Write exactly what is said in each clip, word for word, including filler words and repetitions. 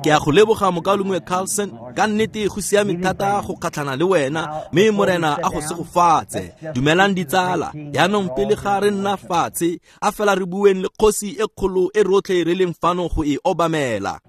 Ke a go leboga mokaulengwe Carlson, ka nnete go siame thata go kgatlhana le wena, mme Morena a go segofatse. Dumelang ditsala, jaanong pele ga re nna fatshe, a fela re bueng le kgosi e kgolo e rotlhe re leng fano go e obamela.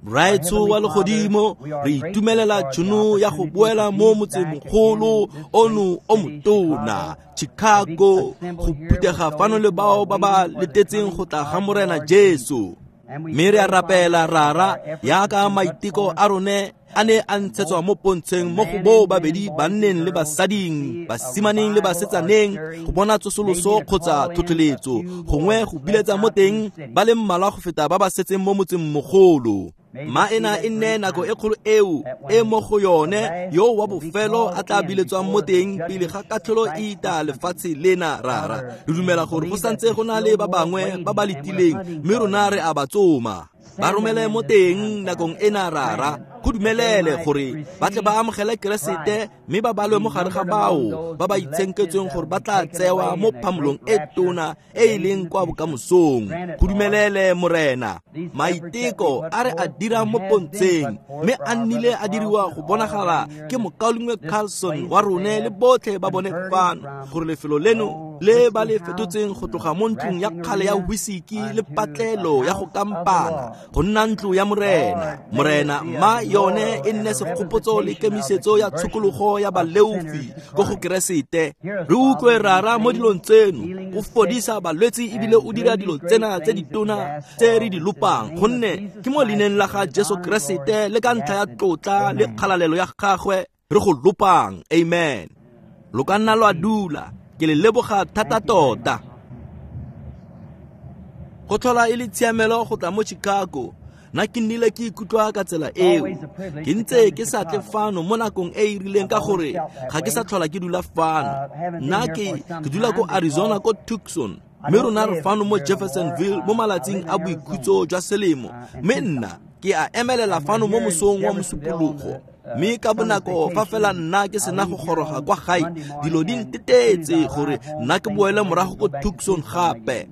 Raetsho wa legodimo, re itumelela tšhono ya go boela mo motsemogolo ono o motona, Chicago, go phuthega fano le bao ba ba letetseng go tla ga Morena Jesu. Mme re a rapela Rara, yaka maiteko a rone a ne a ntshetswa mo pontsheng mo go boo babedi banneng le basading, basimaneng le basetsaneng, go bona tsosoloso kgotsa tlhotlheletso, gongwe go biletsa mo teng ba le mmalwa go feta ba ba setseng mo motsengmogolo. Ma ena e nne nako e kgolo eo e mo go yone yo wa bofelo a tla biletswang mo teng pele ga katlholo e ita lefatshe lena Rara. Re dumela gore go santse go na le ba bangwe ba ba letileng, mme rona re a ba tsoma. Ba romele mo teng nakong ena Rara, go dumelele gore ba tle ba amogele Keresete mme ba balwe mo gare ga bao ba ba itshenketsweng gore ba tla tsewa mo phamolong e tona e e leng kwa bokamosong. Go dumelele Morena, maiteko a re a dirang mo pontsheng mme a nnile a diriwa go bonagala ke mokaulengwe Carlson wa rone le botlhe ba bone fano, gore lefelo leno le ba le fetotseng go tloga mo ntlong ya kgale ya whisky le patlelo ya go kampana go nna ntlo ya Morena. Morena, mma yone e nne segopotso le kemisetso ya tshokologo ya baleofi ko go Keresete. Re utlwe Rara mo dilong tseno, o fodisa balwetse ebile o dira dilo tsena tse ditona tse re di lopang, gonne ke mo leineng la ga Jesu Keresete le ka ntlha ya tlotla le kgalalelo ya gagwe re go lopang. Amen. Lo ka nna lwa dula. Ke le leboga thata tota. Go tlhola e le tshiamelo go tla mo Chicago. Nna ke nnile ke ikutlwa ka tsela eo. Ke ntse ke sa tle fano mo nakong e e rileng ka gore ga ke sa tlhola ke dula fano. Nna ke ke dula ko Arizona ko Tucson, mme rona re fano mo Jeffersonville mo malatsing a boikhutso jwa selemo. Mme nna ke a emelela fano mo mosong wa Mosupologo. Mme ka bonako fa fela nna ke sena go goroga kwa gae, dilo di ntetetse gore nna ke boele morago ko Tucson gape.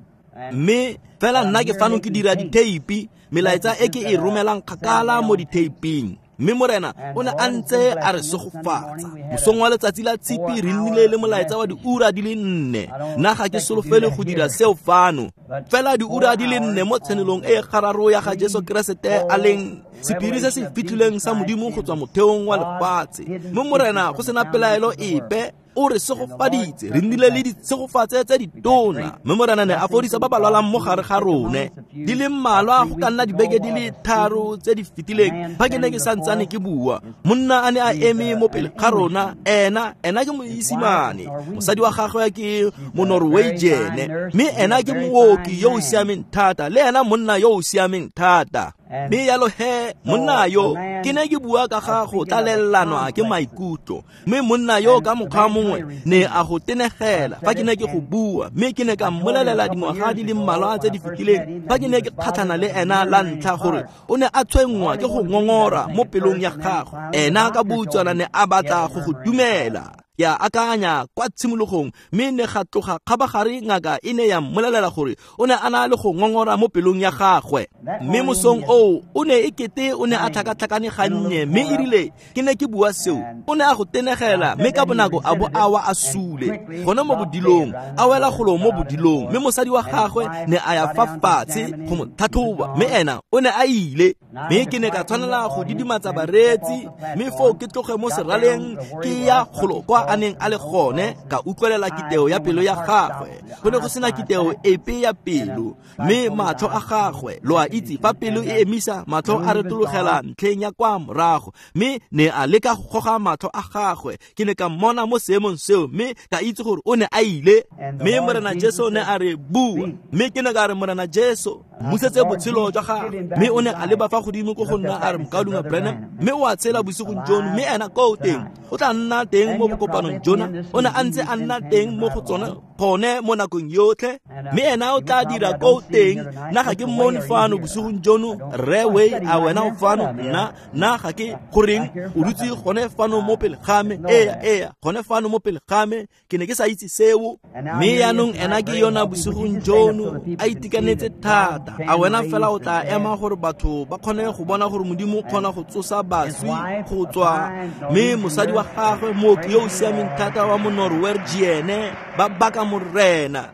Mme fela nna ke fano ke dira ditheipi, melaetsa e ke e romelang kgakala mo ditheiping. Mme Morena o ne a ntse a re segofatsa. Mosong wa letsatsi la Tshipi re nnile le molaetsa wa diura di le nne. Nna ga ke solofele go dira seo fano. Fela diura di le nne mo tshenolong e gararo ya ga Jesu Keresete a leng sephiri se se fitlhileng sa Modimo go tswa motheong wa lefatshe. Mme Morena go sena pelaelo epe o re segofaditse, re nnile le ditshegofatse tse ditona. Mme Morena ne a fodisa ba ba lwalang mo gare ga rone. Di le mmalwa go ka nna dibeke di le tharo tse di fetileng fa ke ne ke santsane ke bua, monna a ne a eme mo pele ga rona. Ena ena ke Moisimane, mosadi wa gagwe ke Monorwegian, mme ena ke mooki yo o siameng thata, le ena monna yo o siameng thata. Mme yalo he, monna yo ke ne ke bua ka ga go tlalellanwa ke maikutlo, mme monna yo ka mokgwa mongwe ne a go tenegela fa ke ne ke go bua. Mme ke ne ka mmolelela dingwaga di le mmalwa tse di fetileng fa ke ne ke kgatlhana le ena la ntlha gore o ne a tshwenngwa ke go ngongora mo pelong ya gagwe. Ena ka boutswana ne a batla go go dumela. Ke a akanya kwa tshimologong, mme ne ga tloga kgabagare ngaka e ne ya mmolelela gore o ne a na le go ngongora mo pelong ya gagwe. Mme mosong oo o ne e kete o ne a tlhakatlhakane gannye, mme e rile ke ne ke bua seo, o ne a go tenegela, mme ka bonako a bo a wa a sule gone mo bodilong, a wela golo mo bodilong. Mme mosadi wa gagwe ne a ya fa fatshe go mo tlhatlhoba, mme ena o ne a ile. Mme ke ne ka tshwanela go didimatsa bareetsi, mme foo ke tloge mo seraleng ke ya golo kwa a neng a le gone, ka utlwelela kiteo ya pelo ya gagwe. Go ne go sena kiteo epe ya pelo, mme matlho a gagwe, lo a itse fa pelo e emisa, matlho a retologela ntlheng ya kwa morago, mme ne a leka go goga matlho a gagwe. Ke ne ka mmona mo seemong seo, mme ka itse gore o ne a ile. Mme Morena Jesu ne a re bua, mme ke ne ka re Morena Jesu mmusetse botshelo jwa gagwe. Mme o ne a leba fa godimo ko go nna a re, mokaulengwe Branham, mme o a tshela bosigong jono, mme ena ko o teng o tla nna teng mo bokopanong jona. O ne a ntse a nna teng mo go tsone Gone mo nakong yotlhe mme ena o tla dira ko teng. Nna ga ke mmone fano bosigong jono. Rre Way, a wena o fano? Nna nna ga ke goreng o dutse gone fano mo pele ga me. Ea ea gone fano mo pele ga me, ke ne ke sa itse seo. Mme yaanong ena ke yona bosigong jono a itekanetse thata. A wena fela o tla ema gore batho ba kgone go bona gore Modimo o kgona go tsosa baswi go tswa. Mme mosadi wa gagwe, mooki yo o siameng thata wa Monorwegian, ba baka Morena.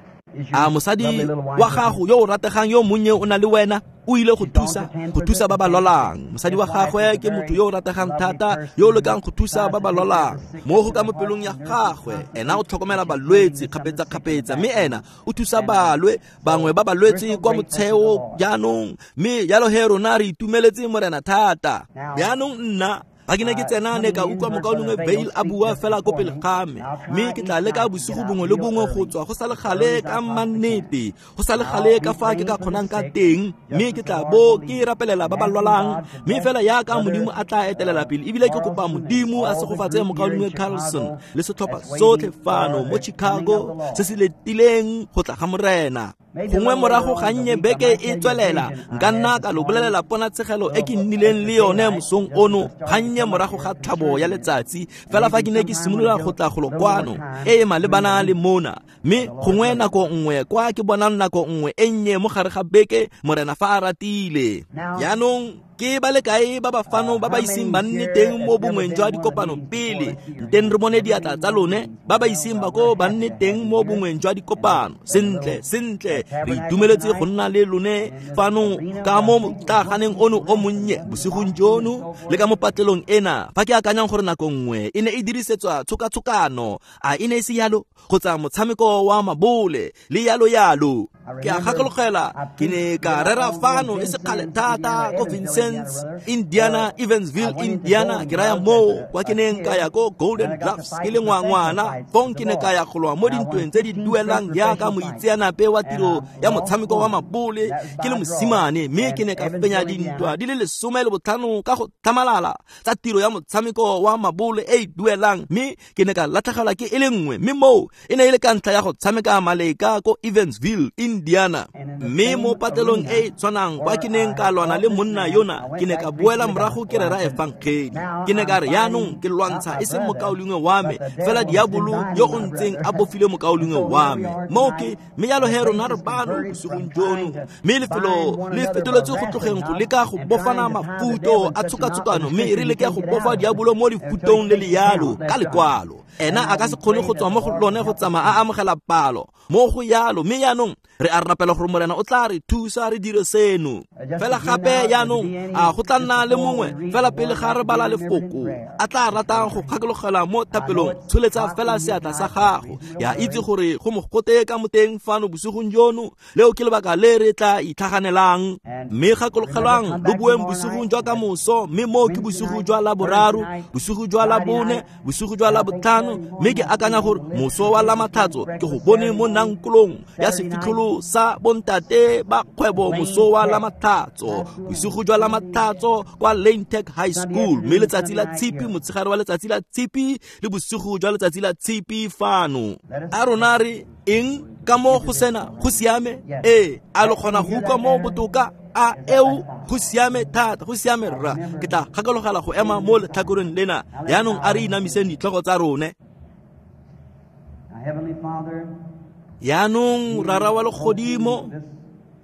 A mosadi wa gago yo o rategang yo monnye o na le wena, o ile go thusa go thusa ba ba lwalang. Mosadi wa gagwe ke motho yo o rategang thata yo o lekang go thusa ba ba lwalang. Mo go ka mo pelong ya gagwe, ena o tlhokomela balwetse kgapetsa-kgapetsa, mme ena o thusa balwe bangwe ba balwetse kwa motsheo jaanong. Mme jalo he rona re itumeletse Morena thata. Jaanong nna ga ke ne ke tsena ne ka utlwa mokaulengwe Vail a bua fela ko pele ga me, mme ke tla leka bosigo bongwe le bongwe go tswa go sa le gale ka mannete, go sa le gale ka fa ke ka kgonang ka teng, mme ke tla bo ke rapelela ba ba lwalang. Mme fela yaka Modimo a tla etelela pele, ebile ke kopa Modimo a segofatse mokaulengwe Carlson le setlhopha sotlhe fano mo Chicago se se letileng go tla ga Morena. Gongwe morago ga nnye beke e tswelela, nka nna ka lo bolelela ponatshegelo e ke nnileng le yone mosong ono ga nnye morago ga tlhabo ya letsatsi, fela fa ke ne ke simolola go tla golo kwano e e malebana le mona. Mme gongwe nako nngwe kwa ke bonang nako nngwe e nnye mo gare ga beke, Morena fa a ratile. Jaanong ke ba le kae ba ba fano ba ba iseng ba nne teng mo bongweng jwa dikopano pele? Nteng re bone diatla tsa lone ba ba iseng ba ko ba nne teng mo bongweng jwa dikopano. Sentle, sentle, re itumeletse go nna le lone fano ka mo motlaganeng ono o monnye bosigong jono le ka mo patlelong ena. Fa ke akanyang gore nako nngwe e ne e dirisetswa tshokatshokano, a e ne e se yalo, kgotsa motshameko wa mabole le yalo yalo. Ke a gakologela ke ne ka rera fano e se kgale thata ko Vincennes, Indiana, Evansville, Indiana. Ke raya moo kwa ke neng ka ya ko Golden Gloves ke le ngwangwana. Fong ke ne ka ya go lwa mo dintweng tse di duelang jaaka moitseanape wa tiro ya motshameko wa mabole ke le mosimane, mme ke ne ka fenya dintwa di le lesome le botlhano ka go tlhamalala tsa tiro ya motshameko wa mabole e e duelang, mme ke ne ka latlhegelwa ke e le nngwe, mme moo e ne e le ka ntlha ya go tshameka maleka ko Evansville, Indiana. Mme mo patelong e e tshwanang kwa ke neng ka lwana le monna yona, ke ne ka boela morago ke rera efangedi. Ke ne ka re yaanong ke lwantsha e seng mokaulengwe wa me, fela diabolo yo o ntseng a bofile mokaulengwe wa me. Moo ke mme jalo he rona re bano bosigong jono, mme lefelo le fetoletswe go tlogeng go leka go bofana mafuto a tshokatshokano, mme re leke go bofa diabolo mo lefutong le le yalo ka lekwalo. Ena a ka se kgone go tswa mo go lone go tsamaya a amogela palo mo go yalo. Mme yaanong re a rapela gore Morena o tla re thusa re dire seno. Fela gape yaanong a go tla nna le mongwe fela pele ga re bala lefoko a tla ratang go kgakologela mo thapelong, tsholetsa fela seatla sa gago. Ya itse gore go mogote ka moteng fano bosigong jono, leo ke lebaka le re tla itlhaganelang. Mme gakologelwang lo boeng bosigong jwa ka moso, mme moo ke bosigo jwa Laboraro, bosigo jwa Labone, bosigo jwa Labotlhano, mme ke akanya gore moso wa Lamatlhatso ke go bone mo nankolong ya sefitlholo sa bontate ba kgwebo moso wa Lamatlhatso, bosigo jwa Lamatlhatso kwa Lane Tech High School, mme letsatsi la Tshipi, motshegare wa letsatsi la Tshipi le bosigo jwa letsatsi la Tshipi fano. A rona re eng ka mo go sena go siame? Ee, a lo kgona go utlwa mo botoka? A eo go siame thata, go siame rra. Ke tla gakologela go ema mo letlhakoreng lena. Jaanong a re inamiseng ditlhogo tsa rone. Yaanong Rara wa legodimo,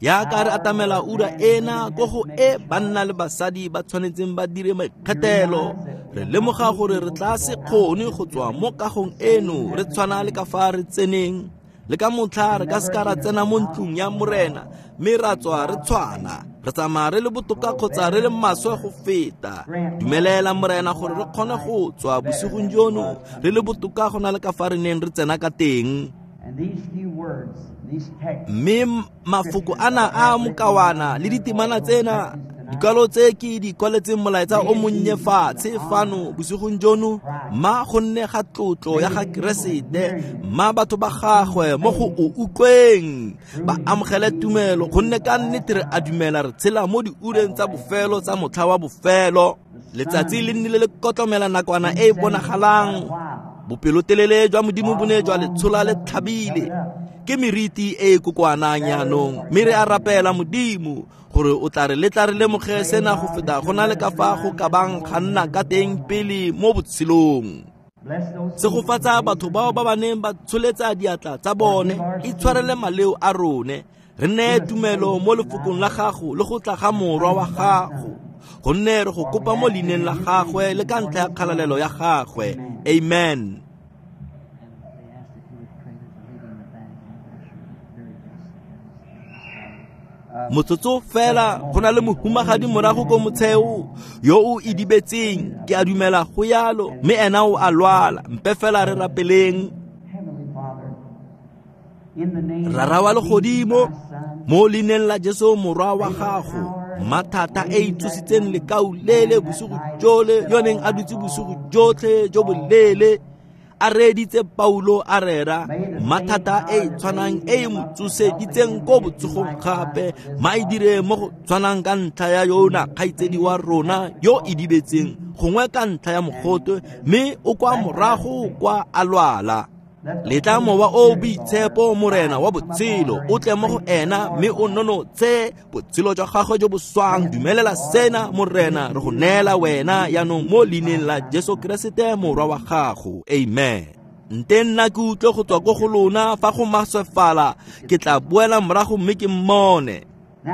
yaka re atamela ura ena ko go e banna le basadi ba tshwanetseng ba dire maikgethelo, re lemoga gore re tla se kgone go tswa mo kagong eno re tshwana le ka fa re tseneng. Le ka motlha re ka se ka ra tsena mo ntlong ya Morena mme ra tswa re tshwana, re tsamaya re le botoka kgotsa re le maswe go feta. Dumelela Morena gore re kgone go tswa bosigong jono re le botoka go na le ka fa re neng re tsena ka teng. Mme mafoko ana a mokawana le ditemana tsena, dikwalo tse ke di kwaletseng molaetsa o monnye fatshe fano bosigong jono, ma gonne ga tlotlo ya ga Keresete, ma batho ba gagwe mo go o utlweng ba amogele tumelo, gonne ka nnete re a dumela re tshela mo diureng tsa bofelo tsa motlha wa bofelo. Letsatsi le nnile le kotlomela nakwana e e bonagalang Bopelotelele jwa Modimo bo ne jwa le tshola le tlhabile. Ke meriti e e kokoanang jaanong, mme re a rapela Modimo gore o tla re letla re lemoge sena go feta go na le ka fa go ka bang ga nna ka teng pele mo botshelong. Segofatsa batho bao ba ba neng ba tsholetsa diatla tsa bone, itshwarele maleo a rone, re neye tumelo mo lefokong la gago le go tla ga morwa wa gago, gonne re go kopa mo leineng la gagwe le ka ntlha ya kgalalelo ya gagwe. Amen. Motsotso fela go na le mohumagadi morago ko motsheo yo o idibetseng, ke a dumela go yalo, mme ena o a lwala. Mpe fela re rapeleng. Rara wa legodimo, mo leineng la Jesu morwa wa gago, mathata e e tsositseng lekau lele bosigo jole yo neng a dutse bosigo jotlhe jo boleele a reeditse Paulo a rera, mathata e e tshwanang e e mo tsoseditseng ko botsogong gape, ma e dire mo go tshwanang ka ntlha ya yona kgaitsedi wa rona yo e dibetseng, gongwe ka ntlha ya mogote, mme o kwa morago kwa a lwala. Letla mowa o boitshepo Morena wa botshelo o tle mo go ena mme o nonotshe botshelo jwa gagwe jo bo swang. Dumelela sena Morena, re go neela wena jaanong mo leineng la Jesu Keresete morwa wa gago. Amen. Nte nna ke utlwe go tswa ko go lona fa go maswefala, ke tla boela morago mme ke mmone.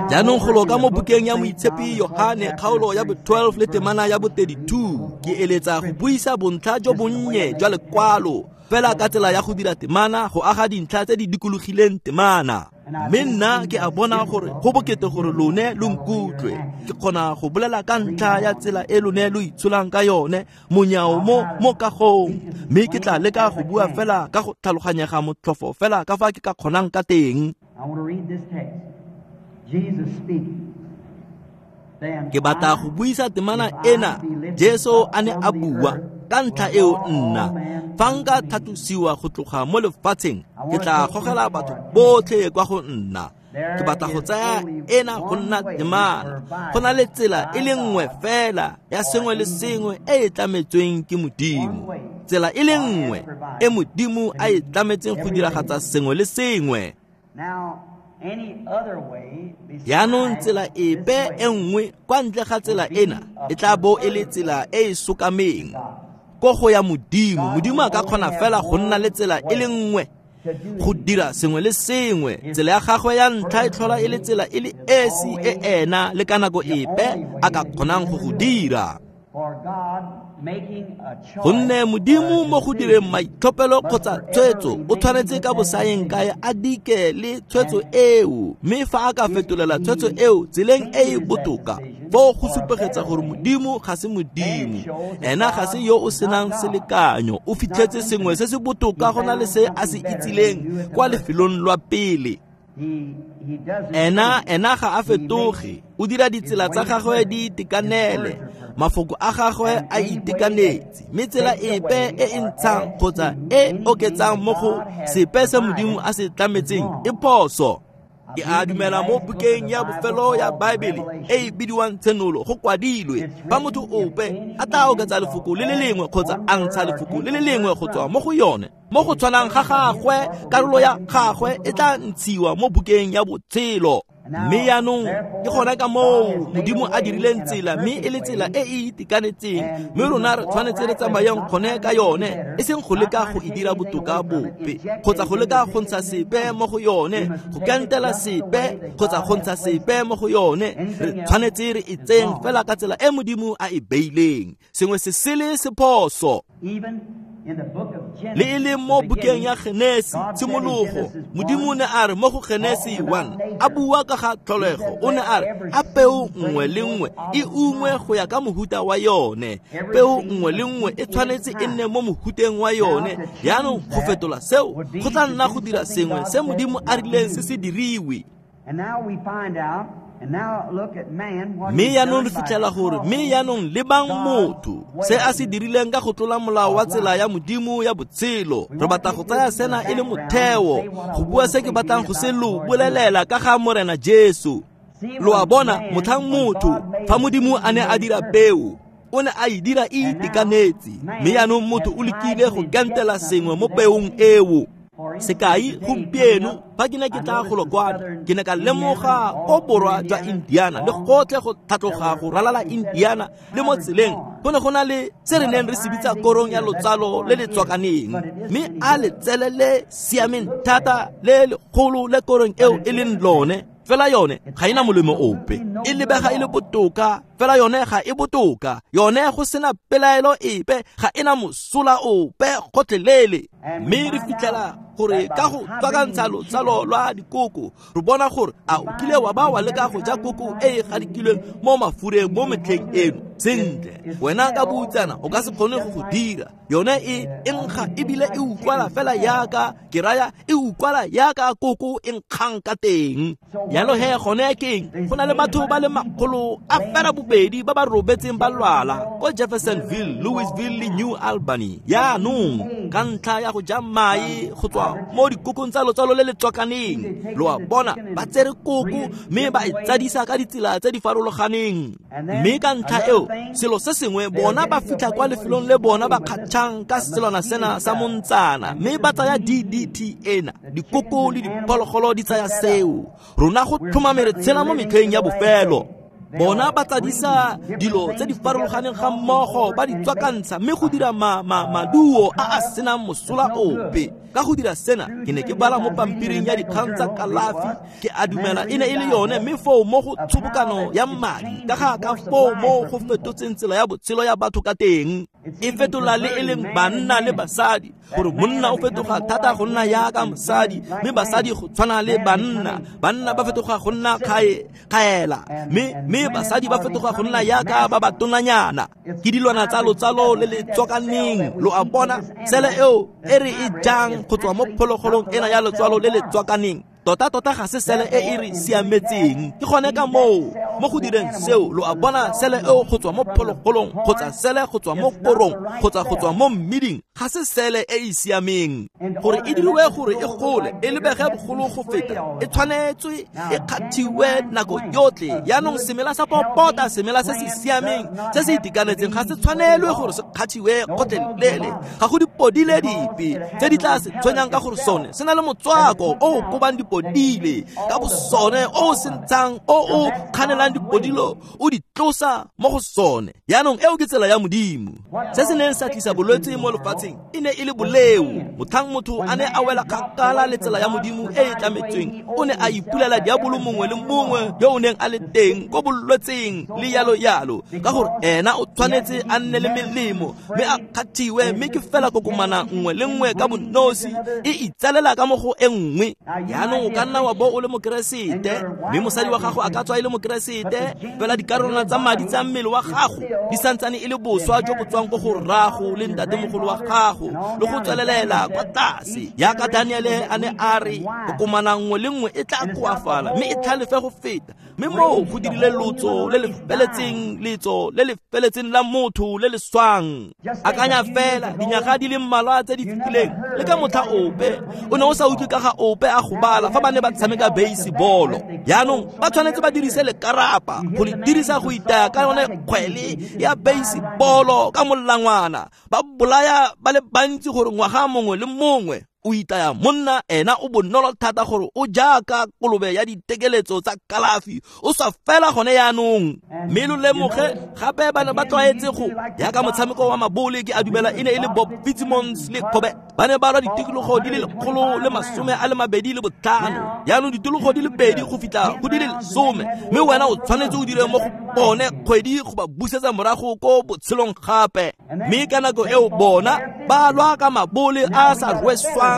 Jaanong go loka mo bukeng ya Moitshepi Yohane kgaolo ya bo twelve le temana ya bo thirty-two, ke eletsa go buisa bontlha jo bonnye jwa lekwalo fela ka tsela ya go dira temana, go aga dintlha tse di dikologileng temana. Mme nna ke a bona gore go bokete gore lone lo nkutlwe. Ke kgona go bolela ka ntlha ya tsela e lone lo itsholang ka yone monyao mo mo kagong, mme ke tla leka go bua fela ka go tlhaloganyega motlhofo fela ka fa ke ka kgonang ka teng. Ke batla go buisa temana ena Jesu a ne a bua ka ntlha eo nna fa nka tlhatlosiwa go tloga mo lefatsheng, ke tla gogela batho botlhe kwa go nna. Ke batla go tsaya ena go nna temana. Go na le tsela e le nngwe fela ya sengwe le sengwe e e tlametsweng ke Modimo, tsela e le nngwe e Modimo a e tlametseng go diragatsa sengwe le sengwe. Jaanong tsela epe e nngwe kwa ntle ga tsela ena e tla bo e le tsela e e sokameng ko go ya Modimo. Modimo a ka kgona fela go nna le tsela e le nngwe go dira sengwe le sengwe. Tsela ya gagwe ya ntlha e tlhola e le tsela e le esi e ena le ka nako epe a ka kgonang go go dira. Gonne Modimo mo go direng maitlhophelo kgotsa tshwetso o tshwanetse ka bosaeng kae a dike le tshwetso eo, mme fa a ka fetolela tshwetso eo tseleng e e botoka, foo go supegetsa gore Modimo ga se Modimo, ena ga se yo o senang selekanyo, o fitlhetse sengwe se se botoka go na le se a se itsileng kwa lefelong lwa pele. Ena ena ga a fetoge, o dira ditsela tsa gagwe di itekanele, mafoko a gagwe a itekanetse, mme tsela epe e e ntshang kgotsa e oketsang mo go sepe se Modimo a se tlametseng e phoso. Ke a dumela mo bukeng ya bofelo ya Baebele e e bidiwang Tshenolo go kwadilwe fa motho ope a tla oketsa lefoko le le lengwe kgotsa a ntsha lefoko le le lengwe go tswa mo go yone, mo go tshwanang ga gagwe karolo ya gagwe e tla ntshiwa mo bukeng ya botshelo. Mme jaanong ke gona ka moo Modimo a dirileng tsela, mme e le tsela e e itekanetseng, mme rona re tshwanetse re tsamayang gone ka yone, e seng go leka go e dira botoka bope kgotsa go leka go ntsha sepe mo go yone, go kentela sepe kgotsa go ntsha sepe mo go yone. Re tshwanetse re e tseng fela ka tsela e Modimo a e beileng. Sengwe se sele se phoso. Le e leng mo bukeng ya Genesi tshimologo, Modimo o ne a re mo go Genesi one a bua ka ga tlholego, o ne a re a peo nngwe le nngwe e ungwe go ya ka mohuta wa yone. Peo nngwe le nngwe e tshwanetse e nne mo mohuteng wa yone. Jaanong go fetola seo go tla nna go dira sengwe se Modimo a rileng se se diriwe. Mme jaanong re fitlhela gore mme jaanong lebang motho se a se dirileng ka go tlola molao wa tsela ya Modimo ya botshelo. Re batla go tsaya sena e le motheo go bua se ke batlang go se lo bolelela ka ga Morena Jesu. Lo a bona, motlhang motho fa Modimo a ne a dira peo, O ne a e dira e itekanetse, mme jaanong motho o lekile go kentela sengwe mo peong eo. Sekai, gompieno fa ke ne ke tla golo kwano, ke ne ka lemoga ko borwa jwa Indiana le gotlhe go tlhatloga go ralala Indiana le mo tseleng go ne go na le se re neng re se bitsa korong ya lotsalo le le tswakaneng, mme a letsele le siameng thata le legolo le korong eo e leng lone. Fela yone ga ena molemo ope, e lebega e le botoka, fela yone ga e botoka, yone go sena pelaelo epe, ga ena mosola ope gotlhelele. Mme re fitlhela gore ka go tswakantsha lotsalo lwa dikoko, re bona gore a o kile wa ba wa leka go ja koko e e gadikilweng mo mafureng mo metlheng eno. Sentle, wena ka boutsana o ka se kgone go go dira. Yone e e nkga ebile e utlwala fela yaka ke raya e utlwala yaka koko e nkgang ka teng. Yalo he gone keng, go na le batho ba le makgolo a fera bobedi ba ba robetseng ba lwala ko Jeffersonville, Louisville le New Albany yaanong ka ntlha ya go ja mae go tswa mo dikokong tsa lotsalo le le tswakaneng. Lo a bona, ba tsere koko mme ba e tsadisa ka ditsela tse di farologaneng, mme ka ntlha eo selo se sengwe bona ba fitlha kwa lefelong le bona ba kgatšhang ka selwana sena sa montsana, mme ba tsaya D D T ena. Dikoko le diphologolo di tsaya seo. Rona go tlhomame re tshela mo metlheng ya bofelo. Bona ba tsadisa dilo tse di farologaneng ga mmogo, ba di tswakantsha mme go dira ma, ma, maduo a a senang mosola ope. Ka go dira sena, ke ne ke bala mo pampiring ya dikgang tsa kalafi, ke a dumela e ne e le yone, mme foo mo go tshobokano ya madi, ka ga ka foo mo go fetotseng tsela ya botshelo ya batho ka teng. E fetola le e leng banna le basadi, gore monna o fetoga thata go nna yaka mosadi, mme basadi go tshwana le banna, banna ba fetoga go nna kgae kgaela, mme mme basadi ba fetoga go nna yaka ba ba tonanyana. Ke dilwana tsa lotsalo le le tswakaneng. Lo a bona, sele eo e re e jang go tswa mo phologolong ena ya lotsalo le le tswakaneng, tota tota ga se sele e e re siametseng. Ke gone ka moo mo go direng seo, lo a bona, sele eo go tswa mo phologolong kgotsa sele go tswa mo korong kgotsa go tswa mo mmiding ga se sele e e siameng. Gore e diriwe gore e gole e lebege bogolo go feta, e tshwanetswe e kgathiwe nako yotlhe. Yaanong semela sa popota, semela se se siameng se se itekanetseng ga se tshwanelwe gore se kgathiwe gotlhelele. Ga go dipodile dipe tse di tla se tshwenyang ka gore sone se na le motswako o o kobang dipodile ka bosone, o o sentshang, o o kganelang dipodilo, o di tlosa mo go sone. Yaanong eo ke tsela ya Modimo. Se se neng sa tlisa bolwetse mo lefatsheng e ne e le boleo. Motlhang motho a ne a wela kgakala le tsela ya Modimo e e tlametsweng, o ne a ipulela diabolo mongwe le mongwe yo o neng a le teng ko bolwetseng le yalo yalo, ka gore ena o tshwanetse a nne le melemo mme a kgathiwe, mme ke fela kokomana nngwe le nngwe ka bonosi e itsalela ka mo go e nngwe. Yaanong o ka nna wa bo o le mokeresete, mme mosadi wa gago a ka tswa e le mokeresete, fela dikarolwana tsa madi tsa mmele wa gago di santsane e le boswa jo bo tswang ko go rrago le ntatemogolo wa gago le go tswelelela kwa tlase. Yaka Daniele a ne a re kokomana nngwe le nngwe e tla koafala mme e tlhalefe go feta, mme moo go dirile lotso le le feletseng, letso le le feletseng la motho le le swang. Akanya fela dinyaga di le mmalwa tse di fetileng, le ka motlha ope o ne o sa utlwe ka ga ope a gobala fa ba ne ba tshameka baseball. Yaanong ba tshwanetse ba dirise lekarapa go le dirisa go itaya ka yone kgwele ya baseball ka molangwana, ba bolaya ba le bantsi gore ngwaga mongwe le mongwe o itaya monna ena o bonolo thata gore o jaaka kolobe ya ditekeletso tsa kalafi, o sa fela gone yaanong. Mme lo lemoge gape ba ne ba tlwaetse go yaka motshameko wa mabole, ke a dumela e ne e le Bob Fitzsimmons le Kobe, ba ne ba lwa ditikologo di le lekgolo le masome a le mabedi le botlhano, yaanong ditologo di le pedi go fitlha go di le lesome, mme wena o tshwanetse o dire mo go bone kgwedi go ba busetsa morago ko botshelong gape. Mme ka nako eo bona ba lwa ka mabole a sa rweswang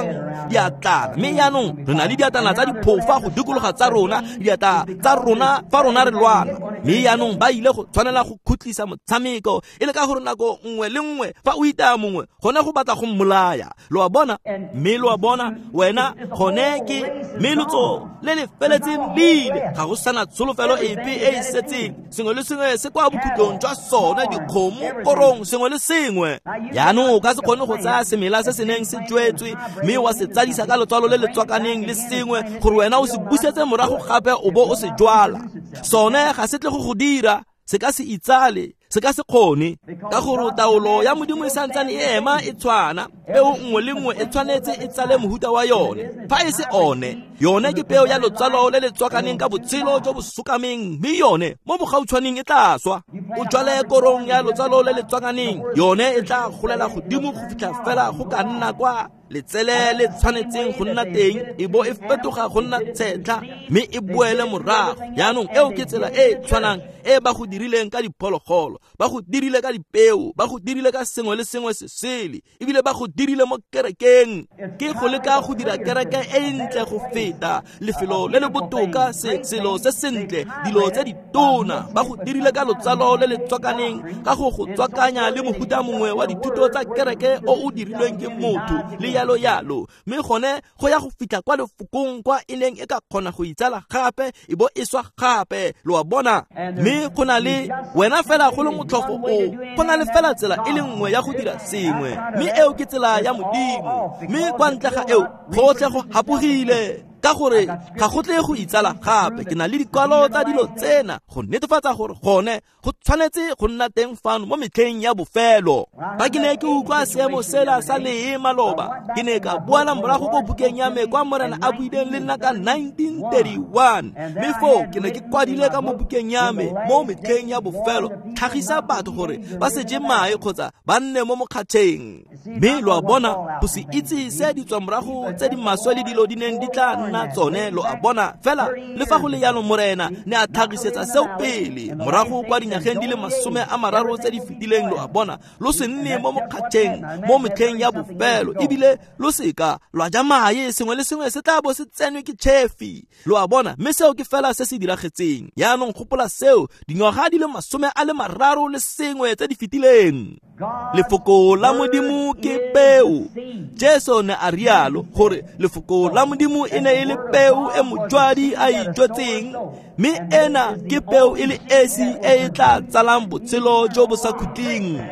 diatlana, mme yaanong re na le diatlana tsa diphofa go dikologa tsa rona, diatla tsa rona fa rona re lwana. Mme yaanong ba ile go tshwanela go khutlisa motshameko e le ka gore nako nngwe le nngwe fa o itaya mongwe gone go batla go mmolaya. Lo a bona, mme lo a bona wena gone ke mme lotso le le feletseng le ile, ga go sana tsholofelo epe e e setseng. Sengwe le sengwe se kwa bokhutlong jwa sone, dikgomo, korong, sengwe le sengwe. Yaanong o ka se kgone go tsaya semela se se neng se jwetswe mme wa se tsadisa ka letswalo le le tswakaneng le sengwe gore wena o se busetse morago gape o bo o se jwala. Sone ga se tle go go dira, se ka se itsale, Se ka se kgone, ka gore taolo ya Modimo e santsane e ema e tshwana. Peo nngwe le nngwe e tshwanetse e tsale mohuta wa yone. Fa e se one, yone ke peo ya lotsalo le le tswakaneng ka botshelo jo bo sokameng, mme yone mo bogautshwaneng e tla swa. O jwale korong ya lotsalo le le tswakaneng, yone e tla golela godimo go fitlha fela go ka nna kwa letsele le tshwanetseng go nna teng, e bo e fetoga go nna tshetlha mme e boele morago. Jaanong eo ke tsela e e tshwanang e ba go dirileng ka diphologolo, ba go dirile ka dipeo, ba go dirile ka sengwe le sengwe se sele, ebile ba go dirile mo kerekeng. Ke go leka go dira kereke e ntle go feta, lefelo le le botoka, se selo se sentle, dilo tse ditona. Ba go dirile ka lotsalo le le tswakaneng, ka go go tswakanya le mohuta mongwe wa dithuto tsa kereke o o dirilweng ke motho le yalo yalo. Mme gone go ya go fitlha kwa lefokong kwa e neng e ka kgona go itsala gape e bo e swa gape, lo a bona. Mme go na le wena fela go le motlhofo o, go na le fela tsela e le nngwe ya go dira sengwe, mme eo ke tsela ya Modimo. Mme kwa ntle ga eo gotlhe go hapogile, ka gore ga go tle go itsala gape. Ke na le dikwalo tsa dilo tsena go netefatsa gore gone go tshwanetse go nna teng fano mo metlheng ya bofelo. Fa ke ne ke utlwa seemo sela sa lee maloba, ke ne ka boela morago ko bukeng ya me kwa Morena a buileng le nna ka nineteen thirty-one. Mme foo ke ne ke kwadile ka mo bukeng ya me mo metlheng ya bofelo, tlhagisa batho gore ba se je mae kgotsa ba nne mo mokgatšheng. Mme lo a bona, go se itse se ditswamorago tse di maswe le dilo di neng di tla nna tsone, lo a bona. Fela le fa go le jalo, Morena ne a tlhagisetsa seo pele morago kwa dinyageng di le masome a mararo tse di fetileng, lo a bona. Lo se nne mo mokgatšheng mo metlheng ya bofelo, ebile lo seka lwa ja mae, sengwe le sengwe se tla bo se tsenwe ke tšhefi, lo a bona. Mme seo ke fela se se diragetseng. Jaanong gopola seo, dingwaga di le masome a le mararo le sengwe tse di fetileng. Lefoko la Modimo ke peo. Jesu ne a rialo gore lefoko la Modimo e ne e le peo e mojwadi a e jwetseng, mme ena ke peo e le esi e e tla tsalang botshelo jo bo sa khutleng.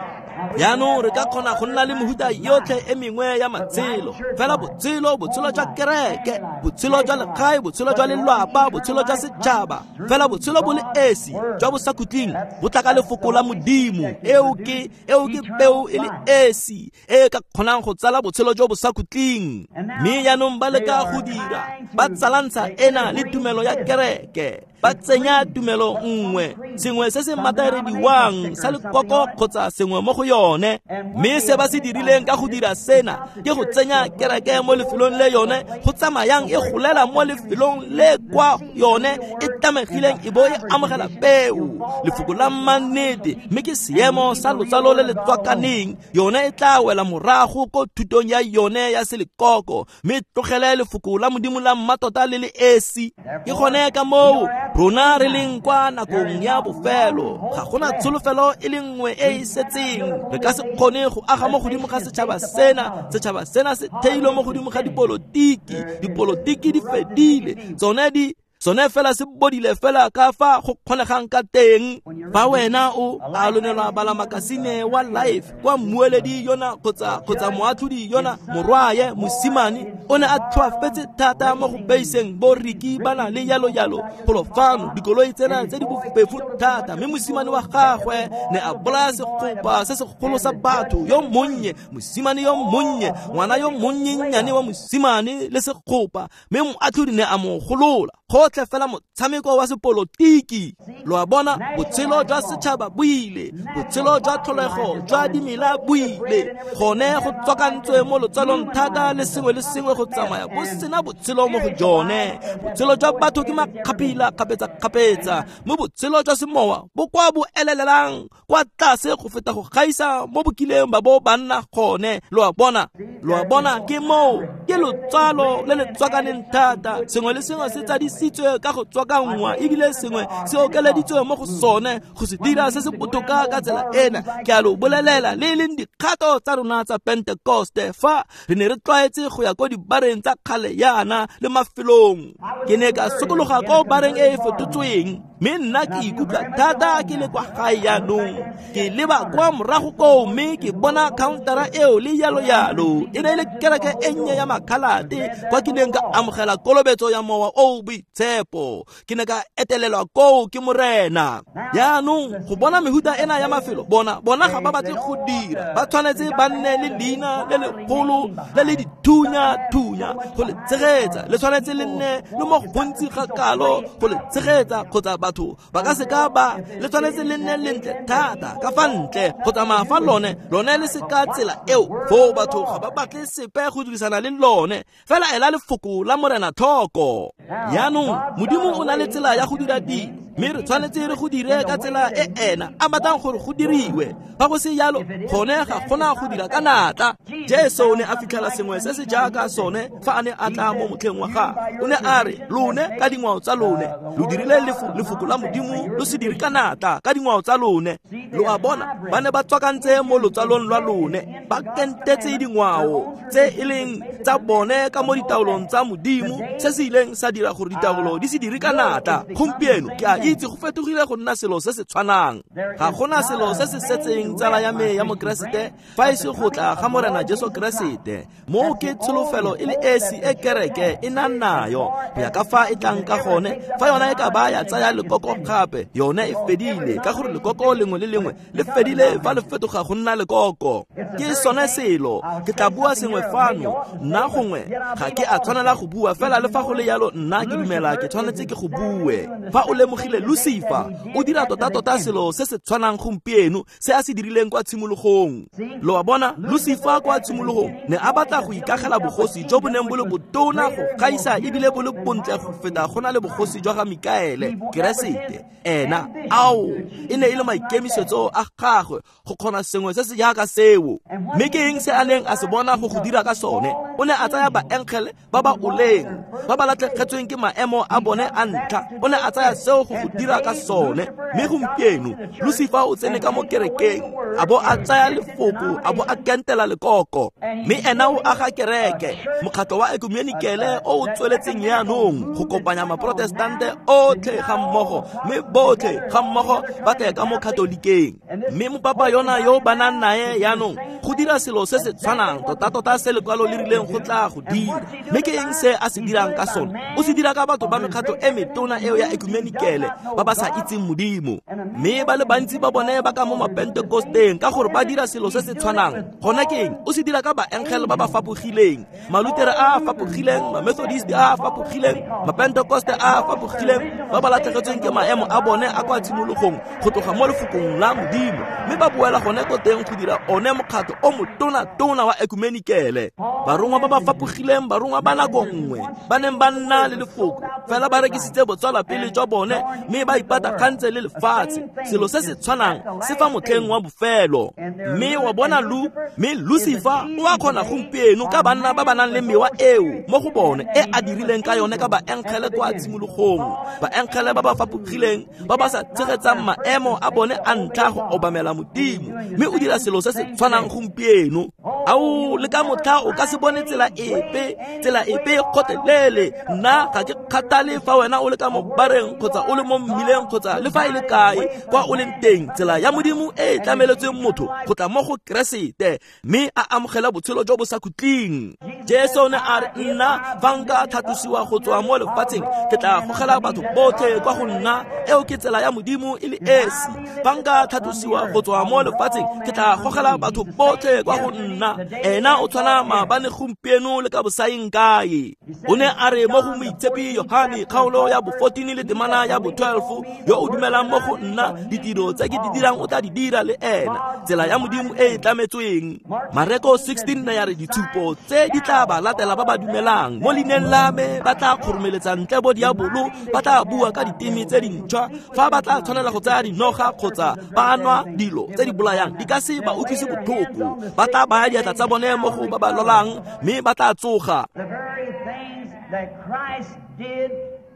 Jaanong re ka kgona go nna le mehuta yotlhe e mengwe ya matshelo, fela botshelo, botshelo jwa kereke, botshelo jwa legae, botshelo jwa lelapa, botshelo jwa setšhaba, fela botshelo bo le esi jwa bosakhutleng bo tla ka lefoko la Modimo. Eo ke eo ke peo e le esi e ka kgonang go tsala botshelo jo bosakhutleng. Mme jaanong ba leka go dira, ba tsalantsha ena le tumelo ya kereke, ba tsenya tumelo nngwe, sengwe se se matarediwang sa lekoko kgotsa sengwe mo go yone. Mme se ba se dirileng ka go dira sena ke go tsenya kereke mo lefelong le yone go tsamayang e golela mo lefelong le kwa yone e tlamegileng e bo e amogela peo, lefoko la mannete. Mme ke seemo sa lotsalo le le tswakaneng, yone e tla wela morago ko thutong ya yone ya selekoko, mme tlogele lefoko la Modimo la mmatota le le esi. Ke gone ka moo rona re leng kwa nakong ya bofelo. Ga gona tsholofelo e le nngwe e e setseng. Re ka se kgone go aga mo godimo ga setšhaba sena. Setšhaba sena se theilwe mo godimo ga dipolotiki. Dipolotiki di fedile, tsone di sone fela se bodile fela ka fa go kgonegang ka teng. Fa wena o a lonelwa bala makasine wa Life kwa mmueledi yona kgotsa kgotsa moatlhodi yona morwaye mosimane o ne a tlhoafetse thata mo go beiseng bo Riki ba na le yalo yalo golo fano, dikoloi tsena tse di bofefo thata, mme mosimane wa gagwe ne a bolaya segopa se segolo sa batho, yo monnye mosimane yo monnye, ngwana yo monnyenyane wa mosimane le segopa, mme moatlhodi ne a mo golola. Gotlhe fela motshameko wa sepolotiki. Lo a bona, botshelo jwa setšhaba bo ile, botshelo jwa tlholego jwa dimela bo ile, gone go tswakantswe mo lotsalong thata le sengwe le sengwe go tsamaya bo sena botshelo mo go jone. Botshelo jwa batho ke makgaphila kgapetsa-kgapetsa, mme botshelo jwa semowa bo kwa bo elelelang kwa tlase go feta go gaisa mo bokileng ba bo ba nna gone. Lo a bona, lo a bona, ke moo ke lotsalo le le tswakaneng thata, sengwe le sengwe se tsadisitswe ka go tswakanngwa, ebile sengwe se okeleditswe mo go sone go se dira se se botoka ka tsela ena. Ke a lo bolelela, le e leng dikgato tsa rona tsa Pentekoste, fa re ne re tlwaetse go ya ko dibareng tsa kgale yana le mafelong, ke ne ka sokologa ko bareng e e fetotsweng, mme nna ke ikutlwa thata ke le kwa gae jaanong. Ke leba kwa morago koo mme ke bona countera eo le yalo yalo. E ne e le kereke e nnye ya makhalate kwa ke neng ka amogela kolobetso ya mowa o o boitshepo. boitshepo. Ke ne ka etelelwa koo ke Morena. Jaanong go bona mehuta ena ya mafelo, bona bona ga ba batle go dira. Ba tshwanetse ba nne le leina le legolo le le dithunya-thunya go le tshegetsa. Le tshwanetse le nne le mo gontsi ga kalo go le tshegetsa, kgotsa batho ba ka seka ba le tshwanetse le nne lentle thata ka fa ntle go tsamaya fa lone lone le seka tsela eo. Foo batho ga ba batle sepe go dirisana le lone. Fela ela lefoko la Morena tlhoko. Jaanong Modimo o na le tsela ya go dira dilo, mme re tshwanetse re go dire ka tsela e ena a batlang gore go diriwe. Fa go se jalo, gone ga gona go dira ka natla. Jesu o ne a fitlhela sengwe se se jaaka sone fa a ne a tla mo motlheng wa gagwe. O ne a re, lone ka dingwao tsa lone lo dirile lefoko la Modimo, lo se dire ka natla ka dingwao tsa lone. Lo a bona, ba ne ba tswakantse mo lotsalong lwa lone, ba kentetse dingwao tse e leng tsa bone ka mo ditaolong tsa Modimo, se se ileng sa dira gore ditaolo di se dire ka natla. Gompieno ke a itse go fetogile go nna selo se se tshwanang. Ga gona selo se se setseng tsala ya me ya Mokeresete fa e se go tla ga Morena Jesu Keresete. Moo ke tsholofelo e le esi e kereke e nang nayo. Go ya ka fa e tlang ka gone, fa yona e ka ba ya tsaya lekoko gape, yone e fedile, ka gore lekoko lengwe le lengwe le fedile fa le fetoga go nna lekoko. Ke sone selo. Ke tla bua sengwe fano, nna gongwe ga ke a tshwanela go bua, fela le fa go le jalo nna ke dumela ke tshwanetse ke go bue. Fa o lemogile Lucifer o dira tota-tota selo se se tshwanang gompieno se a se dirileng kwa tshimologong. Lo a bona, Lucifer kwa tshimologong ne a batla go ikagela bogosi jo bo neng bo le botona go gaisa ebile bo le bontle go feta go na le bogosi jwa ga Mikaele, Keresete. Ena ao e ne e le maikemisetso a gagwe go kgona sengwe se se jaaka seo. Mme ke eng se a neng a se bona go go dira ka sone? O ne a tsaya baengele ba ba oleng, ba ba latlhegetsweng ke maemo a bone a ntlha. O ne a tsaya seo go go dira ka sone. Mme gompieno Lucifer o tsene ka mo kerekeng, a bo a tsaya lefoko, a bo a kentela lekoko. Mme ena o aga kereke, mokgatlho wa ekumenikele o o tsweletseng jaanong go kopanya maprotestante otlhe ga mmogo, mme botlhe ga mmogo ba tle ka mo katolikeng. Mme mopapa yona yo ba nang nae jaanong go dira selo se se tshwanang tota-tota se lekwalo le rileng go tla go dira. Mme ke eng se a se dirang ka sone? O se dira ka batho ba mekgatlho e metona eo ya ekumenikele ba ba sa itseng Modimo. Mme ba le bantsi ba bone ba ka mo mapentekosteng ka gore ba dira selo se se tshwanang. Gona ke eng? O se dira ka baengele ba ba fapogileng, malutere a a fapogileng, mamethodist a a fapogileng, mapentekoste a a fapogileng, ba ba latlhegetsweng ke maemo a bone a kwa tshimologong go tloga mo lefokong la Modimo, mme ba boela gone ko teng go dira one mokgatlho o motona-tona wa ekumenikele. Barongwa ba ba fapogileng, barongwa ba nako nngwe ba neng ba nna le lefoko, fela ba rekisitse botswalapele jwa bone mme ba ipatagantse le lefatshe. Selo se se tshwanang se fa motlheng wa bofelo. Mme wa bona Lu, mme Lucifer o a kgona gompieno ka banna ba ba nang le mewa eo mo go bone e a dirileng ka yone ka baengele kwa tshimologong, baengele ba ba fapogileng, ba ba sa tshegetsang maemo a bone a ntlha go obamela Modimo. Mme o dira selo se se tshwanang gompieno. Ao le ka motlha o ka se bone tsela epe, tsela epe kgotlelele. Nna ga ke kgathale fa wena o le ka mo bareng kgotsa o le mo mmileng kgotsa le fa e le kae kwa o leng teng, tsela ya Modimo e e tlameletsweng motho go tla mo go Keresete mme a amogela botshelo jo bo sa khutleng. Jesu o ne a re, nna fa nka tlhatlosiwa go tswa mo lefatsheng, ke tla gogela batho botlhe kwa go nna. Eo ke tsela ya Modimo e le esi. Fa nka tlhatlosiwa go tswa mo lefatsheng, ke tla gogela batho botlhe kwa go nna. Ena o tshwana maabane, gompieno le ka bosaeng kae. O ne a re mo go Moitshepi Yohane kgaolo ya bo fourteen le temana ya bo twelve, yo o dumelang mo go nna, ditiro tse ke di dirang o tla di dira le ena. Tsela ya Modimo e e tlametsweng. Mareko sixteen ya re ditshupo tse di tla ba latela ba ba dumelang mo leineng la me, ba tla kgoromeletsa ntle bo diabolo, ba tla bua ka diteme tse dintšhwa, fa ba tla tshwanela go tsaya dinoga kgotsa ba nwa dilo tse di bolayang di ka se ba utlwise botlhoko, ba tla baya diatla tsa bone mo go ba ba lwalang mme ba tla tsoga.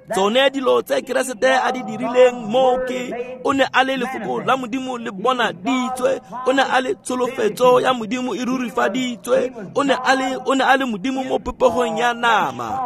Tsone dilo tse Keresete a di dirileng mo ke o ne a le lefoko la Modimo le bonaditswe, o ne a le tsholofetso ya Modimo e rurifaditswe, o ne a le o ne a le Modimo mo popegong ya nama.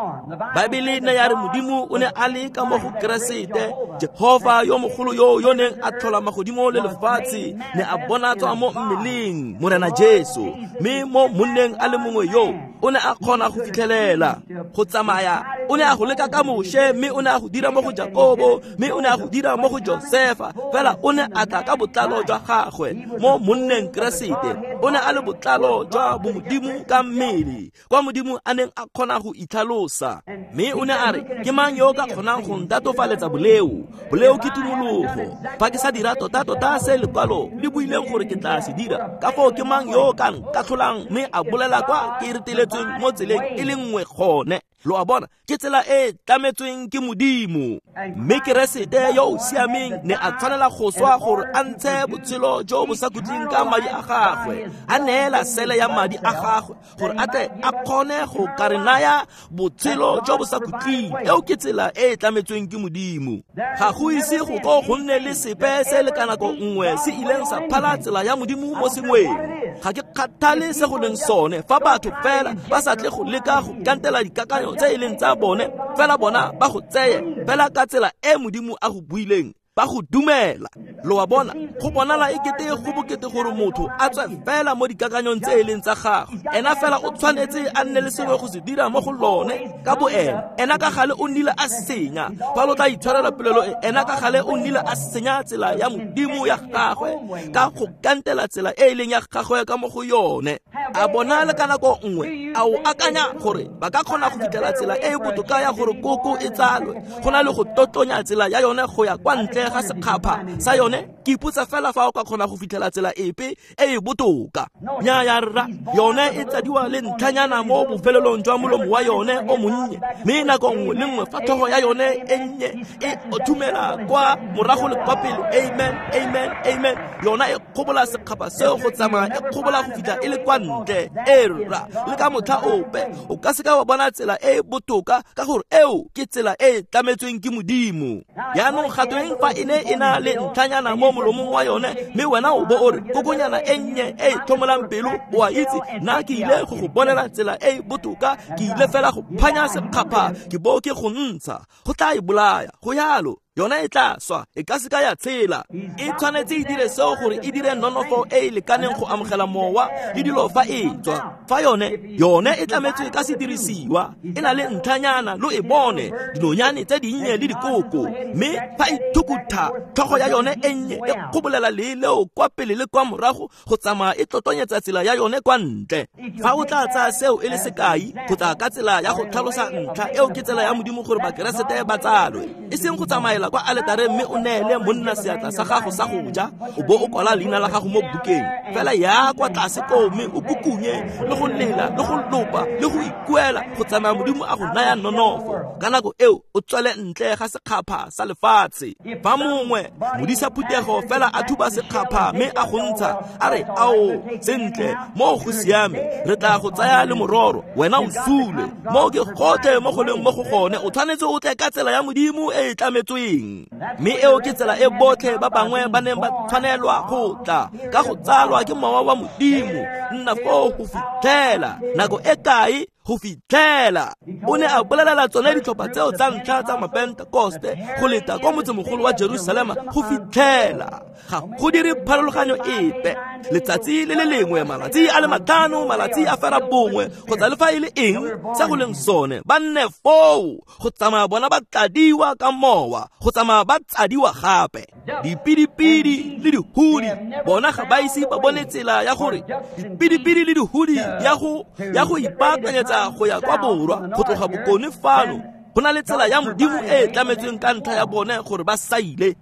Baebele ne ya re Modimo o ne a le ka mo go Keresete, Jehova yo mogolo yo yo neng a tlhola magodimo le lefatshe ne a bonatswa mo mmeleng Morena Jesu. Mme mo monneng a le mongwe yo o ne a kgona go fitlhelela go tsamaya, O ne a go leka ka Moshe, mme o ne a go dira mo go Jakobo, mme o ne a go dira mo go Josefa. Fela o ne a tla ka botlalo jwa gagwe mo monneng Keresete. O ne a le botlalo jwa bomodimo ka mmele, kwa Modimo a neng a kgona go itlhalosa. Mme o ne a re, ke mang yo o ka kgonang go ntatofaletsa boleo? Boleo ke tumologo. Fa ke sa dira tota-tota se lekwalo le buileng gore ke tla se dira, ka foo ke mang yo o ka nkatlholang mme a bolela kwa ke reteletsweng mo tseleng e le nngwe gone? Lo a bona, ke tsela e tlametsweng ke Modimo. Mme Keresete yo o siameng ne a tshwanela go swa gore a ntshe botshelo jo bo sa khutleng ka madi a gagwe, a neela sele ya madi a gagwe gore a tle a kgone go ka re naya botshelo jo bo sa khutleng. Eo ke tsela e tlametsweng ke Modimo. Ga go ise go ko go nne le sepe se le ka nako nngwe se ileng sa phala tsela ya Modimo mo sengweng. Ga ke kgathale se go leng sone, fa batho fela ba sa tle go leka go kantela dikakanyo tse e leng tsa bone, fela bona ba go tseye fela ka tsela e Modimo a go buileng, ba go dumela. Lo a bona, go bonala ekete go bokete gore motho a tswe fela mo dikakanyong tse e leng tsa gagwe. Ena fela o tshwanetse a nne le sengwe go se dira mo go lone ka boene. Ena ka gale o nnile a senya. Fa lo tla itshwarela polelo e, ena ka gale o nnile a senya tsela ya Modimo ya gagwe ka go kantela tsela e e leng ya gagwe ka mo go yone. A bona le ka nako nngwe a o akanya gore ba ka kgona go fitlhela tsela e e botoka ya gore koko e tsalwe, go na le go totlonya tsela ya yone go ya kwa ntle ga sekgapha sa yone? Ke ipotsa fela fa o ka kgona go fitlhela tsela epe e e botoka. Nnyaa rra, yone e tsadiwa le ntlhanyana mo bofelelong jwa molomo wa yone o monnye, mme nako nngwe le nngwe fa tlhogo ya yone e nnye e othumela kwa morago le kwa pele, amen, amen, amen, yona e kgobola sekgapha seo go tsamaya e kgobola go fitlha e le kwa ntle. E rra, le ka motlha ope o ka seka wa bona tsela e e botoka, ka gore eo ke tsela e e tlametsweng ke Modimo. Jaanong ga tweng fa e ne e na le ntlhanyana mo molomong wa yone, mme wena o bo o re kokonyana e nnye e e tlhomolang pelo, o a itse, nna ke ile go go bonela tsela e e botoka, ke ile fela go phanya sekgapha ke bo ke go ntsha. Go tla e bolaya, go yalo. Yona e tla swa, e ka seka ya tshela. E tshwanetse e dire seo gore e dire nonofo e e lekaneng go amogela mowa le dilo fa e tswa. Fa yone, yone e tlametswe ka sedirisiwa, e na le ntlhanyana, lo e bone, dinonyane tse dinnye le dikoko. Mme fa e thukutha tlhogo ya yone e nnye e kgobolela lee leo kwa pele le kwa morago go tsamaya e tlotonyetsa tsela ya yone kwa ntle. Fa o tla tsaya seo e le sekai, go tla ka tsela ya go tlhalosa ntlha eo ke tsela ya Modimo gore Bakeresete ba tsalwe, e seng go tsamaela kwa aletareng mme o neele monna seatla sa gago sa go ja, o bo o kwala leina la gago mo bukeng. Fela ya kwa tlase koo mme o kukunye le go lela le go lopa le go ikuela go tsamaya Modimo a go naya nonofo. Ka nako eo o tswele ntle ga sekgapha sa lefatshe. Fa mongwe modisa phuthego fela a thuba sekgapha mme a go ntsha a re, ao sentle, mo go siame, re tla go tsaya le mororo, wena o sule. Mo ke gotlhe mo go leng mo go gone, o tshwanetse o tle ka tsela ya Modimo e e tlametsweng. Mme eo ke tsela e botlhe ba bangwe ba neng ba tshwanelwa go tla ka go tsalwa ke mowa wa Modimo. Nna foo go fitlhela nako e kae? Go fitlhela o ne a bolelela tsone ditlhopha tseo tsa ntlha tsa Mapentekoste go leta kwa motsemogolo wa Jerusalema go fitlhela. Ga go dire pharologanyo epe. Letsatsi le le lengwe, malatsi a le matlhano, malatsi a fera bongwe, kgotsa le fa e le eng se go leng sone, ba nne foo go tsamaya bona ba tladiwa ka mowa, go tsamaya ba tsadiwa gape. Dipidipidi le dihudi bona ga ba ise ba bone tsela ya gore dipidipidi le dihudi ya go ya go ipaakanyetsa go ya kwa borwa go tloga bokone fano. Go na le tsela ya Modimo e e tlametsweng ka ntlha ya bone gore ba saile.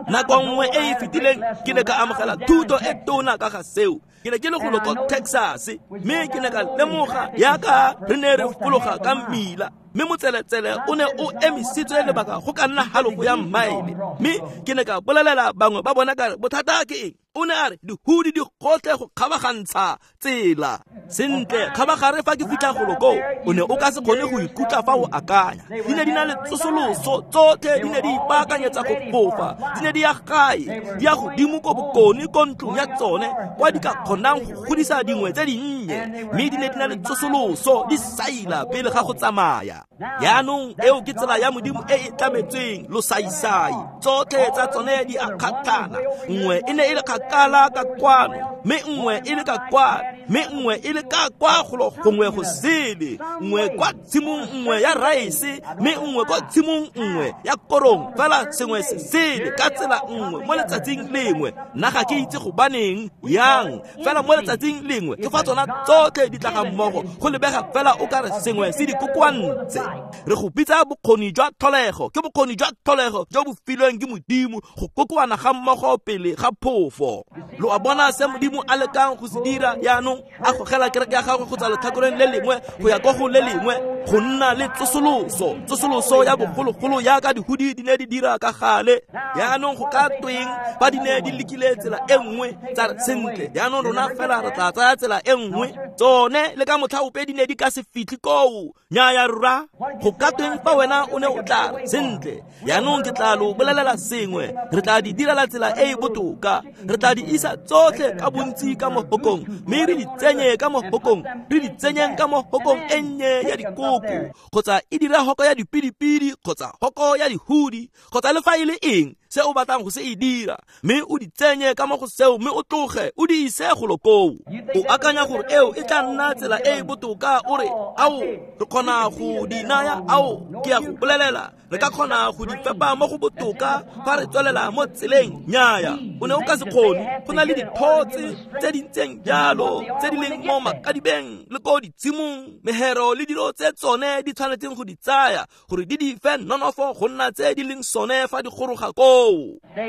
Nako nngwe e e fetileng ke ne ka amogela thuto e tona ka ga seo. Ke ne ke le golo ko Texas, mme ke ne ka lemoga yaka re ne re fologa ka mmila, mme motseletsele o ne o emisitswe lebaka go ka nna halofo ya mmaele. Mme ke ne ka bolelela bangwe ba bona ka re, bothata ke eng? O ne a re dihudi di gotlhe go kgabagantsha tsela. Sentle, kgabagare fa ke fitlha golo koo, o ne o ka se kgone go ikutlwa fa o akanya. Di ne di na le tsosoloso tsotlhe, di ne di ipaakanyetsa go fofa, di ne di ya gae, di ya godimo ko bokone ko ntlong ya tsone kwa di ka kgonang go godisa dingwe tse dinnye, mme di ne di na le tsosoloso, di saila pele ga go tsamaya. Jaanong eo ke tsela ya Modimo e e tlametsweng losaisai. Tsotlhe tsa tsone di a kgatlhana. Nngwe e ne e le kgakala ka kwano, mme nngwe e le ka kwano, mme nngwe e le ka kwa golo gongwe go sele, nngwe kwa tshimong nngwe ya raese, mme nngwe kwa tshimong nngwe ya korong, fela sengwe se sele ka tsela nngwe mo letsatsing lengwe. Nna ga ke itse gobaneng yang, fela mo letsatsing lengwe ke fa tsona tsotlhe di tla ga mmogo, go lebega fela o ka re sengwe se di kokoantse. Re go bitsa bokgoni jwa tlholego, ke bokgoni jwa tlholego jo bo filweng ke Modimo go kokoana ga mmogo pele ga phofo. Lo a bona se Modimo a lekang go se dira jaanong, a gogela kereke ya gagwe go tswa letlhakoreng le lengwe go ya ko go le lengwe, go nna le tsosoloso, tsosoloso ya bogologolo jaaka dihudi di ne di dira ka gale. Jaanong go ka tweng fa di ne di lekile tsela e nngwe tsa re sentle, jaanong rona fela re tla tsaya tsela e nngwe, tsone le ka motlha ope di ne di ka se fitlhe koo. Nnyaya rra, go ka tweng fa wena o ne o tla re sentle, jaanong ke tla lo bolelela sengwe, re tla di direla tsela e e botoka, re tla di isa tsotlhe ka bontsi ka mo hokong, mme re di tsenye ka mo hokong, re di tsenyeng ka mo hokong e nnye ya dikoko, kgotsa e dira hoko ya dipidipidi, kgotsa hoko ya dihudi, kgotsa le fa e le eng se o batlang go se e dira, mme o di tsenye ka mo go seo, mme o tloge o di ise golo koo. O akanya gore eo e tla nna tsela e e botoka, o re ao re kgona go di naya, ao ke a go bolelela re ka kgona go di fepa mo go botoka fa re tswelela mo tseleng. Nnyaya, o ne o ka se kgone. Go na le dithotse tse di ntseng jalo tse di leng mo makadibeng le ko ditshimong, mehero le dilo tse tsone di tshwanetseng go di tsaya gore di di fe nonofo go nna tse di leng sone fa di goroga koo.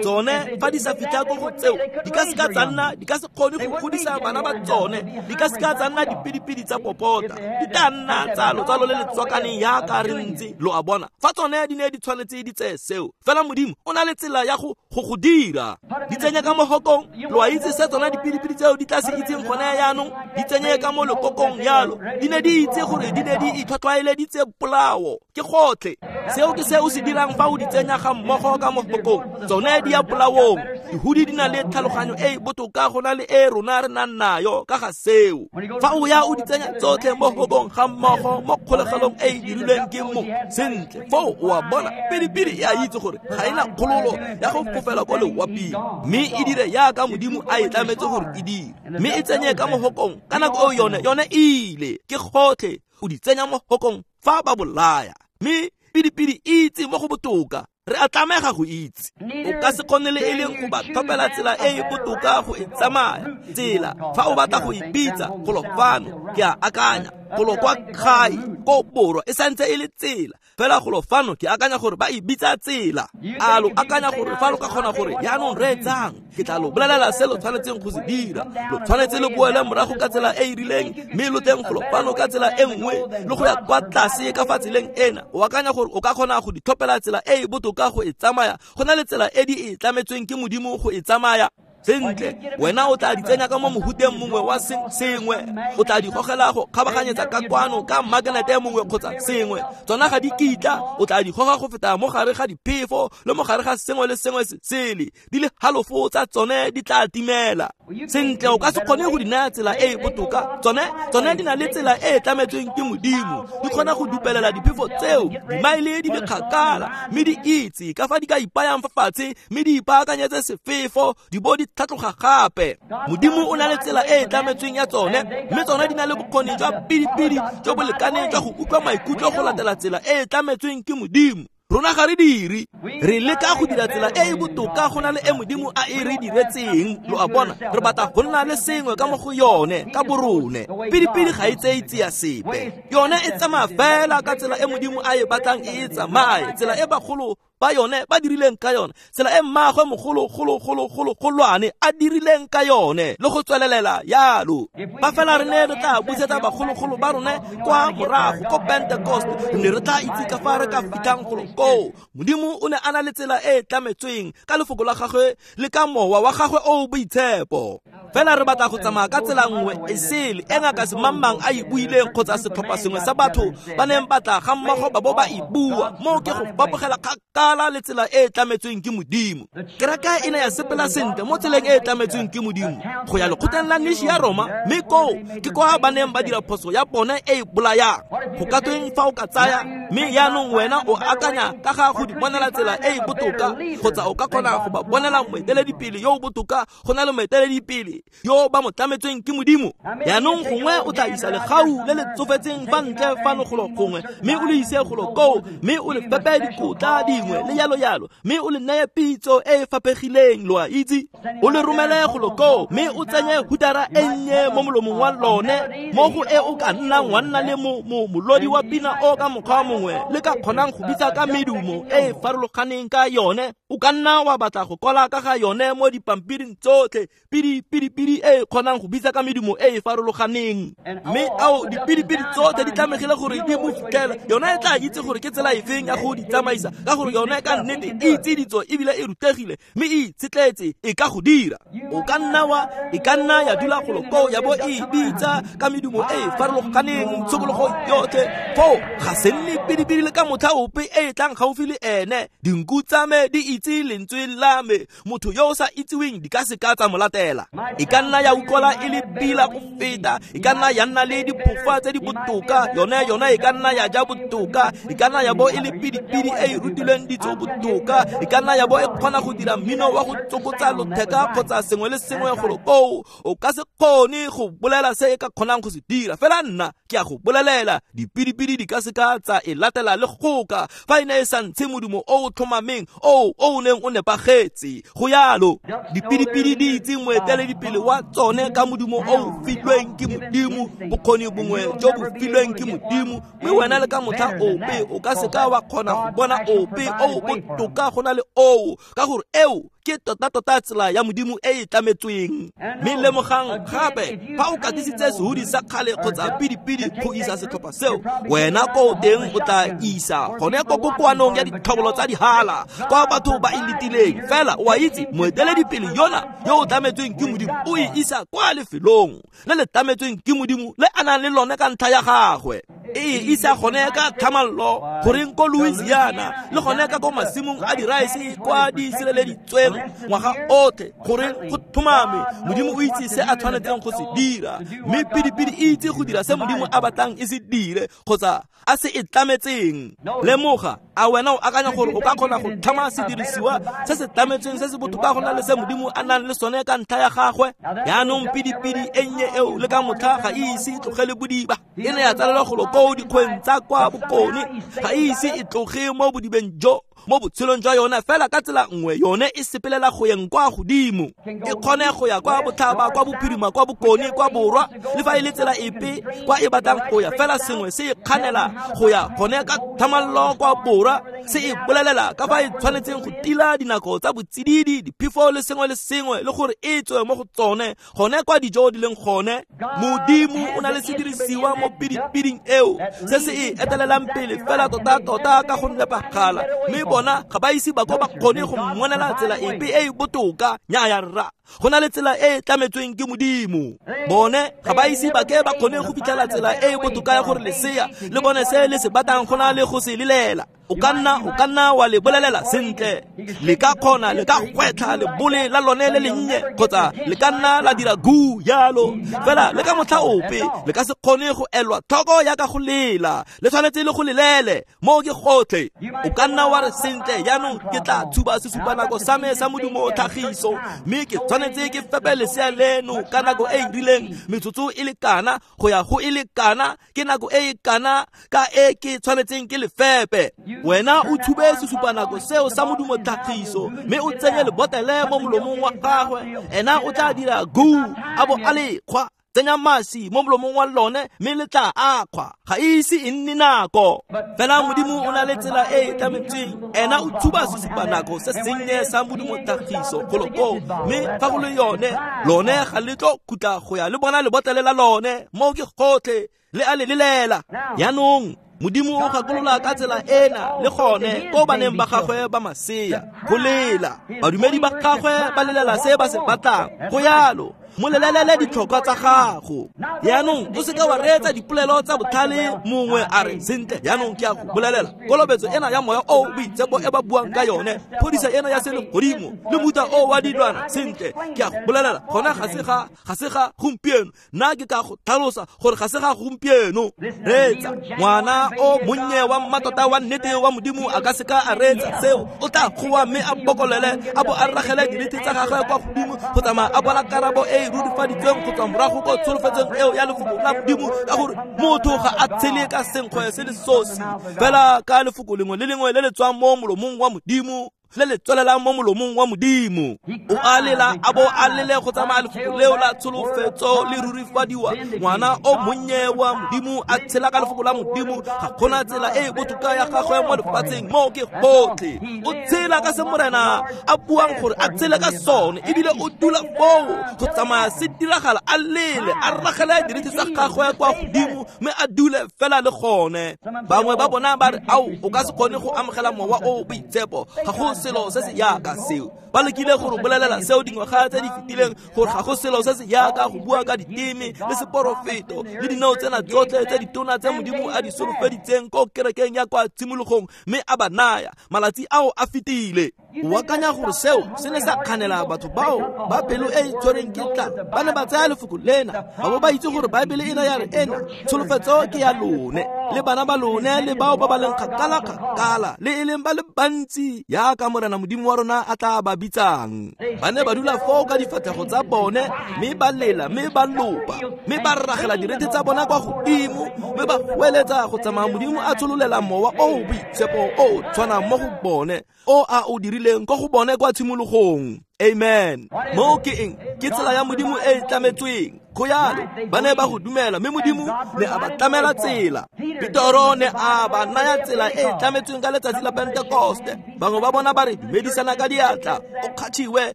Tsone fa di sa fitlha ko go tseo, di ka seka tsa nna, di ka se kgone go godisa bana ba tsone, di ka seka tsa nna dipidipidi tsa popota, di tla nna tsa lotsalo le le tswakaneng jaaka re ntse. Lo a bona, fa tsone di ne di tshwanetse di tseye seo, fela Modimo o na le tsela ya go go go dira. Di tsenye ka mo hokong, lo a itse se tsona dipidipidi tseo di tla se itseng gone jaanong, di tsenye ka mo lekokong jalo. Di ne di itse gore di ne di itlhwatlhwaeleditse polao, ke gotlhe. Seo ke se o se dirang fa o di tsenya ga mmogo ka mo hokong, tsone di ya polaong. Dihudi di na le tlhaloganyo e e botoka go na le e rona re nang nayo ka ga seo. Fa o ya o di tsenya tsotlhe mo hokong ga mmogo mo kgolegelong e e dirilweng ke mo sentle, foo o a bona pidipidi e a itse gore ga e na kgololo ya go fofela ko lewaping, mme e dire jaaka Modimo a e tlametse gore e dire, mme e tsenye ka mo hokong ka nako eo yone yone e ile, ke gotlhe. O di tsenya mo hokong fa ba bolaya, mme pidipidi e itse mo go botoka. Re a tlamega go itse. O ka se kgone le e leng go ba tlhophela tsela e e botoka go e tsamaya. Tsela fa o batla go e bitsa golo fano, ke a akanya golo kwa gae ko borwa e santse e le tsela, fela golo fano ke akanya gore ba e bitsa tsela. A lo akanya gore fa lo ka kgona gore jaanong reetsang, ke tla lo bolelela se lo tshwanetseng go se dira. Lo tshwanetse le boele morago ka tsela e e rileng, mme lo teng golo fano ka tsela e nngwe, le go ya kwa tlase ka fa tseleng ena. O akanya gore o ka kgona go di tlhophela tsela e e botoka go e tsamaya go na le tsela e di e tlametsweng ke Modimo go e tsamaya. Sentle, wena o tla di tsenya ka mo mohuteng mongwe wa sengwe, o tla di gogela go kgabaganyetsa ka kwano ka magnete mongwe kgotsa sengwe, tsona ga di kitla, o tla di goga go feta mo gare ga diphefo le mo gare ga sengwe le sengwe se sele, di le halofo tsa tsone di tla timela. Sentle, o ka se kgone go di naya tsela e e botoka, tsone tsone di na le tsela e e tlametsweng ke Modimo, di kgona go dupelela diphefo tseo dimaele di le kgakala, mme di itse ka fa di ka ipayang fa fatshe, mme di ipaakanyetse sefefo, di bo di tlhatloga gape. Modimo o na le tsela e e tlametsweng ya tsone, mme tsone di na le bokgoni jwa pidipidi jo bo lekaneng jwa go utlwa maikutlo go latela tsela e e tlametsweng ke Modimo. Rona ga re dire, re leka go dira tsela e e botoka go na le e Modimo a e re diretseng. Lo a bona, re batla go nna le sengwe ka mo go yone ka borone. Pidipidi ga e tseye tsia sepe, yone e tsamaya fela ka tsela e Modimo a e batlang e e tsamaye, tsela e bagolo ba yone ba dirileng ka yone, tsela e mmaagwe mogolo golo golo golo golwane a dirileng ka yone, le go tswelelela yalo. Ba fela re ne re tla busetsa bagologolo ba rone kwa morago ko Pentecost, re ne re tla itse ka fa re ka fitlhang golo koo. Modimo o ne a na le tsela e e tlametsweng ka lefoko la gagwe le ka mowa wa gagwe o o boitshepo. Fela re batla go tsamaya ka tsela nngwe e sele e ngaka semangmang a e buileng kgotsa setlhopha sengwe sa batho ba neng ba tla ga mmogo ba bo ba e bua. Moo ke go fapogela kgakala le tsela e e tlametsweng ke Modimo. Kereke e ne ya sepela sentle mo tseleng e e tlametsweng ke Modimo Go ya lekgotleng la Nishi ya Roma, mme koo ke kwa ba neng ba dira phoso ya bone e e bolayang. Go ka tweng fa o ka tsaya, mme jaanong wena o akanya ka ga go di bonela tsela e e botoka, kgotsa o ka kgona go ba bonela moeteledipele yo o botoka go na le moeteledipele yo ba mo tlametsweng ke Modimo. Jaanong gongwe o tla isa legau le le tsofetseng fa ntle fano golo gongwe, mme o le ise golo koo, mme o le fepe dikotla dingwe le yalo yalo, mme o le neye pitso e e faphegileng, lo a itse, o le romele golo koo, mme o tsenye hutara e nnye mo molomong wa lone, mo go e o ka nnang wa nna le mo molodi wa pina o ka mokgwa mongwe le ka kgonang go bitsa ka medumo e e farologaneng ka yone. O ka nna wa batla go kwala ka ga yone mo dipampiring tsotlhe, pidi pidi pidi e e kgonang go bitsa ka medumo e e farologaneng. Mme ao dipidipidi tsotlhe di tlamegile gore di mo fitlhela. Yone e tla itse gore ke tsela efeng ya go di tsamaisa, ka gore yone ka nnete e itse ditso ebile e rutegile, mme e itshetletse e ka go dira. O ka nna wa e ka nna ya dula golo koo ya bo e bitsa ka medumo e e farologaneng tshokologo yotlhe. Foo ga se nne pidipidi le ka motlha ope e e tlang gaufi le ene. Dinku tsa me di itse lentswe la me, motho yo o sa itseweng di ka se ka tsa mo latela. E ka nna ya utlwala e le pila go feta, e ka nna ya nna le diphofa tse di botoka, yone yone e ka nna ya ja botoka, e ka nna ya bo e le pidipidi e e rutilweng ditso botoka, e ka nna ya bo e kgona go dira mmino wa go tsokotsa lotheka kgotsa sengwe le sengwe golo koo. O ka se kgone go bolela se e ka kgonang go se dira, fela nna ke a go bolelela, dipidipidi di ka se ka tsa e latela le goka fa e ne e sa ntshe modumo o o tlhomameng o o neng o nepagetse. Go yalo, dipidipidi di itse moeteledipele wa tsone ka modumo o o filweng ke Modimo, bokgoni bongwe jo bo filweng ke Modimo, mme wena le ka motlha ope o ka se ka wa kgona go bona ope o o botoka go na le oo, ka gore eo ke tota-tota tsela ya Modimo e e tlametsweng. Mme lemogang gape, fa o katisitse sehudi sa kgale kgotsa pidipidi go isa setlhopha seo, wena ko teng o tla isa gone ko kokoanong ya ditlhobolo tsa dihala kwa batho ba e letileng. Fela o a itse, moeteledipele yona yo o tlametsweng ke Modimo o e isa kwa lefelong le le tlametsweng ke Modimo le a nang le lone ka ntlha ya gagwe. E e isa gone ka tlhamallo goreng ko Louisiana le gone ka ko masimong a diraese kwa di sireleditsweng ngwaga otlhe, gore go tlhomame Modimo o itse se a tshwanetseng go se dira, mme pidipidi e itse go dira se Modimo a batlang e se dire kgotsa a se e tlametseng. Lemoga, a wena o akanya gore o ka kgona go tlhama sedirisiwa se se tlametsweng se se botoka go na le se Modimo a nang le sone ka ntlha ya gagwe? Jaanong pidipidi e nnye eo le ka motlha ga e ise e tlogele bodiba, e ne ya tsalelwa golo koo dikgweng tsa kwa bokone, ga e ise e tloge mo bodibeng jo mo botshelong jwa yone. Fela ka tsela nngwe yone e sepelela go yeng kwa godimo, e kgone go ya kwa botlhaba, kwa bophirima, kwa bokone, kwa borwa, le fa e le tsela epe kwa e batlang go ya, fela sengwe se e kganela go ya gone ka thamallo kwa borwa, se e bolelela ka fa e tshwanetseng go tila dinako tsa botsididi, diphefo le sengwe le sengwe, le gore e tswe mo go tsone gone kwa dijo di leng gone. Modimo o na le sedirisiwa mo pidipiding eo se se e etelelang pele fela tota-tota ka go nepagala, mme bona ga ba ise ba ko ba kgone go mmonela tsela epe e e botoka. Nnyaya rra, go na le tsela e e tlametsweng ke Modimo. Bone ga ba ise ba ke ba kgone go fitlhela tsela e e botoka ya gore lesea le bone se le se batlang go na le go se lelela. O ka nna o ka nna wa le bolelela sentle, le ka kgona le ka gwetlha lebole la lone le lennye, kgotsa le ka nna la dira gu yalo, fela le ka motlha ope le ka se kgone go elwa tlhoko ya ka go lela, le tshwanetse le go lelele mo ke gotlhe. O ka nna wa re sentle, jaanong ke tla tshuba sesupanako sa me sa modumo tlhagiso, mme ke tshwanetse ke fepe lesea leno ka nako e e rileng, metsotso e le kana go ya go e le kana, ke nako e e kana ka e ke tshwanetseng ke le fepe. Wena o tshube sesupanako seo sa modumo tlhagiso, mme o tsenye lebotele mo molomong wa gagwe, ena o tla dira gu a bo a le kgwa. Tsenya masi mo molomong wa lone, mme le tla akgwa, ga e ise e nne nako. Fela Modimo o na le tsela e e tlametsweng, ena o tshuba sesupanako se sennye sa modumo tlhagiso golo koo, mme fa go le yone lone ga le tlo khutla go ya le bona lebotlele la lone mo ke gotlhe le a le lelela. Jaanong Modimo o gakolola ka tsela ena le gone ko baneng ba gagwe ba masea go lela. Badumedi ba gagwe ba lelela se ba se batlang, go yalo. Molelele ditlhokwa tsa gago. Jaanong o seka wa reetsa dipolelo tsa botlhale mongwe a re sentle jaanong ke a go bolelela kolobetso ena ya moya o boitshepo e ba buang ka yone, phodisa ena ya selegodimo le mofuta o wa dilwana, sentle ke a go bolelela gona ga se ga ga se ga gompieno. Nna ke ka go tlhalosa gore ga se ga gompieno. Reetsa, ngwana o monnye wa mmatota wa nnete wa Modimo a ka seka a reetsa seo. O tla goa mme a bokolele a bo a ragele dirite tsa gagwe kwa godimo go tsamaya a bona karabo e e rurifaditsweng go tswa morago ko tsholofetsong eo ya lefoko la Modimo, ka gore motho ga a tshele ka senkgwe se le sosi fela ka lefoko lengwe le lengwe le le tswang mo molomong wa Modimo, le le tswelelang mo molomong wa Modimo. O a lela a bo a lele go tsamaya lefoko leo la tsholofetso le rurifadiwa. Ngwana o monnye wa Modimo a tshela ka lefoko la Modimo, ga gona tsela e e botoka ya gagwe mo lefatsheng mo ke gotlhe. O tshela ka se Morena a buang gore a tshele ka sone, ebile o dula foo go tsamaya se diragala, a lele a ragele diriti tsa gagwe kwa godimo mme a dule fela le gone. Bangwe ba bona ba re ao o ka se kgone go amogela mowa o boitshepo, ga go selo se se yaka seo. Ba lekile go re bolelela seo dingwaga tse di fetileng gore ga go selo se se yaka go bua ka diteme le seporofeto le dinao tsena tsotlhe tse ditona tse Modimo a di solofeditseng ko kerekeng ya kwa tshimologong mme a ba naya. Malatsi ao a fetile. O akanya gore seo se ne sa kganela batho bao ba pelo e e tshwereng ke tlala. Ba ne ba tsaya lefoko lena ba bo ba itse gore Baebele ena ya re ena tsholofetso ke ya lone le bana ba lone le bao ba ba leng kgakala-kgakala le e leng ba le bantsi yaka Morena Modimo wa rona a tla ba bitsang. Ba ne ba dula foo ka difatlhego tsa bone mme ba lela mme ba lopa mme ba ragela direte tsa bona kwa godimo mme ba goeletsa go tsamaya Modimo a tshololela mowa o boitshepo o tshwanang mo go bone o a o dirileng ko go bone kwa tshimologong. Amen. Mo ke eng? Ke tsela ya Modimo e e tlametsweng. Go yalo ba ne ba go dumela mme Modimo ne a ba tlamela tsela. Petoro ne a ba naya tsela e e tlametsweng ka letsatsi la Pentekoste. Bangwe ba bona ba re dumedisana ka diatla, o kgathiwe,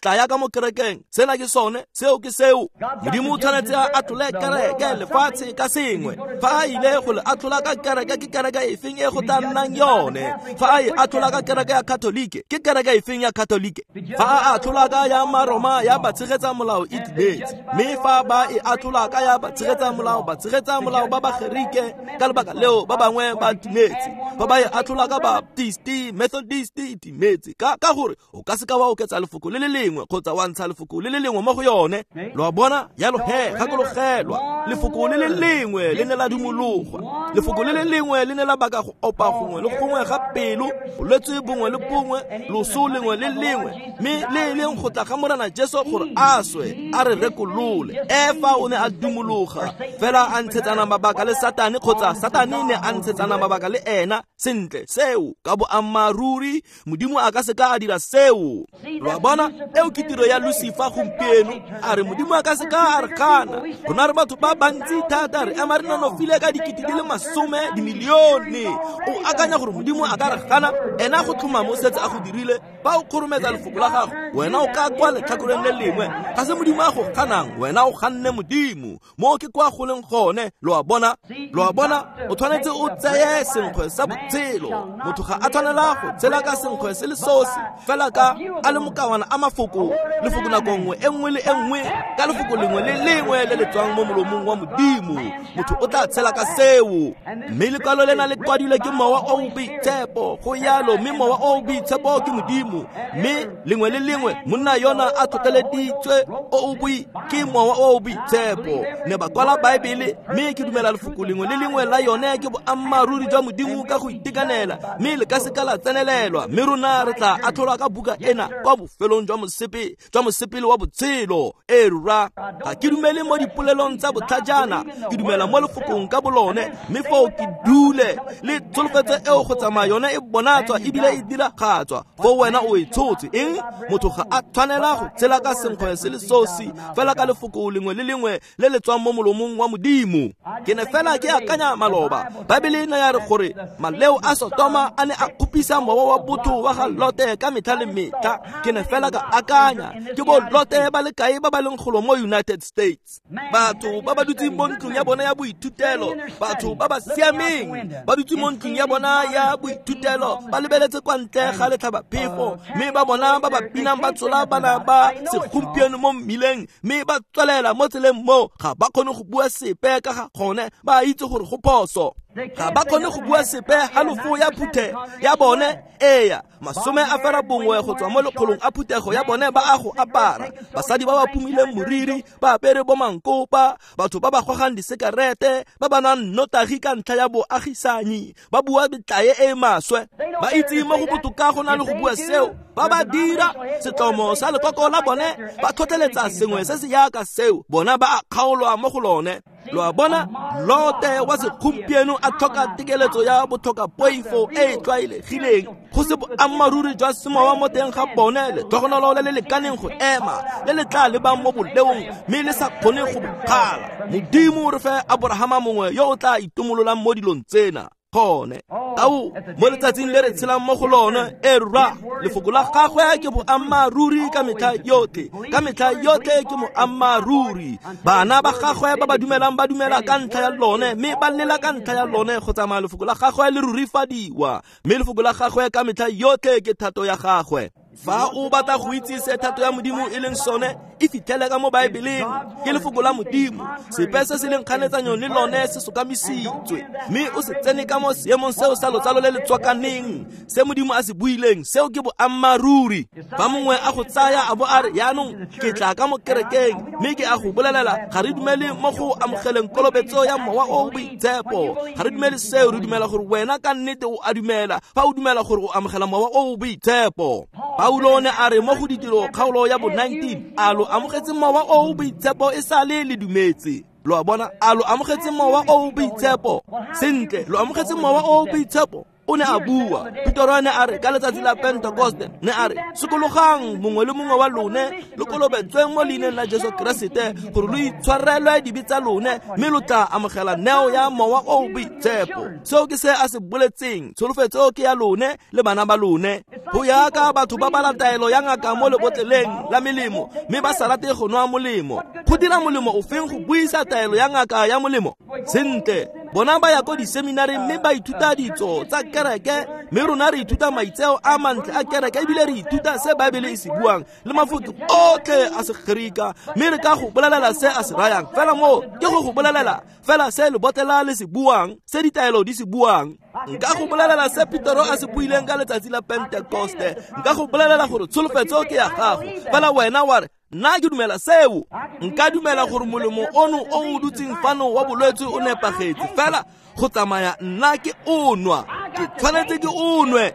tla ya ka mo kerekeng, sena ke sone, seo ke seo. Modimo o tshwanetse a atlhole kereke lefatshe ka sengwe. Fa a ile go le atlhola ka kereke, ke kereke efeng e go tla nnang yone? Fa a e atlhola ka kereke ya Katolike, ke kereke efeng ya Katolike? Fa a atlhola ka ya Maroma ya ba tshegetsa molao e timetse, mme fa ba e atlhola ka ya ba tshegetsa molao, ba tshegetsa molao ba ba Gerike, ka lebaka leo ba bangwe ba timetse. Fa ba e atlhola ka Baptist, Methodist, e timetse. Ka ka gore o ka seka wa oketsa lefoko le le lengwe kgotsa wa ntsha lefoko le le lengwe mo go yone. Lo a bona? Jalo he, gakologelwa, lefoko le le lengwe le ne la dumologwa, lefoko le le lengwe le ne la baka go opa gongwe le gongwe ga pelo, bolwetse bongwe le bongwe, loso lengwe le lengwe, mme le e leng go tla ga Morena Jesu gore a swe a re rekolole. Efa o ne a dumologa fela a ntshetsana mabaka le Satane, kgotsa Satane ne a ntshetsana mabaka le ena. Sentle, seo ka boammaaruri Modimo a ka seka a dira seo. Lo a bona? Eo ke tiro ya Lucifer gompieno. A re Modimo a ka seka a re gana. Rona re batho ba bantsi thata, re ema re nonofile ka dikete di le masome dimilione. O akanya gore Modimo a ka re gana? Ena go tlhoma mo setse a go dirile. Fa o kgorometsa lefoko la gago, wena o ka kwa letlhakoreng le lengwe. Ga se Modimo a go ganang, wena o ganne Modimo. Mo ke kwa go leng gone. Lo a bona? Lo a bona? O tshwanetse o tseye senkgwe sa botshelo. Motho ga a tshwanela go tshela ka senkgwe se le sosi fela ka a le mokawana a mafoko, lefoko nako nngwe e nngwe le e nngwe, ka lefoko lengwe le lengwe le le tswang mo molomong wa Modimo. Motho o tla tshela ka seo. Mme lekwalo lena le kwadilwe ke mowa o boitshepo. Go yalo, mme mowa o boitshepo ke Modimo. Mme lengwe le lengwe monna yona a tlhotlheleditswe o o boi ke mowa o boitshepo. Ne ba kwala Baebele, mme ke dumela lefoko lengwe le lengwe la yone ke boammaaruri jwa Modimo ka go itekanela, mme le ka seka la tsenelelwa. Mme rona re tla atlholwa ka buka ena kwa bofelong jwa mosepe jwa mosepele wa botshelo. E rra, ga ke dumele mo dipolelong tsa botlhajana, ke dumela mo lefokong ka bolone. Mme foo ke dule le tsholofetso eo go tsamaya yone e bonatswa ebile e diragatswa. Foo wena o e tshotse eng? Motho ga a tshwanela go tshela ka senkgwe se le sosi fela ka lefoko lengwe le lengwe le le tswang mo molomong wa Modimo. Ke ne fela ke akanya maloba, Baebele e ne ya re gore maleo a Sotoma a ne a kgopisa mowa wa botho wa ga Lote ka metlha le metlha. Ke ne fela ka akanya ke bo Lote ba le kae ba ba leng golo mo United States, batho ba ba dutseng mo ntlong ya bona ya boithutelo, batho ba ba siameng ba dutse mo ntlong ya bona ya boithutelo, ba lebeletse kwa ntle ga letlhabaphefo, mme ba bona ba ba binang ba tsola bana ba segompieno mo mmileng, mme ba tswelela mo tseleng mo, ga ba kgone go bua sepe ka ga gone, ba itse gore go phoso. Ga ba kgone go bua sepe halofo ya phuthe ya bone, eya masome a fera bongwe go tswa mo lekgolong a phuthego ya bone ba a go apara. Basadi ba ba pumileng moriri, ba apere bo mankopa, batho ba ba gogang disekarete, ba ba nwang nnotagi ka ntlha ya boagisanyi, ba bua metlae e e maswe. Ba itse mo go botoka go na le go bua seo, ba ba dira setlomo sa lekoko la bone, ba tlhotlheletsa sengwe se se yaka seo, bona ba a kgaolwa mo go lone. Lo a bona, Lote wa segompieno a tlhoka tekeletso ya botlhokapoifo e e tlwaelegileng, go se boammaaruri jwa semowa mo teng ga bone, letlhogonolo le le lekaneng go ema, le le tla lebang mo boleong mme le sa kgone go bokgala. Modimo re fe Aborahama mongwe yo o tla itumololang mo dilong tsena. Gone ao mo letsatsing le re tshelang mo go lone, e rra, lefoko la gagwe ke boammaaruri ka metlha yotlhe, ka metlha yotlhe ke moammaaruri. Bana ba gagwe ba ba dumelang ba dumela ka ntlha ya lone, mme ba lela ka ntlha ya lone go tsamaya lefoko la gagwe le rurifadiwa, mme lefoko la gagwe ka metlha yotlhe ke thato ya gagwe. Fa o batla go itse se thato ya Modimo e leng sone, e fitlhele ka mo Baebeleng, ke lefoko la Modimo. Sepe se se leng kganetsanyong le lone se sokamisitswe, mme o se tsene ka mo seemong seo sa lotsalo le le tswakaneng, se Modimo a se buileng, seo ke boammaaruri. Fa mongwe a go tsaya a bo a re, yaanong ke tla ka mo kerekeng, mme ke a go bolelela, ga re dumele mo go amogeleng kolobetso ya Mowa o o Boitshepo, ga re dumele seo, re dumela gore wena ka nnete o a dumela fa o dumela gore o amogela Mowa o o Boitshepo. Paulo ne a re mo go Ditiro kgaolo ya bo nineteen, a lo amogetse Mowa o o Boitshepo e sale le dumetse. Lo a bona, a lo amogetse Mowa o o Boitshepo? Sentle, lo amogetse Mowa o o Boitshepo? O ne a bua. Petero ne a re ka letsatsi la Pentekoste, ne a re sokologang mongwe le mongwe wa lone, lo kolobetsweng mo leineng la Jesu Keresete gore lo itshwarelwe dibe tsa lone, mme lo tla amogela neo ya Mowa o o Boitshepo. Seo ke se a se boletseng, tsholofetso ke ya lone le bana ba lone. Go ya ka batho ba bala taelo ya ngaka mo lebotleleng la melemo, mme ba sa rate go nwa molemo. Go dira molemo o feng go buisa taelo ya ngaka ya molemo? Sentle, bona ba ya ko diseminareng mme ba ithuta ditso tsa kereke, mme rona re ithuta maitseo a mantle a kereke, ebile re ithuta se Baebele e se buang le mafoko otlhe a Segerika, mme re ka go bolelela se a se rayang. Fela moo ke go go bolelela fela se lebotlela le se buang, se ditaelo di se buang. Nka go bolelela se Petero a se buileng ka letsatsi la Pentekoste, nka go bolelela gore tsholofetso ke ya gago, fela wena wa re nna ke dumela seo. Nka dumela gore molemo ono o o dutseng fano wa bolwetse o nepagetse, fela go tsamaya nna ke o nwa, ke tshwanetse ke o nwe.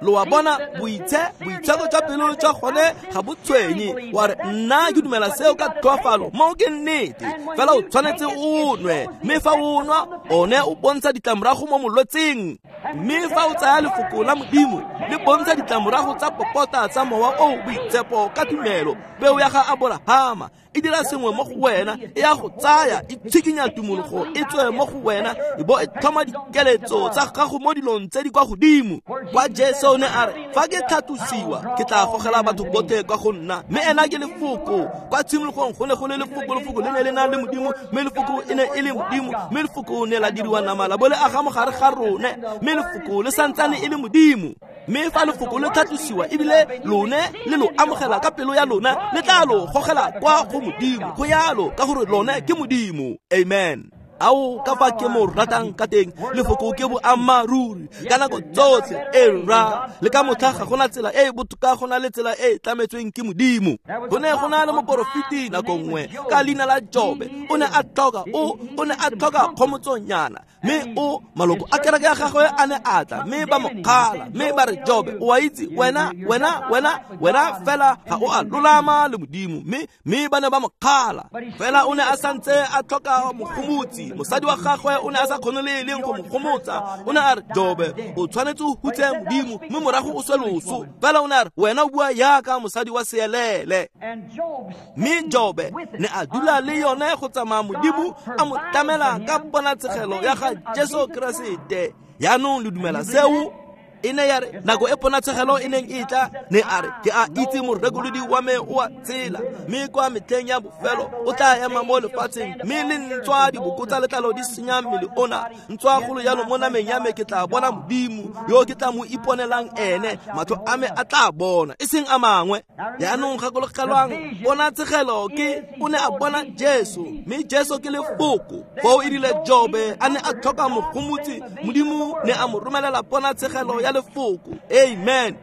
Lo a bona, boitse boitsheko jwa pelo jwa gone ga bo tshwenye. Wa re nna ke dumela seo ka tlhoafalo, moo ke nnete, fela o tshwanetse o nwe. Mme fa o nwa, one o bontsha ditlamorago mo molwetseng. Mme fa o tsaya lefoko la Modimo, le bontsha ditlamorago tsa popota tsa Mowa o o Boitshepo ka tumelo, peo ya ga Aborahama e dira sengwe mo go wena, e ya go tsaya, e tshikinya tumologo e tswe mo go wena, e bo e tlhoma dikeletso tsa gago mo dilong tse di kwa godimo. Kwa Jesu ne a re, fa ke tlhatlosiwa, ke tla gogela batho botlhe kwa go nna, mme ena ke lefoko. Kwa tshimologong go ne go le lefoko, lefoko le ne le na le Modimo, mme lefoko e ne e le Modimo, mme lefoko ne la diriwa nama la bo le aga mo gare ga rone, mme lefoko le santsane e le Modimo. Mme fa lefoko le tlhatlosiwa ebile lone le lo amogela ka pelo ya lona, le tla lo gogela kwa go Modimo. Go yalo ka gore lone ke Modimo. Amen. Ao ka fa ke mo ratang ka teng, lefoko ke boammaaruri ka nako tsotlhe. E rra, le ka motlha ga gona tsela e e botoka go na le tsela e e tlametsweng ke Modimo. Go ne go na le moporofeti nako nngwe ka leina la Jobe, o ne a tlhoka o o ne a tlhoka kgomotsonyana, mme o maloko a kereke ya gagwe a ne a tla, mme ba mo kgala, mme ba re, Jobe, o a itse wena wena wena wena fela ga o a lolama le Modimo. Mme mme ba ne ba mo kgala, fela o ne a santse a tlhoka mogomotsi. Mosadi wa gagwe o ne a sa kgone le e leng go mo gomotsa. O ne a re, Jobe, o tshwanetse o hutse Modimo, mme morago o swe loso. Fela o ne a re, wena o bua yaka mosadi wa seelele. Mme Jobe ne a dula le yone go tsamaya Modimo a mo tlamela ka ponatshegelo ya ga Jesu Keresete. Yaanong le dumela seo? E ne ya re nako e ponatshegelo e neng e tla, ne a re ke a itse morekolodi wa me o a tshela, mme kwa metlheng ya bofelo o tla ema mo lefatsheng, mme le ntswa diboko tsa letlalo di senya mmele ona, ntswa golo jalo mo nameng ya me ke tla bona Modimo yo ke tla mo iponelang ene, matlho a me a tla bona e seng a mangwe. Jaanong gakologelwang, ponatshegelo ke o ne a bona Jesu, mme Jesu ke lefoko. Foo e rile Jobe a ne a tlhoka mogomotsi, Modimo ne a mo romelela ponatshegelo ya lefoko. Amen.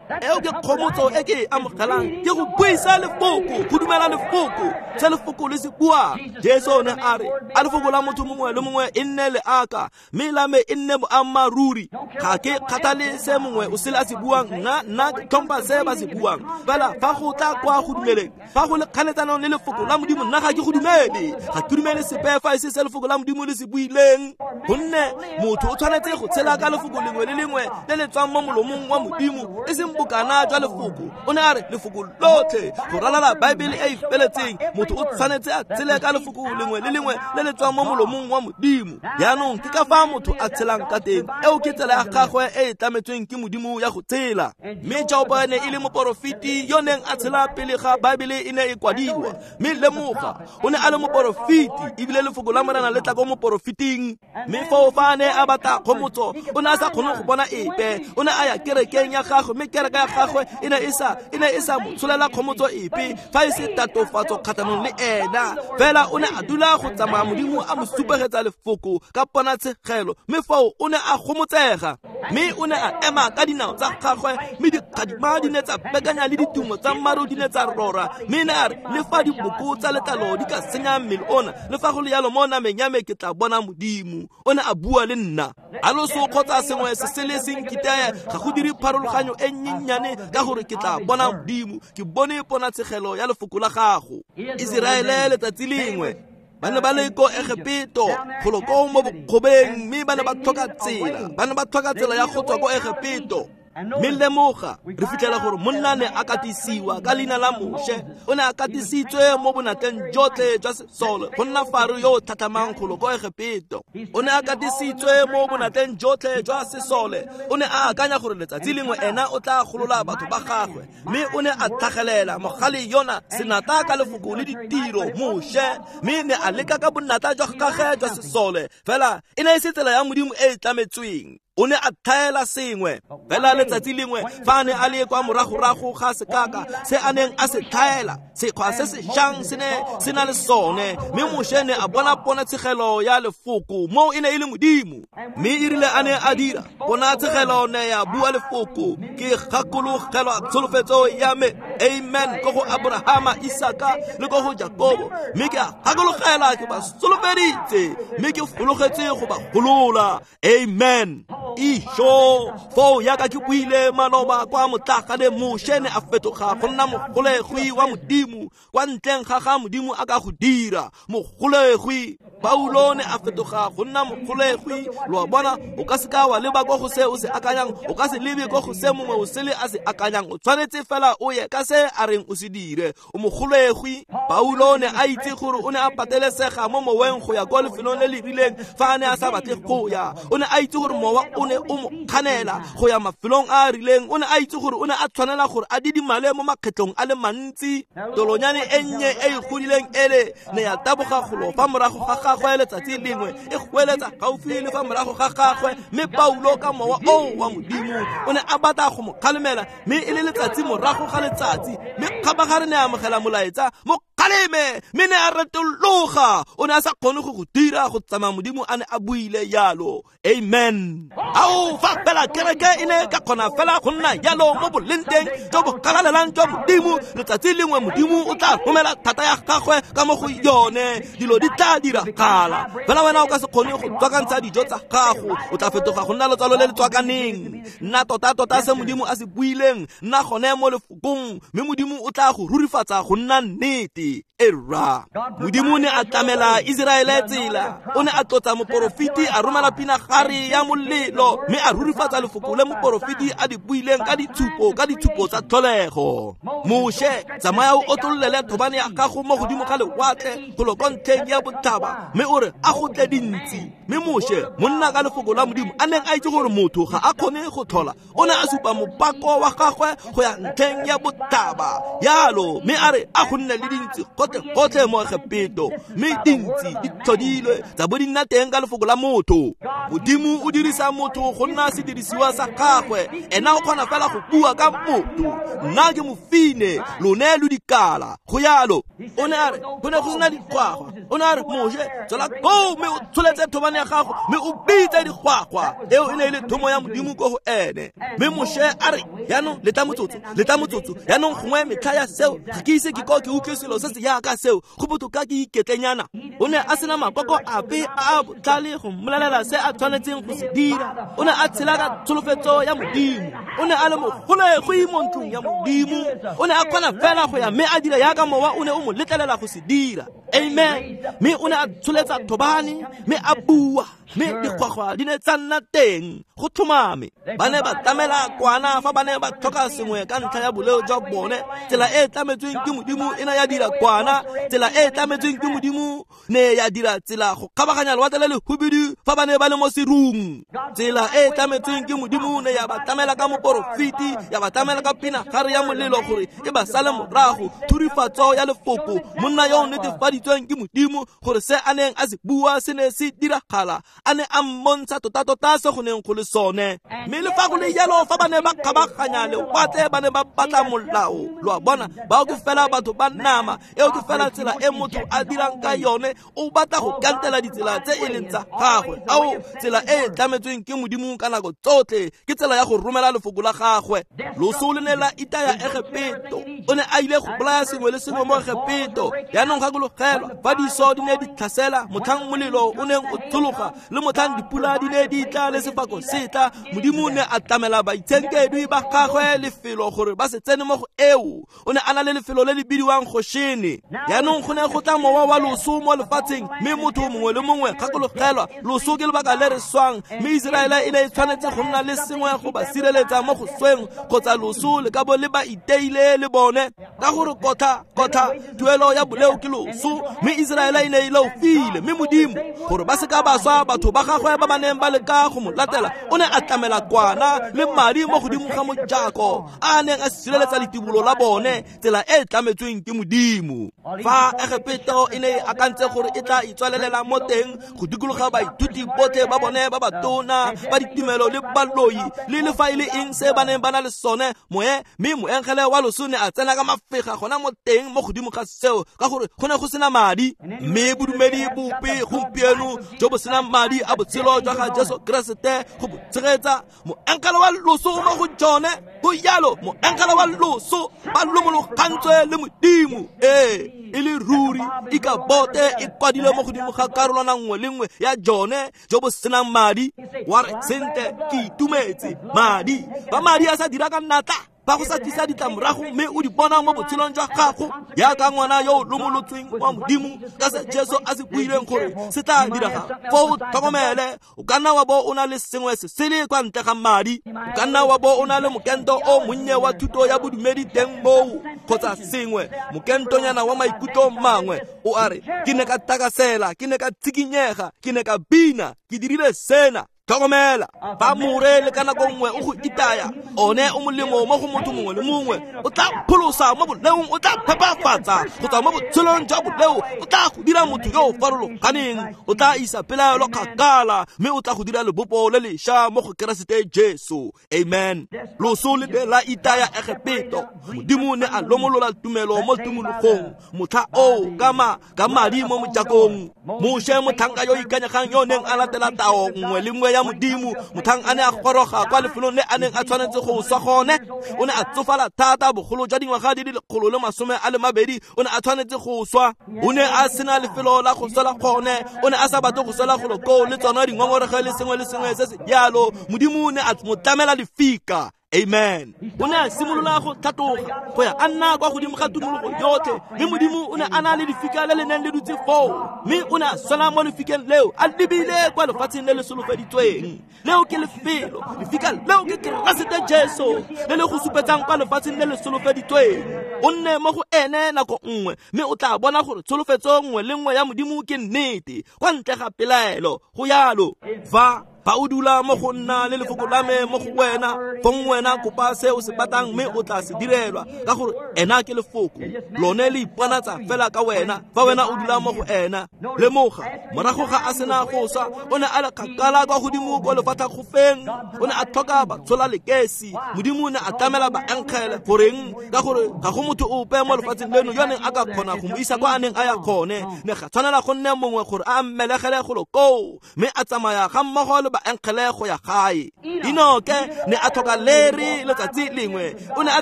Eo ke kgomotso e ke e amogelang, ke go buisa lefoko, go dumela lefoko, se lefoko le se buang. Jesu ne a re a lefoko la motho mongwe le mongwe e nne leaka, mme la me e nne boammaaruri. Ga ke kgathale se mongwe o sele a se buang, nna nna ke tlhompha se ba se buang. Fela fa go tla kwa go dumeleng, fa go le kganetsanong le lefoko la Modimo, nna ga ke go dumele. Ga ke dumele sepe fa e se se lefoko la Modimo le se buileng, gonne motho o tshwanetse go tshela ka lefoko lengwe le lengwe le le tswang mo molomong wa Modimo, e seng bokana jwa lefoko. O ne a re lefoko lotlhe go ralala Baebele e e feletseng, motho o tshwanetse a tshele ka lefoko lengwe le lengwe le le tswang mo molomong wa Modimo. Jaanong ke ka fa motho a tshelang ka teng, eo ke tsela ya gagwe e e tlametsweng ke Modimo ya go tshela. Mme Jobo ne e le moporofeti yo neng a tshela pele ga Baebele e ne e kwadiwa, mme lemoga o ne a le moporofeti, ebile lefoko la Morena le tla ko moporofeting. Mme foo fa a ne a batla kgomotso, o ne a sa kgone go bona epe. O ne a ya kerekeng ya gagwe, mme kereke ya gagwe e ne e sa e ne e sa mo tsholela kgomotso epe fa e se tatofatso kgatlhanong le ena. Fela o ne a dula go tsamaya Modimo a mo supegetsa lefoko ka ponatshegelo, mme foo o ne a gomotsega. Mme o ne a ema ka dinao tsa gagwe, mme dikgadima di ne tsa bekanya le ditumo tsa maru di ne tsa rora. Mme ne a re le fa diboko tsa letlalo di ka senya mmele ona, le fa go le jalo mo nameng ya me ke tla bona Modimo. O ne a bua le nna. A loso kgotsa sengwe se se le seng kiteye ga go dire pharologanyo e nnyenyane, ka gore ke tla bona Modimo. Ke bone ponatshegelo ya lefoko la gago. Iseraele letsatsi lengwe ba ne ba le ko Egepeto, golo ko mo bokgobeng, mme ba ne ba tlhoka tsela, ba ne ba tlhoka tsela ya go tswa ko Egepeto. Mme lemoga, re fitlhela gore monna ne a katisiwa ka leina la Moshe. O ne a katisitswe mo bonatleng jotlhe jwa sesole go nna Faro yo o tlhatlhamang golo ko Egepeto. O ne a katisitswe mo bonatleng jotlhe jwa sesole. O ne a akanya gore letsatsi lengwe ena o tla golola batho ba gagwe, mme o ne a tlhagelela mogale yona senata ka lefoko le ditiro Moshe, mme ne a leka ka bonatla jwa gagwe jwa sesole. Fela e ne e se tsela ya Modimo e e tlametsweng. O ne a thaela sengwe. Fela letsatsi lengwe fa a ne a le kwa moragorago ga sekaka se a neng a se thaela, sekgwa se se jang se ne se na le sone, mme Moshe ne a bona ponatshegelo ya lefoko, moo e ne e le Modimo. Mme e rile a ne a dira ponatshegelo ne ya bua lefoko, ke gakologelwa tsholofetso ya me, amen, ko go Abrahama, Isaka le ko go Jakobo, mme ke a gakologela ke ba solofeditse, mme ke fologetse go ba golola. Amen. Isho foo yaka ke buile maloba kwa motlagane, Moshe ne a fetoga go nna mogolegwi wa Modimo kwa ntleng ga ga Modimo a ka go dira mogolegwi. Paulo ne a fetoga go nna mogolegwi. Lo a bona, o ka seka wa leba ko go se o se akanyang, o ka se lebe ko go se mongwe o sele a se akanyang, o tshwanetse fela o ye ka se a reng o se dire. O mogolegwi. Paulo ne a itse gore o ne a patelesega mo moweng go ya kwa lefelong le le rileng fa a ne a sa batle go ya. O ne a itse gore mowa o ne o mo kganela go ya mafelong a a rileng. O ne a itse gore o ne a tshwanela gore a didimale mo makgetlong a le mantsi. Tolonyane e nnye e e godileng ele ne ya taboga golo fa morago ga gagwe letsatsi lengwe, e goeletsa gaufi le fa morago ga gagwe. Mme Paulo ka mowa oo wa Modimo o ne a batla go mo kgalemela, mme e le letsatsi morago ga letsatsi. Mme kgabagare ne a amogela molaetsa, mo kgaleme, mme ne a retologa. O ne a sa kgone go go dira go tsamaya Modimo a ne a buile jalo. Amen. Ao fa fela kereke e ne ka kgona fela go nna jalo mo boleng teng jo bo galalelang jwa Modimo, letsatsi lengwe Modimo o tla romela thata ya gagwe ka mo go yone, dilo di tla diragala. Fela wena o ka se kgone go tswakantsha dijo tsa gago, o tla fetoga go nna letswalo le le tswakaneng. Nna tota-tota se Modimo a se buileng, nna gone mo lefokong, mme Modimo o tla go rurifatsa go nna nnete. Era Modimo ne a tlamela Iseraele tsela, o ne a tlotsa moporofeti, a romela pinagare ya molelo, mme a rurifatsa lefoko le moporofeti a di buileng ka ditshupo, ka ditshupo tsa tlholego. Moshe, tsamaya o otlollele thobane ya gago mo godimo ga lewatle golo kwa ntlheng ya botlhaba, mme o re a go tle dintsi. Mme Moshe, monna ka lefoko la Modimo, a neng a itse gore motho ga a kgone go tlhola, o ne a supa mopako wa gagwe go ya ntlheng ya botlhaba yalo, mme a re a go nne le dintsi gotlhe-gotlhe mo Egepeto, mme dintsi di tlhodilwe tsa bo di nna teng ka lefoko la motho. Modimo o dirisa motho go nna sedirisiwa sa gagwe, ena o kgona fela go bua ka motho. Nna ke mofine, lone lo dikala, go yalo. O ne a re go ne go sena dikgwagwa, o ne a re Moshe, tswela koo mme o tsholetse thobane ya gago mme o bitse dikgwagwa. Eo e ne e le thomo ya Modimo ko go ene. Mme Moshe a re, yaanong letla motsotso, letla motsotso, yaanong gongwe metlha ya seo ga ke ise ke ko ke utlwe selo se se jaaka seo, go botoka ke iketlenyana. O ne a sena makoko ape a a botlhale go mmolelela se a tshwanetseng go se dira. O ne a tshela ka tsholofetso ya Modimo. O ne a le mogolegwi mo ntlong ya Modimo. O ne a kgona fela go ya mme a dira jaaka mowa o ne o mo letlelela go se dira. Amen. Mme o ne a tsholetsa thobane mme a bua, mme dikgwagwa di ne tsa nna teng. Go tlhomame, ba ne ba tlamela kwana fa ba ne ba tlhoka sengwe ka ntlha ya boleo jwa bone. Tsela e e tlametsweng ke Modimo e ne ya dira kwana, tsela e e tlametsweng ke Modimo ne ya dira tsela go kgabaganya lewatle le lehubidu fa ba ne ba le mo serung. Tsela e e tlametsweng ke Modimo ne ya ba tlamela ka moporofeti, ya ba tlamela ka pinagare ya molelo gore e ba sale morago. Thurifatso ya lefoko, monna yo o netefaditsweng ke Modimo gore se a neng a se bua se ne se diragala, a ne a mmontsha tota-tota se go neng go le sone. Mme le fa go le jalo, fa ba ne ba kgabaganya lewatle, ba ne ba batla molao. Lo a bona, bao ke fela batho ba nama, eo ke fela tsela e motho a dirang ka yone. O batla go kantela ditsela tse e leng tsa gagwe. Ao, tsela e e tlametsweng ke Modimo ka nako tsotlhe ke tsela ya go romela lefoko la gagwe. Loso le ne la itaya Egepeto. O ne a ile go bolaya sengwe le sengwe mo Egepeto. Yaanong gakologelwa, fa diso di ne di tlhasela, motlhang molelo o neng o tshologa, le motlhang dipula di ne di tla le sefako se tla, Modimo ne a tlamela baitshenkedwi ba gagwe lefelo gore ba se tsene mo go eo. O ne a na le lefelo le le bidiwang Goshene. Yaanong go ne go tla mowa wa loso mo lefatsheng, mme motho mongwe le mongwe, gakologelwa, loso ke lebaka le re swang. Mme Iseraele e ne e tshwanetse go nna le sengwe go ba sireletsa mo go sweng, kgotsa loso le ka bo le ba iteile le bone, ka gore kotha kotha tuelo ya boleo ke loso. Mme Iseraele e ne e leofile, mme Modimo, gore ba se ka ba swa, batho ba gagwe ba ba neng ba leka go mo latela, o ne a tlamela kwana le madi mo godimo ga mojako a neng a sireletsa letibolo la bone, tsela e e tlametsweng ke Modimo. Fa Egepeto e ne e akantse gore e tla itswalelela mo teng go dikologa baithuti botlhe ba bone ba batona ba ditumelo le baloi le le fa e le eng se ba neng ba na le sone, moe mme moengele wa loso ne a tsena ka mafega gona mo teng mo godimo ga seo, ka gore go ne go sena madi. Mme bodumedi bope gompieno jo bo senang madi a botshelo jwa ga Jesu Keresete go bo tshegetsa, moengele wa loso mo go jone. Go jalo, moengele wa loso ba lomologantswe le Modimo. Ee, e le ruri ikabote e kwadilwe mo godimo ga karolwana nngwe le nngwe ya jone jo bo senang madi. Wa re, sentle, ke itumetse madi. Ba madi a sa dira ka natla, ba go sa tlisa ditlamorago mme o di bona mo botshelong jwa gago, jaaka ngwana yo o lomolotsweng wa Modimo ka se Jesu a se buileng gore se tla direga. Foo o tlhokomele, o ka nna wa bo o na le sengwe se sele kwa ntle ga madi. O ka nna wa bo o na le mokento o monnye wa thuto ya bodumedi teng moo, kgotsa sengwe, mokentonyana wa maikutlo mangwe. O a re, ke ne ka takasela, ke ne ka tshikinyega, ke ne ka bina, ke dirile sena. Tlhokomela, fa more le ka nako nngwe o go itaya, one o molemo mo go motho mongwe le mongwe. O tla pholosa mo boleong, o tla phepafatsa go tswa mo botshelong jwa boleo, o tla go dira motho yo o farologaneng, o tla isa pelaelo kgakala, mme o tla go dira lebopo le lešwa mo go Keresete Jesu. Amen. Loso le ne la itaya Egepeto. Modimo ne a lomolola tumelo mo tumologong motlha oo ka ma ka madi mo mojakong. Moshe, motlhanka yo ikanyegang yo neng a latela tao nngwe le nngwe ya Modimo, motlhang a ne a goroga kwa lefelong le a neng a tshwanetse go swa gone, o ne a tsofala thata, bogolo jwa dingwaga di le lekgolo le masome a le mabedi, o ne a tshwanetse go swa. O ne a sena lefelo la go swela gone, o ne a sa batle go swela golo koo le tsona dingongorego le sengwe le sengwe se se jalo. Modimo o ne a mo tlamela lefika. Amen. O ne a simolola go tlhatloga go ya a nna kwa godimo ga tumologo yotlhe, mme Modimo o ne a na le lefika le le neng le dutse foo, mme o ne a swela mo lefikeng leo a lebile kwa lefatsheng le le solofeditsweng. Leo ke lefelo, lefika leo ke Keresete Jesu le le go supetsang kwa lefatsheng le le solofeditsweng. O nne mo go ene nako nngwe, mme o tla bona gore tsholofetso nngwe le nngwe ya Modimo ke nnete, kwa ntle ga pelaelo. Go yalo. Fa fa o dula mo go nna le lefoko la me mo go wena, fong wena kopa se o se batlang mme o tla se direlwa, ka gore ena ke lefoko. Lone le iponatsa fela ka wena fa wena o dula mo go ena. Lemoga, morago ga a sena go swa, o ne a le kgakala kwa godimo ko lefatlhakgofeng. O ne a tlhoka batshola lekesi. Modimo o ne a tlamela baenkgele. Goreng? Ka gore ga go motho ope mo lefatsheng leno yo neng a ka kgona go mo isa kwa a neng a ya gone. Ne ga tshwanela go nne mongwe gore a mmelegele golo koo, mme a tsamaya ga mmogo le baenkgele go ya gae. Enoke ne a tlhoka leri letsatsi lengwe. O ne a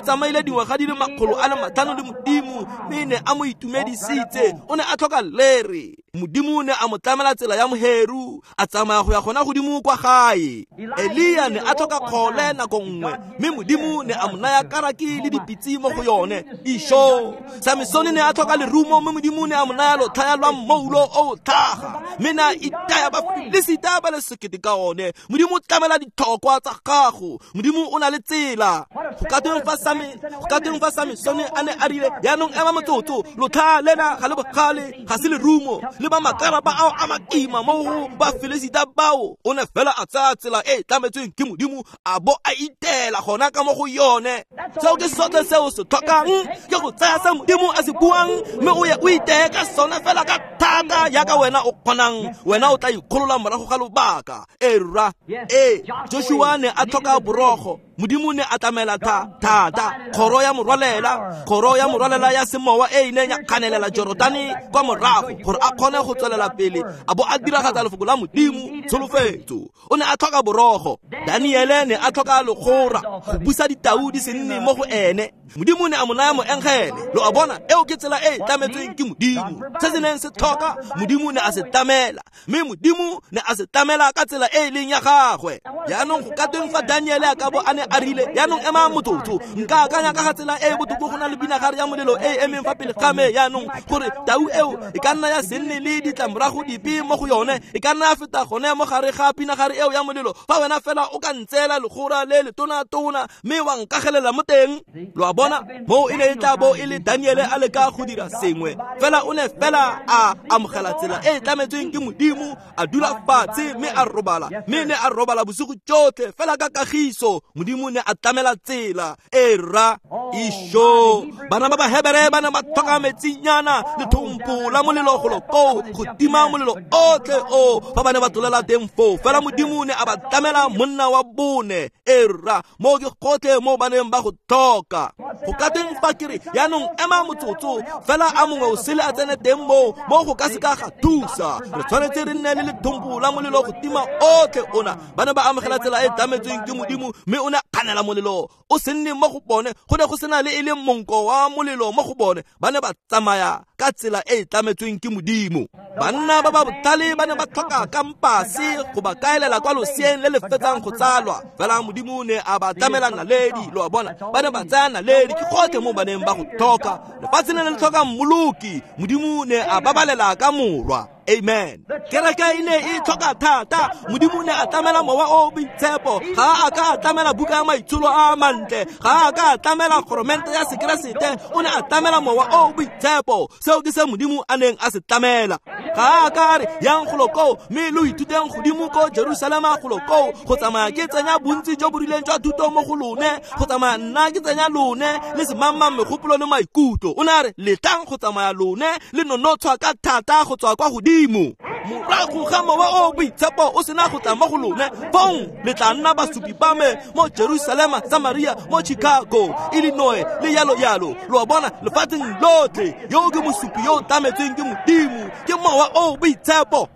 tsamaile dingwaga di le makgolo a le matlhano le Modimo, mme ne a mo itumedisitse. O ne a tlhoka leri. Modimo ne a mo tlamela tsela ya moheru, a tsamaya go ya gona godimo kwa gae. Elia ne a tlhoka kgole nako nngwe, mme Modimo ne a mo naya karaki le dipitse mo go yone. Isho. Samsone ne a tlhoka lerumo, mme Modimo ne a mo naya lotlhaya lwa mmoulo o tlhaga, mme ne a itaya Bafilisita ba le sekete ka one. Modimo o tlamela ditlhokwa tsa gago. Modimo o na le tsela. Go ka tweng fa Same, go ka tweng fa Samsone a ne a rile, jaanong ema motsotso, lotlhaya lena ga le bogale, ga se lerumo, le ba makarapa ao a makima mo go Bafilisita bao. O ne fela a tsaya tsela e e tlametsweng ke Modimo, a bo a itela gona ka mo go yone. Seo ke sotlhe se o se tlhokang, ke go tsaya se Modimo a se buang, mme o ye o iteye ka sone fela ka thata yaka wena o kgonang. Wena o tla ikgolola morago ga lobaka. E rra. Ee, Joshua ne a tlhoka borogo. Modimo ne a tlamela tha thata kgoro ya morwalela, kgoro ya morwalela ya semowa e ileng ya kganelela Jorodane kwa morago gore a kgone go tswelela pele a bo a diragatsa lefoko la Modimo tsholofetso. O ne a tlhoka borogo. Daniele ne a tlhoka legora go busa ditau di se nne mo go ene. Modimo ne a mo naya moengele. Lo a bona, eo ke tsela e e tlametsweng ke Modimo. Se se neng se tlhoka, Modimo ne a se tlamela, mme Modimo ne a se tlamela ka tsela e e leng ya gagwe. Jaanong go ka tweng fa Daniele a ka bo a ne a rile, jaanong ema motsotso, nka akanya ka ga tsela e e botoka go na le pinagare ya molelo e e emeng fa pele ga me jaanong, gore tau eo e ka nna ya se nne le ditlamorago dipe mo go yone, e ka nna ya feta gone mo gare ga pinagare eo ya molelo, fa wena fela o ka ntseela legora le le tona-tona mme wa nkagelela mo teng. Lo a bona, moo e ne e tla bo e le Daniele a leka go dira sengwe, fela o ne fela a amogela tsela e e tlametsweng ke Modimo, a dula fatshe mme a robala, mme ne a robala bosigo jotlhe fela ka kagiso. Modimo ne a tlamela tsela. E rra. Isho. Bana ba Bahebere ba ne ba tlhoka metsinyana le thompo la molelo golo koo go tima molelo otlhe o fa ba ne ba tlolela teng foo. Fela Modimo ne a ba tlamela monna wa bone. E rra, mo ke gotlhe mo ba neng ba go tlhoka. Go ka teng fa ke re jaanong ema motsotso, fela a mongwe o sele a tsene teng moo, mo go ka se ka ga thusa. Re tshwanetse re nne le lethompo la molelo go tima otlhe ona. Ba ne ba amogela tsela e tlametsweng ke Modimo, mme o ne a kganela molelo o se nne mo go bone. Go ne go sena le e leng monko wa molelo mo go bone. Ba ne ba tsamaya ka tsela e e tlametsweng ke Modimo. Banna ba ba botlhale ba ne ba tlhoka kampase go ba kaelela kwa loseng le le fetsang go tsalwa, fela Modimo ne a ba tlamela naledi. Lo a bona, ba ne ba tsaya naledi, ke gotlhe mo ba neng ba go tlhoka. Lefatshe le ne le tlhoka mmoloki, Modimo ne a babalela ka morwa. Amen. Kereke e ne e tlhoka thata. Modimo ne a tlamela mowa o boitshepo. Ga a ka a tlamela buka ya maitsholo a mantle, ga a ka a tlamela kgoromente ya sekeresete, o ne a tlamela mowa o boitshepo. Seo ke se Modimo a neng a se tlamela. Ga a ka a re yang golo koo mme lo ithuteng godimo ko Jerusalema golo koo, go tsamaya ke tsenya bontsi jo bo rileng jwa thuto mo go lone, go tsamaya nna ke tsenya lone le semangmang megopolo le maikutlo. O ne a re letlang go tsamaya lone le nonotshwa ka thata go tswa kwa godimo. Morago ga mowa o boitshepo o sena go tla mo go lone, fong le tla nna basupi ba me mo Jerusalema, Samaria, mo Chicago, Illinois le yalo yalo. Lo a bona, lefatsheng lotlhe. Yo ke mosupi yo o tlametsweng ke Modimo, ke mowa o boitshepo.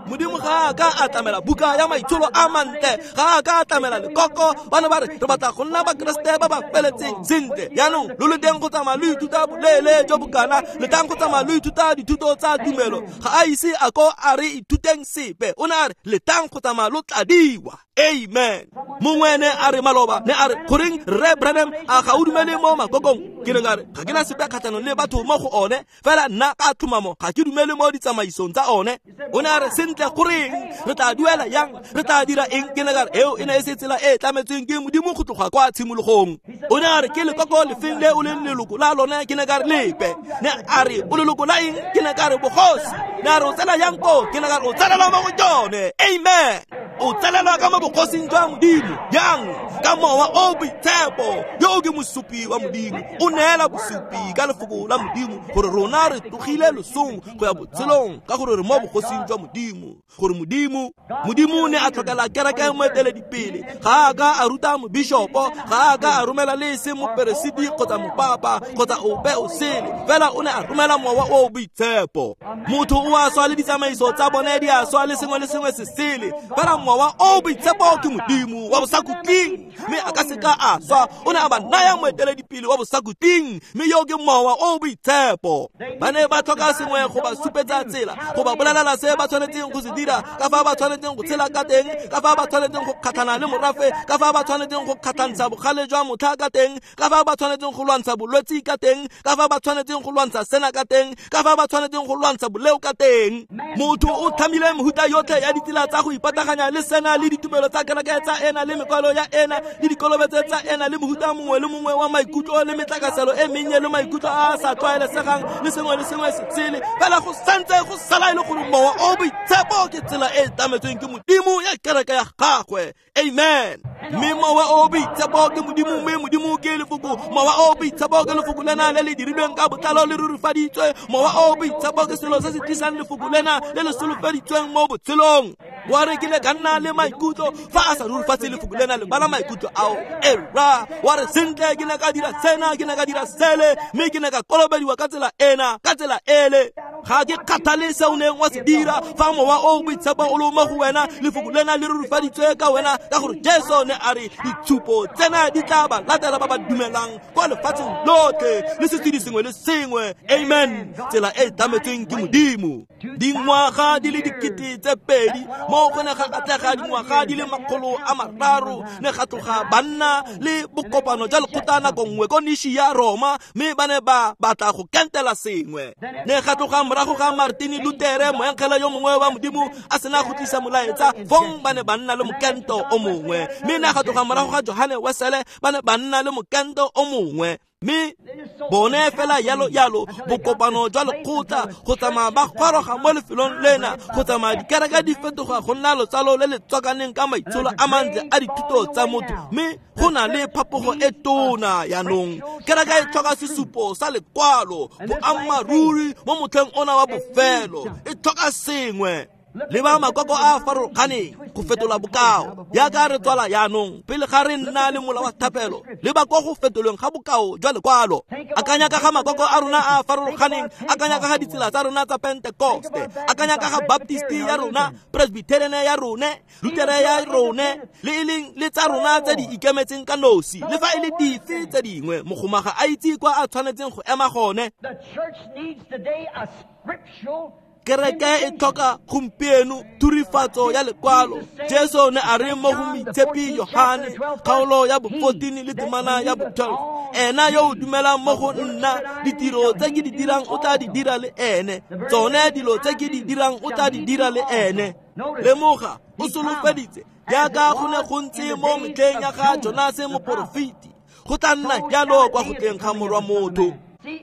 Modimo ga a ka a tlamela buka ya maitsholo a mantle, ga a ka a tlamela lekoko. Ba ne ba re re batla go nna Bakeresete ba ba feletseng. Sentle, jaanong lo le teng go tsamaya lo ithuta boleele jo bokana, le tlang go tsamaya lo ithuta dithuto tsa tumelo. Ga a ise a ko a re ithuteng sepe, o ne a re le tlang go tsamaya lo tladiwa. Amen. Mongwe ne a re maloba, ne a re goreng Rre Branham a ga o dumele mo makokong? Ke ne ka re ga ke na sepe kgatlhanong le batho mo go one, fela nna ka tlhomamo ga ke dumele mo ditsamaisong tsa one. O ne a re sentle goreng re tla duela yang, re tla dira eng? Ke ne ka re eo e ne e se tsela e e tlametsweng ke Modimo go tloga kwa tshimologong. O ne a re ke lekoko lefeng le o leng leloko la lone? Ke ne ka re lepe. Ne a re o leloko la eng? Ke ne ka re bogosi. Ne a re o tsena yang ko? Ke ne ka re o tsenela mo go jone. Amen. O tsenela ka mo bogosing jwa Modimo yang ka mowa o boitshepo yo ke mosupi wa Modimo. O neela bosupi ka lefoko la Modimo gore rona re tlogile losong go ya botshelong, ka gore re mo bogosing jwa Modimo. Gore Modimo Modimo ne a tlhokela kereke moeteledipele. Ga a ka a ruta mobishopo, ga a ka a romela le se moperesiti kgotsa mopapa kgotsa ope o sele, fela o ne a romela mowa o boitshepo. Motho o a swa le ditsamaiso tsa bone di a swa le sengwe le sengwe se sele, fela mowa o boitshepo ke Modimo wa bosakhutleng, mme a ka se ka a swa. O ne a ba naya moeteledipele wa bosakhutleng, mme yo ke mowa o boitshepo. Ba ne ba tlhoka sengwe go ba supetsa tsela, go ba bolelela se ba tshwanetseng go se dira, ka fa ba tshwanetseng go tshela ka teng, ka fa ba tshwanetseng go kgatlhana le morafe, ka fa ba tshwanetseng go kgatlhantsha bogale jwa motlha ka teng, ka fa ba tshwanetseng go lwantsha bolwetsi ka teng, ka fa ba tshwanetseng go lwantsha sena ka teng, ka fa ba tshwanetseng go lwantsha boleo ka teng. Motho o tlhamile mehuta yotlhe ya ditsela tsa go ipataganya le sena le ditumelo tsa kereke tsa ena le mekwalo ya ena le dikolobetso tsa ena le mohuta mongwe le mongwe wa maikutlo le metlakaselo e mennye le maikutlo a a sa tlwaelesegang le sengwe le sengwe se sele. Fela go santse go sala e le gore mowa o boitshepo ke tsela e e tlametsweng ke Modimo ya kereke ya gagwe. Amen. Mme mowa o boitshepo ke Modimo, mme Modimo ke lefoko. Mowa o boitshepo ke lefoko lena le le dirilweng ka botlalo le rurifaditswe. Mowa o boitshepo ke selo se se tlisang lefoko lena le le solofeditsweng mo botshelong. Wa re ke le ka nna le maikutlo fa a sa rurifatse lefoko lena, le bala maikutlo ao. Era wa re sentle ke ne ka dira sena, ke ne ka dira sele, mme ke ne ka kolobediwa ka tsela ena, ka tsela ele. Ga ke kgathale se o neng wa se dira, fa mowa o boitshepo o le mo go wena, lefoko lena le rurifaditswe ka wena, ka gore Jesu ne a re ditshupo tsena di tla ba latela ba ba dumelang kwa lefatsheng lotlhe le sesedi sengwe le sengwe. Amen. Tsela e tlametsweng ke Modimo. Dingwaga di le dikete tse pedi mo go ne ga atlega dingwaga di le makgolo a mararo, ne ga tloga banna le bokopano jwa lekgotla nako nngwe ko Niši ya Roma, mme ba ne ba batla go kentela sengwe. Ne ga tloga morago ga Martin Luther, moengele yo mongwe wa Modimo a sena go tlisa molaetsa, fong ba ne ba nna le mokento o mongwe. Mme ne ga tloga morago ga Johane Wesele, ba ne ba nna le mokento o mongwe. Mme bone fela yalo yalo bokopano jwa lekgotla go tsamaya ba goroga mo lefelong lena, go tsamaya dikereke di fetoga go nna lotsalo le le tswakaneng ka maitsholo a mantle a dithuto tsa motho, mme go na le phapogo e tona yaanong. Kereke e tlhoka sesupo sa lekwalo, boammaaruri mo motlheng ona wa bofelo, e tlhoka sengwe. Le ba makoko a farologaneng go fetola bokao yaka re tswala yaanong pele ga re nna le mola wa thapelo, le ba ko go fetolweng ga bokao jwa lekwalo. Akanya ka ga makoko a rona a farologaneng, akanya ka ga ditsela tsa rona tsa Pentekoste, akanya ka ga Baptist ya rona, Presbyterian ya rone, Lutere ya rone, le e leng le tsa rona tse di ikemetseng ka nosi, le fa e le dife tse dingwe. Mogoma ga a itse kwa a tshwanetseng go ema gone. Kereke e tlhoka gompieno thurifatso ya lekwalo. Jesu ne a re mo go moitshepi Yohane kgaolo ya bo fourteen le temana ya bo twelve, ena yo o dumelang mo go nna, ditiro tse ke di dirang o tla di dira le ene, tsone dilo tse ke di dirang o tla di dira le ene. Lemoga, o solofeditse jaaka go ne go ntse mo metlheng ya ga Jonase moporofeti, go tla nna jalo kwa go tleng ga Morwa motho.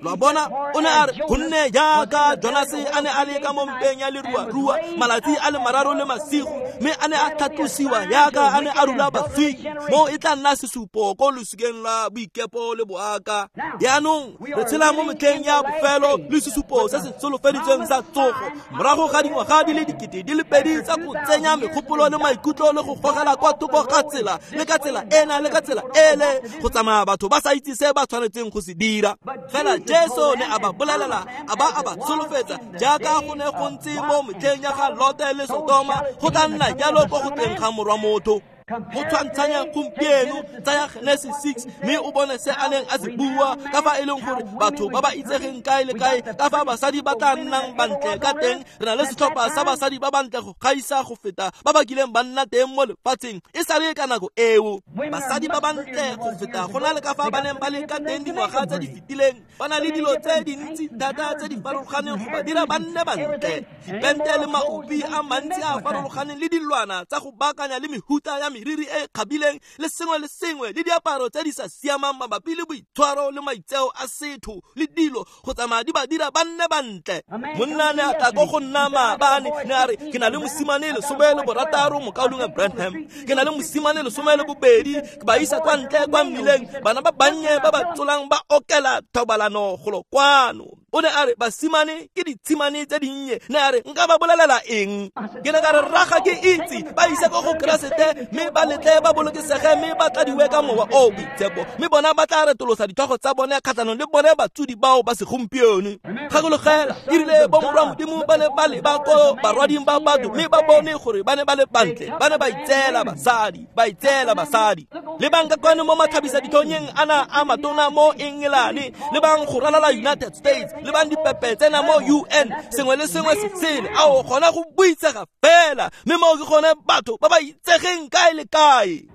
Lo bona, o ne a re gonne jaaka Jonase a ne a le ka mo mpeng ya leruarua malatsi a le mararo le masigo, Mme a ne a tlhatlosiwa yaka a ne a rula baswi. Mo e tla nna sesupo ko losikeng la boikepo le boaka. Jaanong re tshela mo metlheng ya bofelo le sesupo se se solofeditsweng sa tsogo morago ga dingwaga di le dikete di le pedi tsa go tsenya megopolo le maikutlo le go gogela kwa thoko ga tsela le ka tsela ena le ka tsela ele go tsamaya batho ba sa itse se ba tshwanetseng go se dira. Fela Jesu ne a ba bolelela a ba a ba solofetsa jaaka go ne go ntse mo metlheng ya ga Lote le Sodoma go tla nna jalo ko go tleng ga morwa motho. Go tshwantshanya gompieno tsaya Genesis six mme o bone se a neng a se bua ka fa e leng gore batho ba ba itsegeng kae le kae ka fa basadi ba tla nnang bantle ka teng. Re na le setlhopha sa basadi ba bantle go gaisa go feta ba ba kileng ba nna teng mo lefatsheng e sale ka nako eo. Basadi ba bantle go feta go na le ka fa ba neng ba le ka teng dingwaga tse di fetileng. Ba na le dilo tse dintsi thata tse di farologaneng go ba dira ba nne bantle, dipente le maopi a mantsi a farologaneng le dilwana tsa go baakanya le mehuta ya meriri e kgabileng le sengwe le sengwe le diaparo tse di sa siamang mabapi le boitshwaro le maitseo a setho le dilo go tsamaya di ba dira ba nne bantle. Monna ne a tla ko go nna maabane ne a re ke na le mosimane lesome le borataro mokaulengwe Branham, ke na le mosimane lesome le bobedi, ke ba isa kwa ntle kwa mmileng bana ba bannye ba ba tsolang ba okela thobalano golo kwano. O ne a re basimane ke ditshimane tse dinnye. Ne a re nka ba bolelela eng? Ke ne ka re rraga ke itse ba ise ko go Keresete mme ba letle ba bolokesege mme ba tladiwe ka mowa o boitshepo mme bona ba tla retolosa ditlhogo tsa bone kgatlhanong le bone batsodi bao ba segompieno. Gakologela e rile bo morwa Modimo ba ne ba leba ko barwading ba batho mme ba bone gore ba ne ba le bantle, ba ne ba itseela basadi, ba itseela basadi. Le bang ka kwano mo matlhabisa ditlhonyeng ana a matona mo Engelane, le bang go ralala United States, le bang dipepe tsena mo U N, sengwe le sengwe se sele. Ao gona go buitsega fela mme mo ke gone batho ba ba itsegeng kae le kae.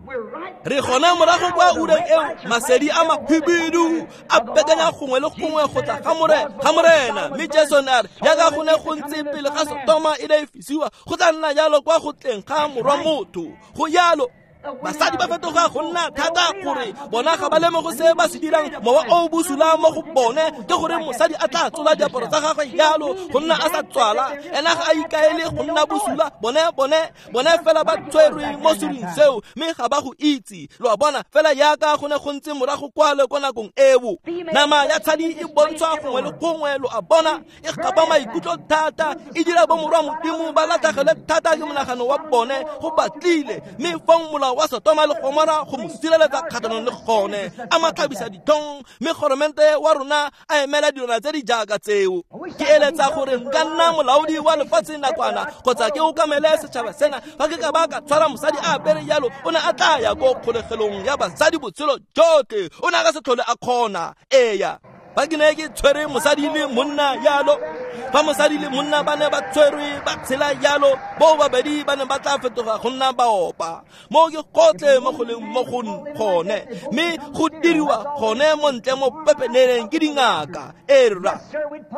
Re gona morago kwa ureng eo masedi a mahibidu a bekanya gongwe le gongwe go tla ga ga Morena. Mme Jesu ne a re jaaka go ne go ntse pele ga Sodoma e ne e fisiwa go tla nna jalo kwa go tleng ga morwa motho. Go jalo basadi ba fetoga go nna thata gore bona ga ba lemoge se ba se dirang. Mowa o bosula mo go bone ke gore mosadi a tla tsola diaparo tsa gagwe jalo go nna a sa tswala, ena ga a ikaele go nna bosula. Bone bone bone fela ba tshwerwe mo serung seo mme ga ba go itse. Lo a bona fela yaka go ne go ntse morago kwale ko nakong eo. Nama ya tshadi e bontshwa gongwe le gongwe, lo a bona e gapa maikutlo thata, e dira bo morwa Modimo ba latlhegelwe thata ke monagano wa bone go batlile. Mme fong molao wa Sodoma le Gomora go mo sireletsa kgatlhanong le gone a matlhabisa ditlhong mme goromente wa rona a emela dilwana tse di jaaka tseo. Ke eletsa gore nka nna molaodi wa lefatshe nakwana kgotsa ke okamele setšhaba sena. Fa ke ka ba ka tshwara mosadi a apere jalo o ne a tla ya ko kgolegelong ya basadi botshelo jotlhe, o ne a ka se tlhole a kgona. Eya, fa ke ne ke tshwere mosadi le monna jalo, fa mosadi le monna ba ne ba tshwerwe ba tshela jalo, bo babedi ba ne ba tla fetoga go nna baopa. Mo ke gotlhe mo go leng mo go gone mme go diriwa gone mo ntle mo pepeneneng ke dingaka. E rra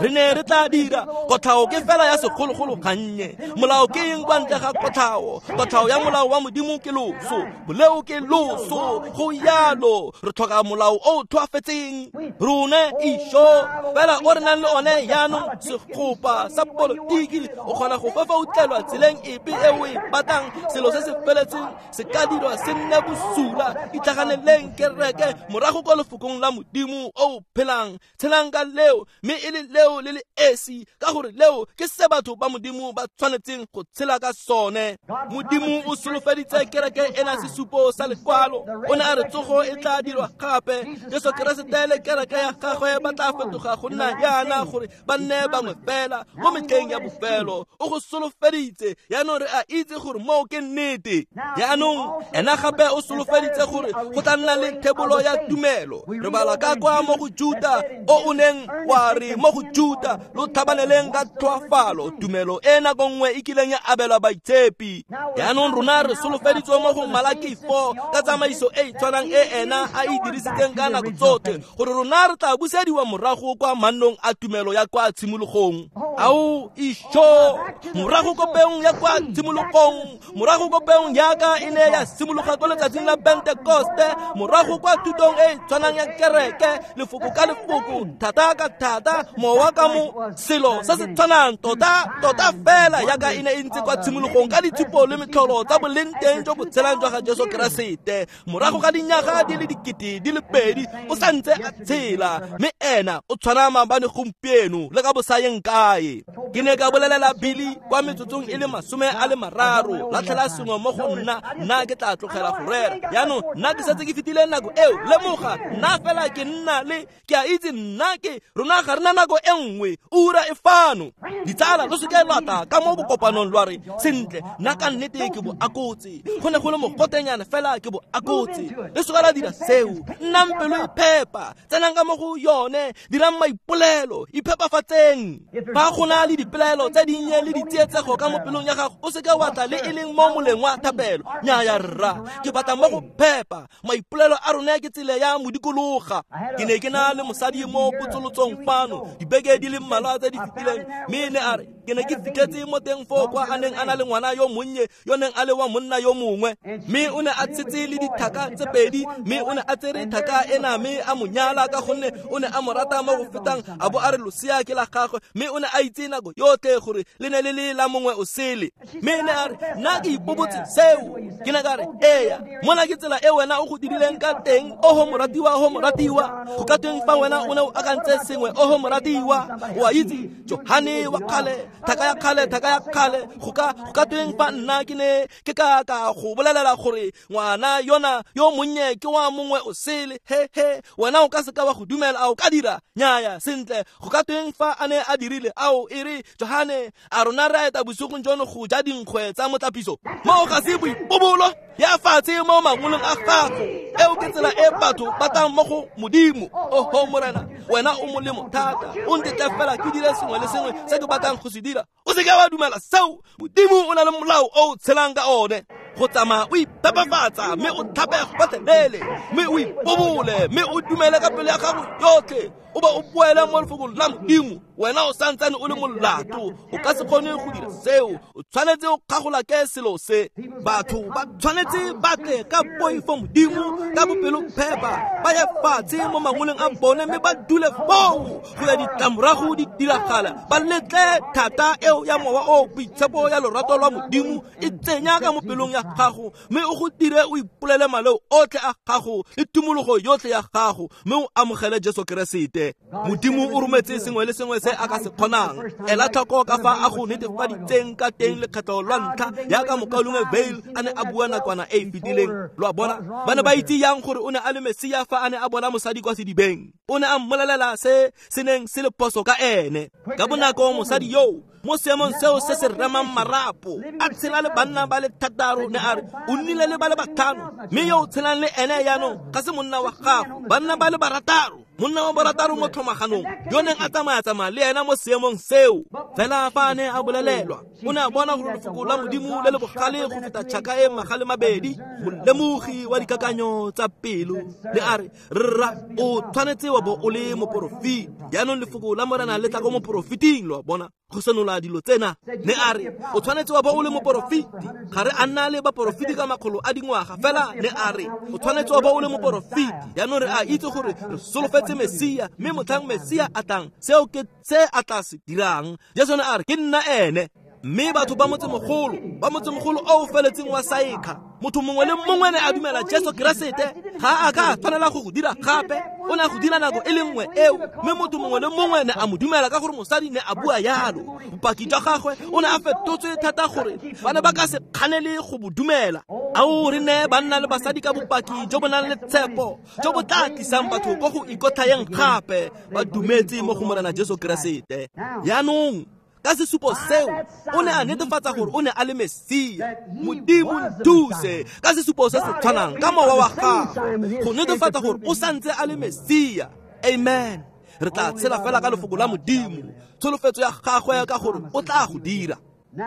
re ne re tla dira kotlhao ke fela ya segologolo gannye. Molao ke eng kwa ntle ga kotlhao? Kotlhao ya molao wa Modimo ke loso, boleo ke loso. Go jalo re tlhoka molao o o tlhoafetseng rone išo fela o re nang le one jaanong. Segopa sa politiki o kgona go fefautlelwa tseleng epe e o e batlang. Selo se se feletseng se ka dirwa se nne bosula. Itlhaganeleng kereke morago kwa lefokong la Modimo o o phelang. Tshelang ka leo mme e le leo le le esi, ka gore leo ke se batho ba Modimo ba tshwanetseng go tshela ka sone. Modimo o solofeditse kereke ena sesupo sa lekwalo. O ne a re tsogo e tla dirwa gape. Jesu Keresete le kereke ya gagwe ba tla fetoga go nna yana gore ba nne bangwe fela mo metlheng ya bofelo. O go solofeditse jaanong re a itse gore moo ke nnete. Jaanong ena gape o solofeditse gore go tla nna le thebolo ya tumelo. Re bala ka kwa mo go Juta o o neng wa re mo go Juta lo tlhabaneleng ka tlhoafalo tumelo e nako nngwe e kileng ya abelwa baitshepi. Jaanong rona re solofeditswe mo go Malaki four ka tsamaiso e e tshwanang e ena a e dirisitseng ka nako tsotlhe gore rona re tla busediwa morago kwa mannong a tumelo ya kwa tshimologong. tshwanang. Ao isho morago ko peong ya kwa tshimologong, morago ko peong yaka e ne ya simologa ko letsatsing la Pentekoste, morago kwa thutong e tshwanang ya kereke, lefoko ka lefoko, thata ka thata, mowa ka mo, selo se se tshwanang tota tota fela yaka e ne e ntse kwa tshimologong ka ditshupo le metlholo tsa boleng teng jo bo tshelang jwa ga Jesu Keresete. Morago ga dinyaga di le dikete di le pedi o santse a tshela, mme ena o tshwana maabane gompieno le ka bosayeng kae. Ke ne ka bolelela Billy kwa metsotsong e le masome a le mararo, latlhela sengwe mo go nna, nna ke tla tlogela go rera. Jaanong nna ke setse ke fetile nako eo, lemoga nna fela ke nna le ke a itse nna ke rona ga rena nako e nngwe, ura e fano. Ditsala lo seke lwa tla ka mo bokopanong lwa re sentle nna ka nnete ke bo akotse, go ne go le mogotenyana fela ke bo akotse. Le seka la dira seo, nnang pelo e phepa, tsenang ka mo go yone, dirang maipolelo, iphepafatseng. Fa go na le dipelaelo tse dinnye le ditsietsego ka mo pelong ya gago, o seke wa tla le e leng mo moleng wa thapelo. Nnyaya rra, ke batla mo go phepa. Maipolelo a rona ke tsela ya modikologa. Ke ne ke na le mosadi mo potsolotsong fano dibeke di le mmalwa tse di fetileng, mme ne a re ke ne ke fitlhetse mo teng foo kwa a neng a na le ngwana yo monnye yo neng a le wa monna yo mongwe, mme o ne a tshetse le dithaka tse pedi, mme o ne a tsere thaka ena mme a mo nyala ka gonne o ne a mo rata mo go fetang, a bo a re losea ke la gagwe, mme o ne a itse nako yotlhe gore le ne le le la mongwe o sele. Mme ne a re nna ke ipobotse seo. Ke ne ka re eya, mona ke tsela e wena o go dirileng ka teng, oho moratiwa, oho moratiwa. Go ka tweng fa wena o ne o akantse sengwe, oho moratiwa? O a itse Johane wa kgale, thaka ya kgale, thaka ya kgale, go ka go ka tweng fa nna ke ne ke ka ka go bolelela gore ngwana yona yo monnye ke wa mongwe o sele? He he, wena o ka seka wa go dumela, a o ka dira? Nnyaya, sentle, go ka tweng fa a ne a dirile? Ao e re Johane, a rona re a eta bosigong jono go ja dinkgwe tsa motlapiso? Moo ga se boipobolo ya fatshe mo mangolong a gago. Eo ke tsela e batho ba tlang mo go Modimo. Oho Morena, wena o molemo thata, o ntetle fela ke dire sengwe le sengwe se ke batlang go se dira. O seke wa dumela seo. Modimo o na le molao o o tshelang ka one. Go tsamaya o iphepafatsa mme o tlhape gotlhelele, mme o ipobole, mme o dumele ka pelo ya gago yotlhe, o ba o boele mo lefokong la Modimo. Wena o santsane o le molato, o ka se kgone go dira seo. O tshwanetse o kgagola ke selo se. Batho ba tshwanetse ba tle ka poifo Modimo, ka bopelophepa, ba ye fatshe mo mangoleng a bone mme ba dule foo go ya ditlamorago di diragala. Ba letle thata eo ya mowa o boitshepo ya lorato lwa Modimo e tsenya ka mo pelong ya gago, mme o go dire o ipolele maleo otlhe a gago le tumologo yotlhe ya gago, mme o amogele Jesu Keresete. Modimo o rometse sengwe le sengwe se a ka se kgonang. Ela tlhoko ka fa a go netefaditseng ka teng lekgetho lwa ntlha, yaka mokaulengwe Vail a ne a bua nakwana e e fetileng. Lo a bona, ba ne ba itse yang gore o ne a le Mesia fa a ne a bona mosadi kwa sedibeng. O ne a mmolelela se se neng se le phoso ka ene. Ka bonako mosadi yo mo seemong seo se se remang marapo, a tshela le banna ba le thataro, ne a re o nnile le ba le batlhano, mme yo o tshelang le ene jaanong ga se monna wa gago. Banna ba le barataro, monna wa barataro mo tlhomaganong yo neng a tsamaya-tsamaya le ena mo seemong seo. Fela fa a ne a bolelelwa, o ne a bona gore lefoko la Modimo le le bogale go feta tšhaka e magale mabedi, molemogi wa dikakanyo tsa pelo, ne a re rra o tshwanetse wa bo o le moporofeti. Jaanong lefoko la Morena le tla ko moporofeting, lo a bona, go senola dilo tsena. Ne a re o tshwanetse wa bo o le moporofeti. Ga re a nna le baporofeti ka makgolo a dingwaga, fela ne a re o tshwanetse wa bo o le moporofeti. Jaanong re a itse gore re solofetse Mesia, mme motlhang Mesia a tlang, seo ke se a tla se dirang. Jesu ne a re ke nna ene. Mme batho ba motsemogolo, ba motsemogolo o o feletseng wa Saekha, motho mongwe le mongwe ne a dumela Jesu Keresete. Ga a ka tshwanela go go dira gape, o ne a go dira nako e le nngwe eo, mme motho mongwe le mongwe ne a mo dumela ka gore mosadi ne a bua yalo. Bopaki jwa gagwe o ne a fetotswe thata gore ba ne ba ka se kganele go bo dumela. Ao re ne banna le basadi ka bopaki jo bo nang le tshepo, jo bo tla tlisang batho ko go ikotlhayeng gape, ba dumetse mo go Morena Jesu Keresete. Jaanong ka sesupo seo o ne a netefatsa gore o ne a le Mesia. Modimo nthuse ka sesupo se se tshwanang ka mowa wa gagwe go netefatsa gore o santse a le Mesia. Amen. Re tla tshela fela ka lefoko la Modimo, tsholofetso ya gagwe ka gore o tla go dira.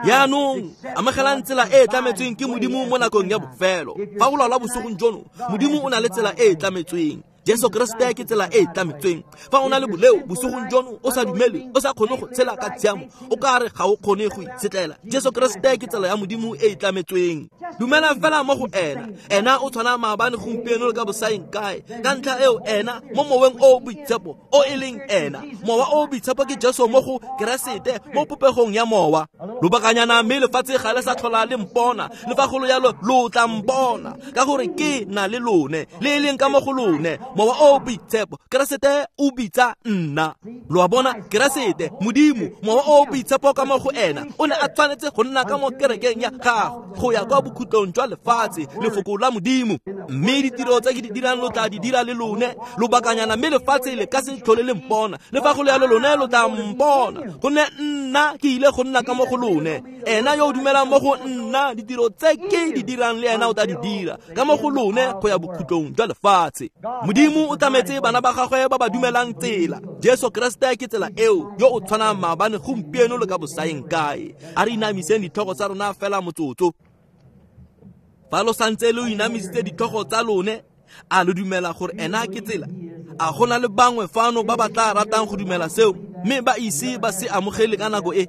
Jaanong amogelang tsela e e tlametsweng ke Modimo mo nakong ya bofelo. Fa o lwala bosigong jono, Modimo o na le tsela e e tlametsweng. Jesu Keresete ke tsela e e tlametsweng. Fa o na le boleo bosigong jono, o sa dumele, o sa kgone go tshela ka tshiamo, o ka re ga o kgone go itshetlela, Jesu Keresete ke tsela ya Modimo e e tlametsweng. Dumela fela mo go ena. Ena o tshwana maabane, gompieno le ka bosaeng kae. Ka ntlha eo ena mo moweng o o boitshepo o e leng ena. Mowa o o boitshepo ke Jesu mo go Keresete mo popegong ya mowa. Lobakanyana mme lefatshe ga le sa tlhola le mpona, le fa go le jalo lo tla mpona, ka gore ke na le lone, le e leng ka mo go lone. Mowa o o boitshepo, Keresete o bitsa nna. Lo a bona, Keresete Modimo, mowa o o boitshepo ka mo go ena, o ne a tshwanetse go nna ka mo kerekeng ya gagwe go ya kwa bokhutlong jwa lefatshe, lefoko la Modimo. Mme ditiro tse ke di dirang lo tla di dira le lone. Lobakanyana mme lefatshe le ka se tlhole le mpona, le fa go le jalo lone lo tla mpona, gonne nna ke ile go nna ka mo go lone. Ena yo o dumelang mo go nna, ditiro tse ke di dirang le ena o tla di dira ka mo go lone go ya bokhutlong jwa lefatshe. Modimo o tlametse bana ba gagwe ba ba dumelang tsela. Jesu Keresete ke tsela eo, yo o tshwanang maabane, gompieno le ka bosaeng kae. A re inamiseng ditlhogo tsa rona fela motsotso. Fa lo santse lo inamisitse ditlhogo tsa lone, a lo dumela gore ena ke tsela? A go na le bangwe fano ba ba tla ratang go dumela seo, mme ba ise ba se amogele ka nako e?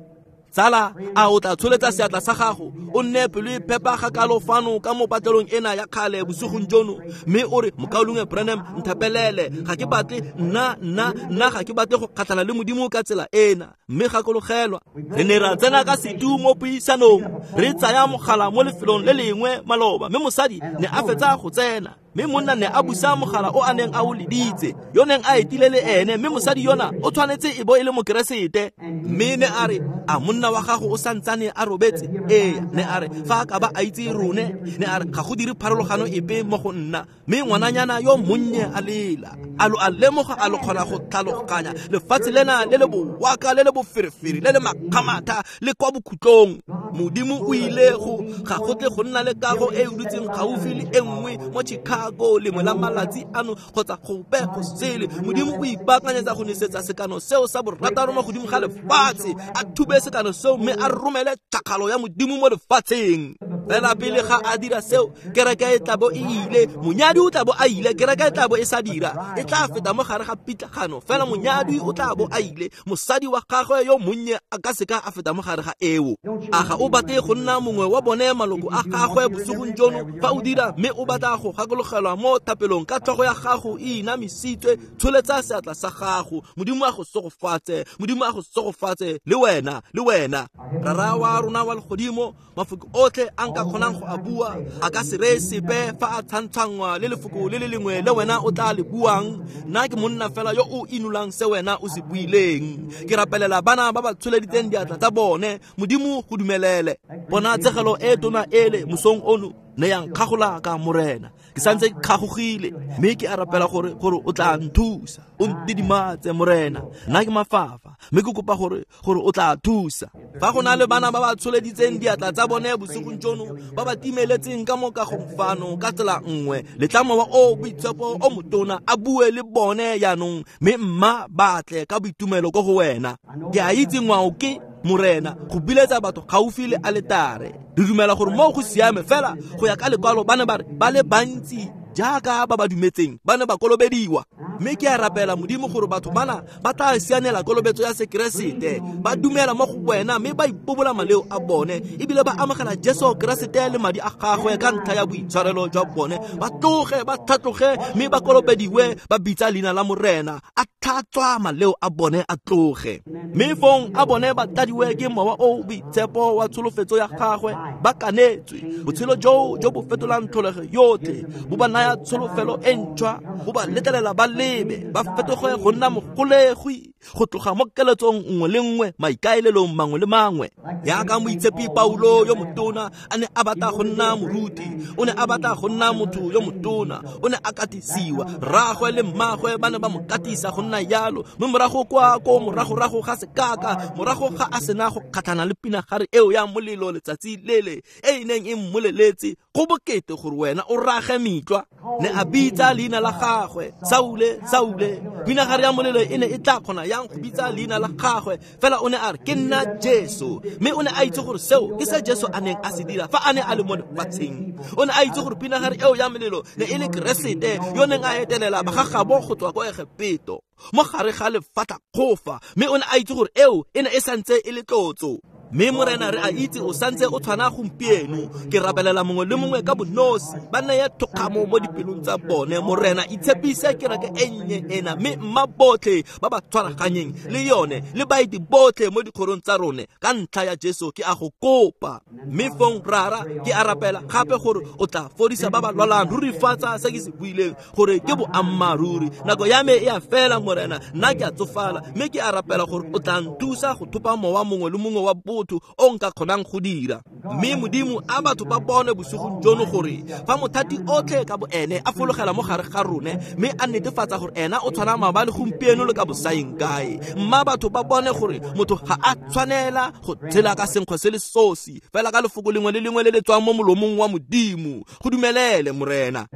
Tsala, a o tla tsholetsa seatla sa gago, o nne pelo e phepa ga kalo fano ka mo patlelong ena ya kgale bosigong jono, mme o re, Mokaulengwe Branham, nthapelele, ga ke batle nna nna nna ga ke batle go kgatlhana le Modimo ka tsela ena. Mme gakologelwa, re ne ra tsena ka setu mo puisanong, re tsaya mogala mo lefelong le lengwe maloba, mme mosadi ne a fetsa go tsena, mme monna ne a busa mogala o a neng a o leditse, yo neng a etile le ene, mme mosadi yona o tshwanetse e bo e le mokeresete. Mme ne a re, a monna wa gago o santsane a robetse? Ee. Ne a re, fa a ka ba a itse rone, ne a re ga go dire pharologano epe mo go nna. Mme ngwananyana yo monnye a lela. A lo a lemoga, a lo kgona go tlhaloganya lefatshe lena le le bowaka, le le boferefere, le le makgamatha, le kwa bokhutlong. Modimo o ile go ga go tle go nna le kago e e dutseng gaufi le e nngwe mo Chicago lengwe la malatsi ano kgotsa gope go sele. Modimo o ipaakanyetsa go nesetsa sekano seo sa borataro mo godimo ga lefatshe, a thube sekano seo mme a romele tšhakgalo ya Modimo mo lefatsheng. Fela pele ga a dira seo, kereke e tla bo e ile, monyadi o tla bo a ile, kereke e tla bo e sa dira, e tla feta mo gare ga pitlagano. Fela monyadi o tla bo a ile, mosadi wa gagwe yo monnye a ka seka a feta mo gare ga eo. A ga o batle go nna mongwe wa bone maloko a gagwe bosigong jono? Fa o dira mme o batla go gakologelwa mo thapelong ka tlhogo ya gago e inamisitswe, tsholetsa seatla sa gago. Modimo a go segofatse, Modimo a go segofatse le wena, le wena. Rara wa rona wa legodimo, mafoko otlhe a nka kgonang go a bua a ka se reye sepe fa a tshwantshangwa le lefoko le le lengwe le wena o tla le buang. Nna ke monna fela yo o inolang se wena o se buileng. Ke rapelela bana ba ba tsholeditseng diatla tsa bone. Modimo go dumelele. Bona tsegelo e tona ele mosong ono ne yang kgagola ka Morena. Ke santse ke kgagogile, mme ke a rapela gore gore o tla nthusa, o ntidimatse Morena. Nna ke mafafa, mme ke kopa gore gore o tla thusa. Fa go na le bana ba ba tsholeditseng diatla tsa bone bosigong jono, ba ba timeletseng ka mo kagong fano ka tsela nngwe, letla mowa o boitshepo o motona a bue le bone jaanong, mme mma ba tle ka boitumelo ko go wena. Ke a itse ngwao ke Morena go biletsa batho gaufi le aletare. Re dumela gore mo go siame fela go ya ka lekwalo ba ne ba re ba le bantsi jaaka ba ba dumetseng ba ne ba kolobediwa. Mme ke a rapela Modimo gore batho bana ba tla sianela kolobetso ya Sekeresete, ba dumela mo go wena mme ba ipobola maleo a bone, ebile ba amogela Jesu Keresete le madi a gagwe ka ntlha ya boitshwarelo jwa bone. Ba tloge ba tlhatloge mme ba kolobediwe, ba bitsa leina la Morena, a tlhatswa maleo a bone a tloge. Mme fong a bone ba tladiwe ke mowa o boitshepo wa tsholofetso ya gagwe, ba kanetswe botshelo jo jo bo fetolang tlholego yotlhe, bo ba naya tsholofelo e ntšhwa, bo ba letlelela ba lebe, ba fetoge go nna mogolegwi go tloga mo keletsong nngwe le nngwe, maikaelelong mangwe le mangwe. Jaaka moitshepi Paulo yo motona a ne a batla go nna moruti, o ne a batla go nna motho yo motona, o ne a katisiwa, rraagwe le mmagwe ba ne ba mo katisa go nna jalo. Mme morago kwa ko moragorago ga sekaka, morago ga a sena go kgatlhana le pinagare eo ya molelo letsatsi lele e e neng e mmoleletse go bokete gore wena o rage mitlwa, ne a bitsa leina la gagwe, Saule, Saule. Pinagare ya molelo e ne e tla kgona yang go bitsa leina la gagwe, fela o ne a re ke nna Jesu. Mme o ne a itse gore seo ke se Jesu a neng a se dira fa a ne a le mo lefatsheng. O ne a itse gore pinagare eo ya melelo ne e le Keresete yo neng a etelela bagagabo go tswa kwa Egepeto mo gare ga lefatlhakgofa, mme o ne a itse gore eo e ne e santse e le tlotso. Mme Morena re a itse o santse o tshwana gompieno. Ke rapelela mongwe le mongwe ka bonosi, ba neye thokgamo mo dipelong tsa bone. Morena, itshepise kereke e nnye ena, mme mma botlhe ba ba tshwaraganyeng le yone le baeti botlhe mo dikgorong tsa rone, ka ntlha ya Jesu ke a go kopa. Mme fong Rara, ke a rapela gape gore o tla fodisa ba ba lwalang. Rurifatsa se ke se buileng gore ke boammaaruri. Nako ya me e a fela Morena, nna ke a tsofala, mme ke a rapela gore o tla nthusa go thopa mowa mongwe le mongwe wa botho o nka kgonang go dira. Mme Modimo, a batho ba bone bosigong jono gore fa mothati otlhe ka bo ene a fologela mo gare ga rone, mme a netefatsa gore ena o tshwana maabane, gompieno le ka bosaeng kae. Mma batho ba bone gore motho ga a tshwanela go tshela ka senkgwe se le sosi, fela ka lefoko lengwe le lengwe le le tswang mo molomong wa Modimo. Go dumelele Morena.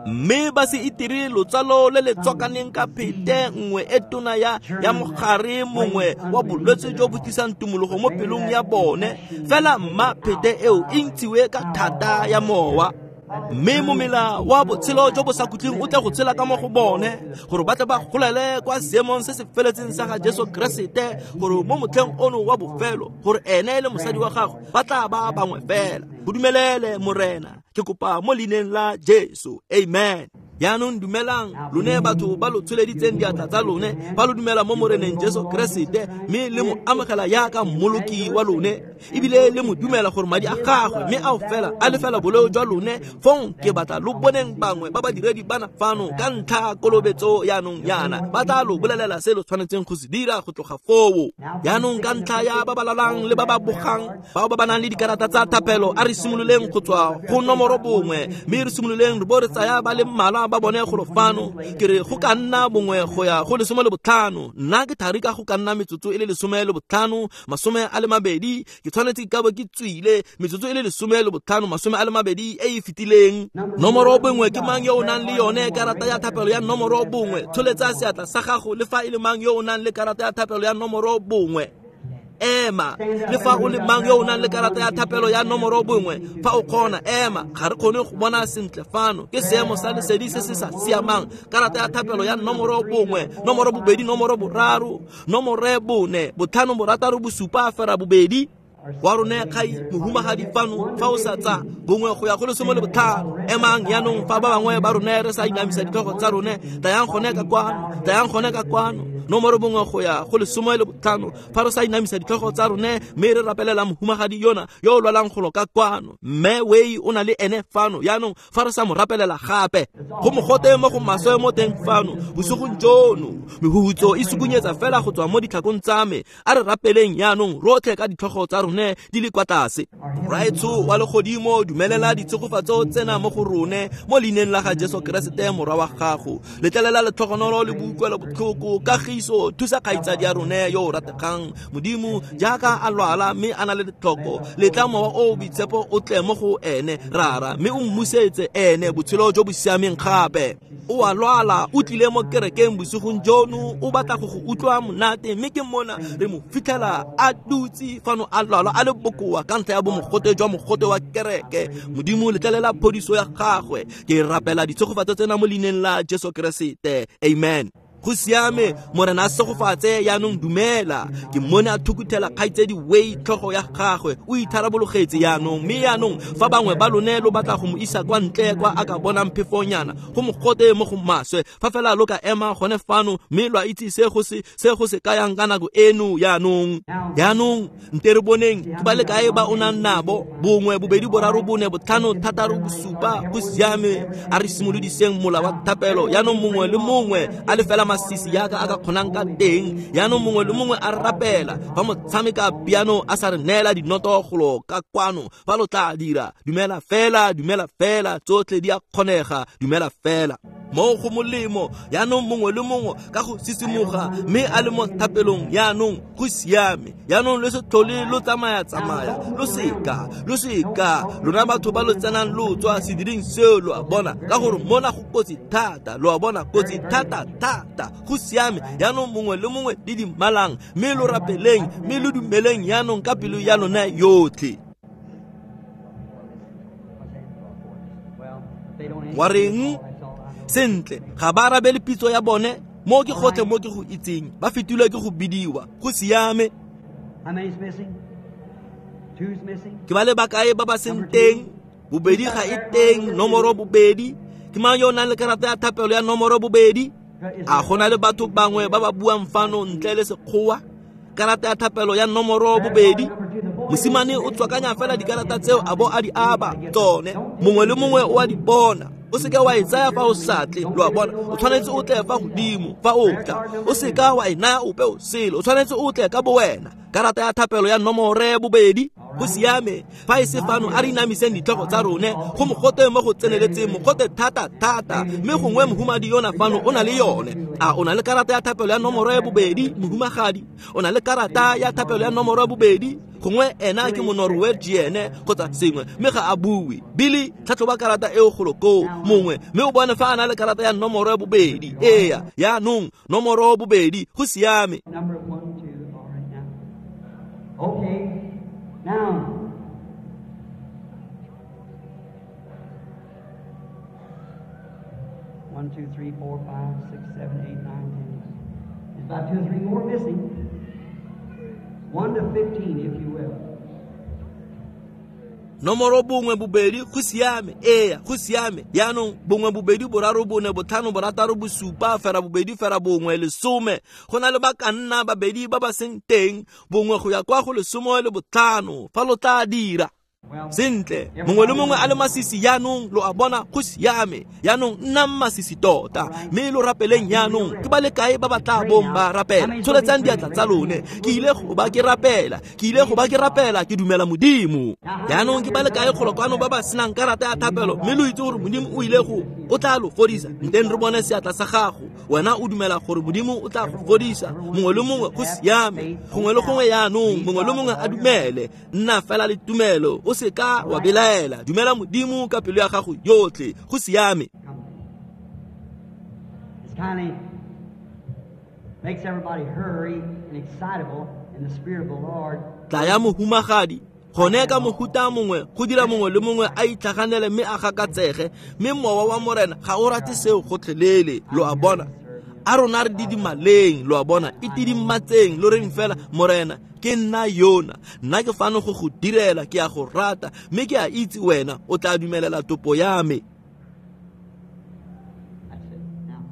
Mme ba se itire lotsalo le le tswakaneng ka phete nngwe e tona ya ya mogare mongwe wa bolwetse jo bo tlisang tumologo mo pelong ya bone, fela mma phete eo e ntshiwe ka thata ya mowa. Mme momela wa botshelo jo bo sa khutleng o tle go tshela ka mo go bone, gore ba tle ba golele kwa seemong se se feletseng sa ga Jesu Keresete, gore mo motlheng ono wa bofelo gore ene le mosadi wa gagwe ba tla ba bangwe fela. Go dumelele Morena, ke kopa mo leineng la Jesu, amen. Yaanong dumelang lone batho ba lo tsholeditseng diatla tsa lone, ba lo dumela mo Moreneng Jesu Keresete, mme le mo amogela yaka mmoloki wa lone, ebile le mo dumela gore madi a gagwe mme ao fela a lefela boleo jwa lone. Fong ke batla lo boneng bangwe ba badiredi bana fano ka ntlha kolobetso yaanong yana, ba tla lo bolelela se lo tshwanetseng go se dira go tloga foo. Yaanong ka ntlha ya ba ba lalang le ba ba bogang, bao ba ba nang le dikarata tsa thapelo, a re simololeng go tswa go nomoro bongwe, mme re simololeng re bo re tsaya ba le mmalwa ba bone golo fano. Ke re go ka nna bongwe go ya go lesome le botlhano. Nna ke thari ka go ka nna metsotso e le lesome le botlhano masome a le mabedi. Ke tshwanetse ke ka bo ke tswile metsotso e le lesome le botlhano masome a le mabedi e e fetileng. Nomoro bongwe ke mang yo o nang le yone karata ya thapelo ya nomoro bongwe? Tsholetsa seatla sa gago le fa e le mang yo o nang le karata ya thapelo ya nomoro bongwe. Ema, le fa o le mang yo o nang le karata ya thapelo ya nomoro bongwe, fa o kgona ema. Ga re kgone go bona sentle fano, ke seemo sa lesedi se se sa siamang. Karata ya thapelo ya nomoro bongwe, nomoro bobedi, nomoro boraro, nomoro bone, botlhano, borataro, bosupa, fera bobedi. Wa rone kgai mohumagadi fano, fa o sa tsa bongwe go ya go lesome le botlhano. Emang yaanong fa ba bangwe ba rone re sa inamisa ditlhogo tsa rone, tlayang gone ka kwano, tlayang gone ka kwano. Nomoro bongwe go ya go lesome le botlhano, fa re sa inamisa ditlhogo tsa rone, mme re rapelela mohumagadi yona yo o lwalang golo ka kwano. Mme Wei o na le ene fano yaanong, fa re sa mo rapelela gape go mogote mo go maswe mo teng fano bosigong jono. Mehuhutso e sukunyetsa fela go tswa mo ditlhakong tsa me. A re rapeleng yaanong rotlhe ka ditlhogo tsa rone di le kwa tlase. Rraetsho wa legodimo, dumelela ditshegofatso tsena mo go rone mo leineng la ga Jesu Keresete morwa wa gago. Letlelela letlhogonolo le boutlwelo botlhoko, kagiso, thusa kgaitsadi ya rone yo o rategang. Modimo, jaaka a lwala mme a na le letlhoko, letla mowa o o boitshepo o tle mo go ene Rara, mme o mmusetse ene botshelo jo bo siameng gape. O a lwala, o tlile mo kerekeng bosigong jono, o batla go go utlwa monate, mme ke mona re mo fitlhela a dutse fano a lwala a le bokoa ka ntlha ya bomogote jwa mogote wa kereke. Modimo, letlelela phodiso ya gagwe. Ke rapela ditshegofatso tsena mo leineng la Jesu Keresete, amen. Go siame, Morena a segofatse. Yaanong dumela. Ke mmone a thukuthela kgaitsedi Wei tlhogo ya gagwe, o itharabologetse yaanong. Mme yaanong fa bangwe ba lone lo batla go mo isa kwa ntle kwa a ka bonang phefonyana, go mogote mo go maswe, fa fela lo ka ema gone fano mme lwa itse se go se se go se kayang ka nako eno yaanong. Yaanong nte re boneng ke ba le kae ba o nang nabo, bongwe, bobedi, boraro, bone, botlhano, thataro, bosupa. Go siame, a re simolodiseng mola wa thapelo. Yaanong mongwe le mongwe a le fela masisi yaka a ka kgonang ka teng. Yaanong mongwe le mongwe a rapela. Fa motshameka piano a sa re neela dinoto golo ka kwano, fa lo tla dira, dumela fela, dumela fela, tsotlhe di a kgonega, dumela fela. Mo go molemo yaanong mongwe le mongwe ka go sisimoga mme a le mo thapelong yaanong go siame. Yaanong le se tlhole lo tsamaya-tsamaya, lo seka lo seka lona batho ba lo tsenang lo tswa sediring seo, lo a bona, ka gore mona go kotsi thata, lo a bona, kotsi thata thata. Go siame. Yaanong mongwe le mongwe le dimalang mme lo rapeleng mme lo dumeleng yaanong ka pelo ya lona yotlhe. Wa reng? Sentle, ga ba arabele pitso ya bone, mo ke gotlhe mo ke go itseng, ba fetilwe ke go bidiwa. Go siame. Ke ba le bakae ba ba seng teng? Bobedi ga e teng, nomoro bobedi. Ke mang yo o nang le karata ya thapelo ya nomoro bobedi? A go na le batho bangwe ba ba buang fano ntle le sekgowa? Karata ya thapelo ya nomoro bobedi. Mosimane o tswakanya fela dikarata tseo a bo a di aba tsone, mongwe le mongwe o a di bona. O seka wa e tsaya fa o sa tle, lo a bona, o tshwanetse o tle fa godimo fa o tla, o seka wa e naya ope o sele, o tshwanetse o tle ka bowena. Karata ya thapelo ya nomore bobedi. Go siame. Fa e se fano a re inamiseng ditlhogo tsa rone go mogote mo go tseneletseng, mogote thata thata, mme gongwe mohumadi yona fano o na le yone. A o na le karata ya thapelo ya nomoro bobedi, mohumagadi? O na le karata ya thapelo ya nomoro bobedi? Gongwe ena ke monorwegian kgotsa sengwe, mme ga a bue. Billy, tlhatlhoba karata eo golo koo mongwe, mme o bone fa a na le karata ya nomoro bobedi. Eya, yaanong nomoro bobedi. Go siame. Okay, now. One, two, three, four, five, six, seven, eight, nine, ten. There's about two or three more missing. One to fifteen, if you will. Nomoro bongwe bobedi, go siame. Eya, go siame. Yaanong bongwe bobedi boraro bone botlhano borataro bosupa fera bobedi fera bongwe lesome. Go na le ba ka nna babedi ba ba seng teng, bongwe go ya kwa go lesome le botlhano fa lo tla dira. Sentle, mongwe le mongwe a le masisi yaanong, lo a bona, go siame. Yaanong nnang masisi tota mme lo rapeleng yaanong. Ke ba le kae ba ba tla bong ba rapela? Tsholetsang diatla tsa lone. Ke ile go ba ke rapela, ke ile go ba ke rapela, ke dumela Modimo. Yaanong ke ba le kae kgolo kwano ba ba senang karata ya thapelo mme lo itse gore Modimo o ile go o tla lo fodisa? Nteng re bone seatla sa gago. Wena o dumela gore Modimo o tla go fodisa. Mongwe le mongwe go siame, gongwe le gongwe yaanong, mongwe le mongwe a dumele. Nna fela le tumelo, o seka wa belaela. Dumela Modimo ka pelo ya gago yotlhe. Go siame. Tla ya mohumagadi gone ka mohuta mongwe go dira mongwe le mongwe a itlhaganele mme a gakatsege, mme mowa wa Morena ga o rate seo gotlhelele, lo a bona. A rona re didimaleng, lo a bona, itidimatseng, lo reng fela, Morena, ke nna yona, nna ke fano go go direla, ke a go rata, mme ke a itse wena o tla dumelela topo ya me.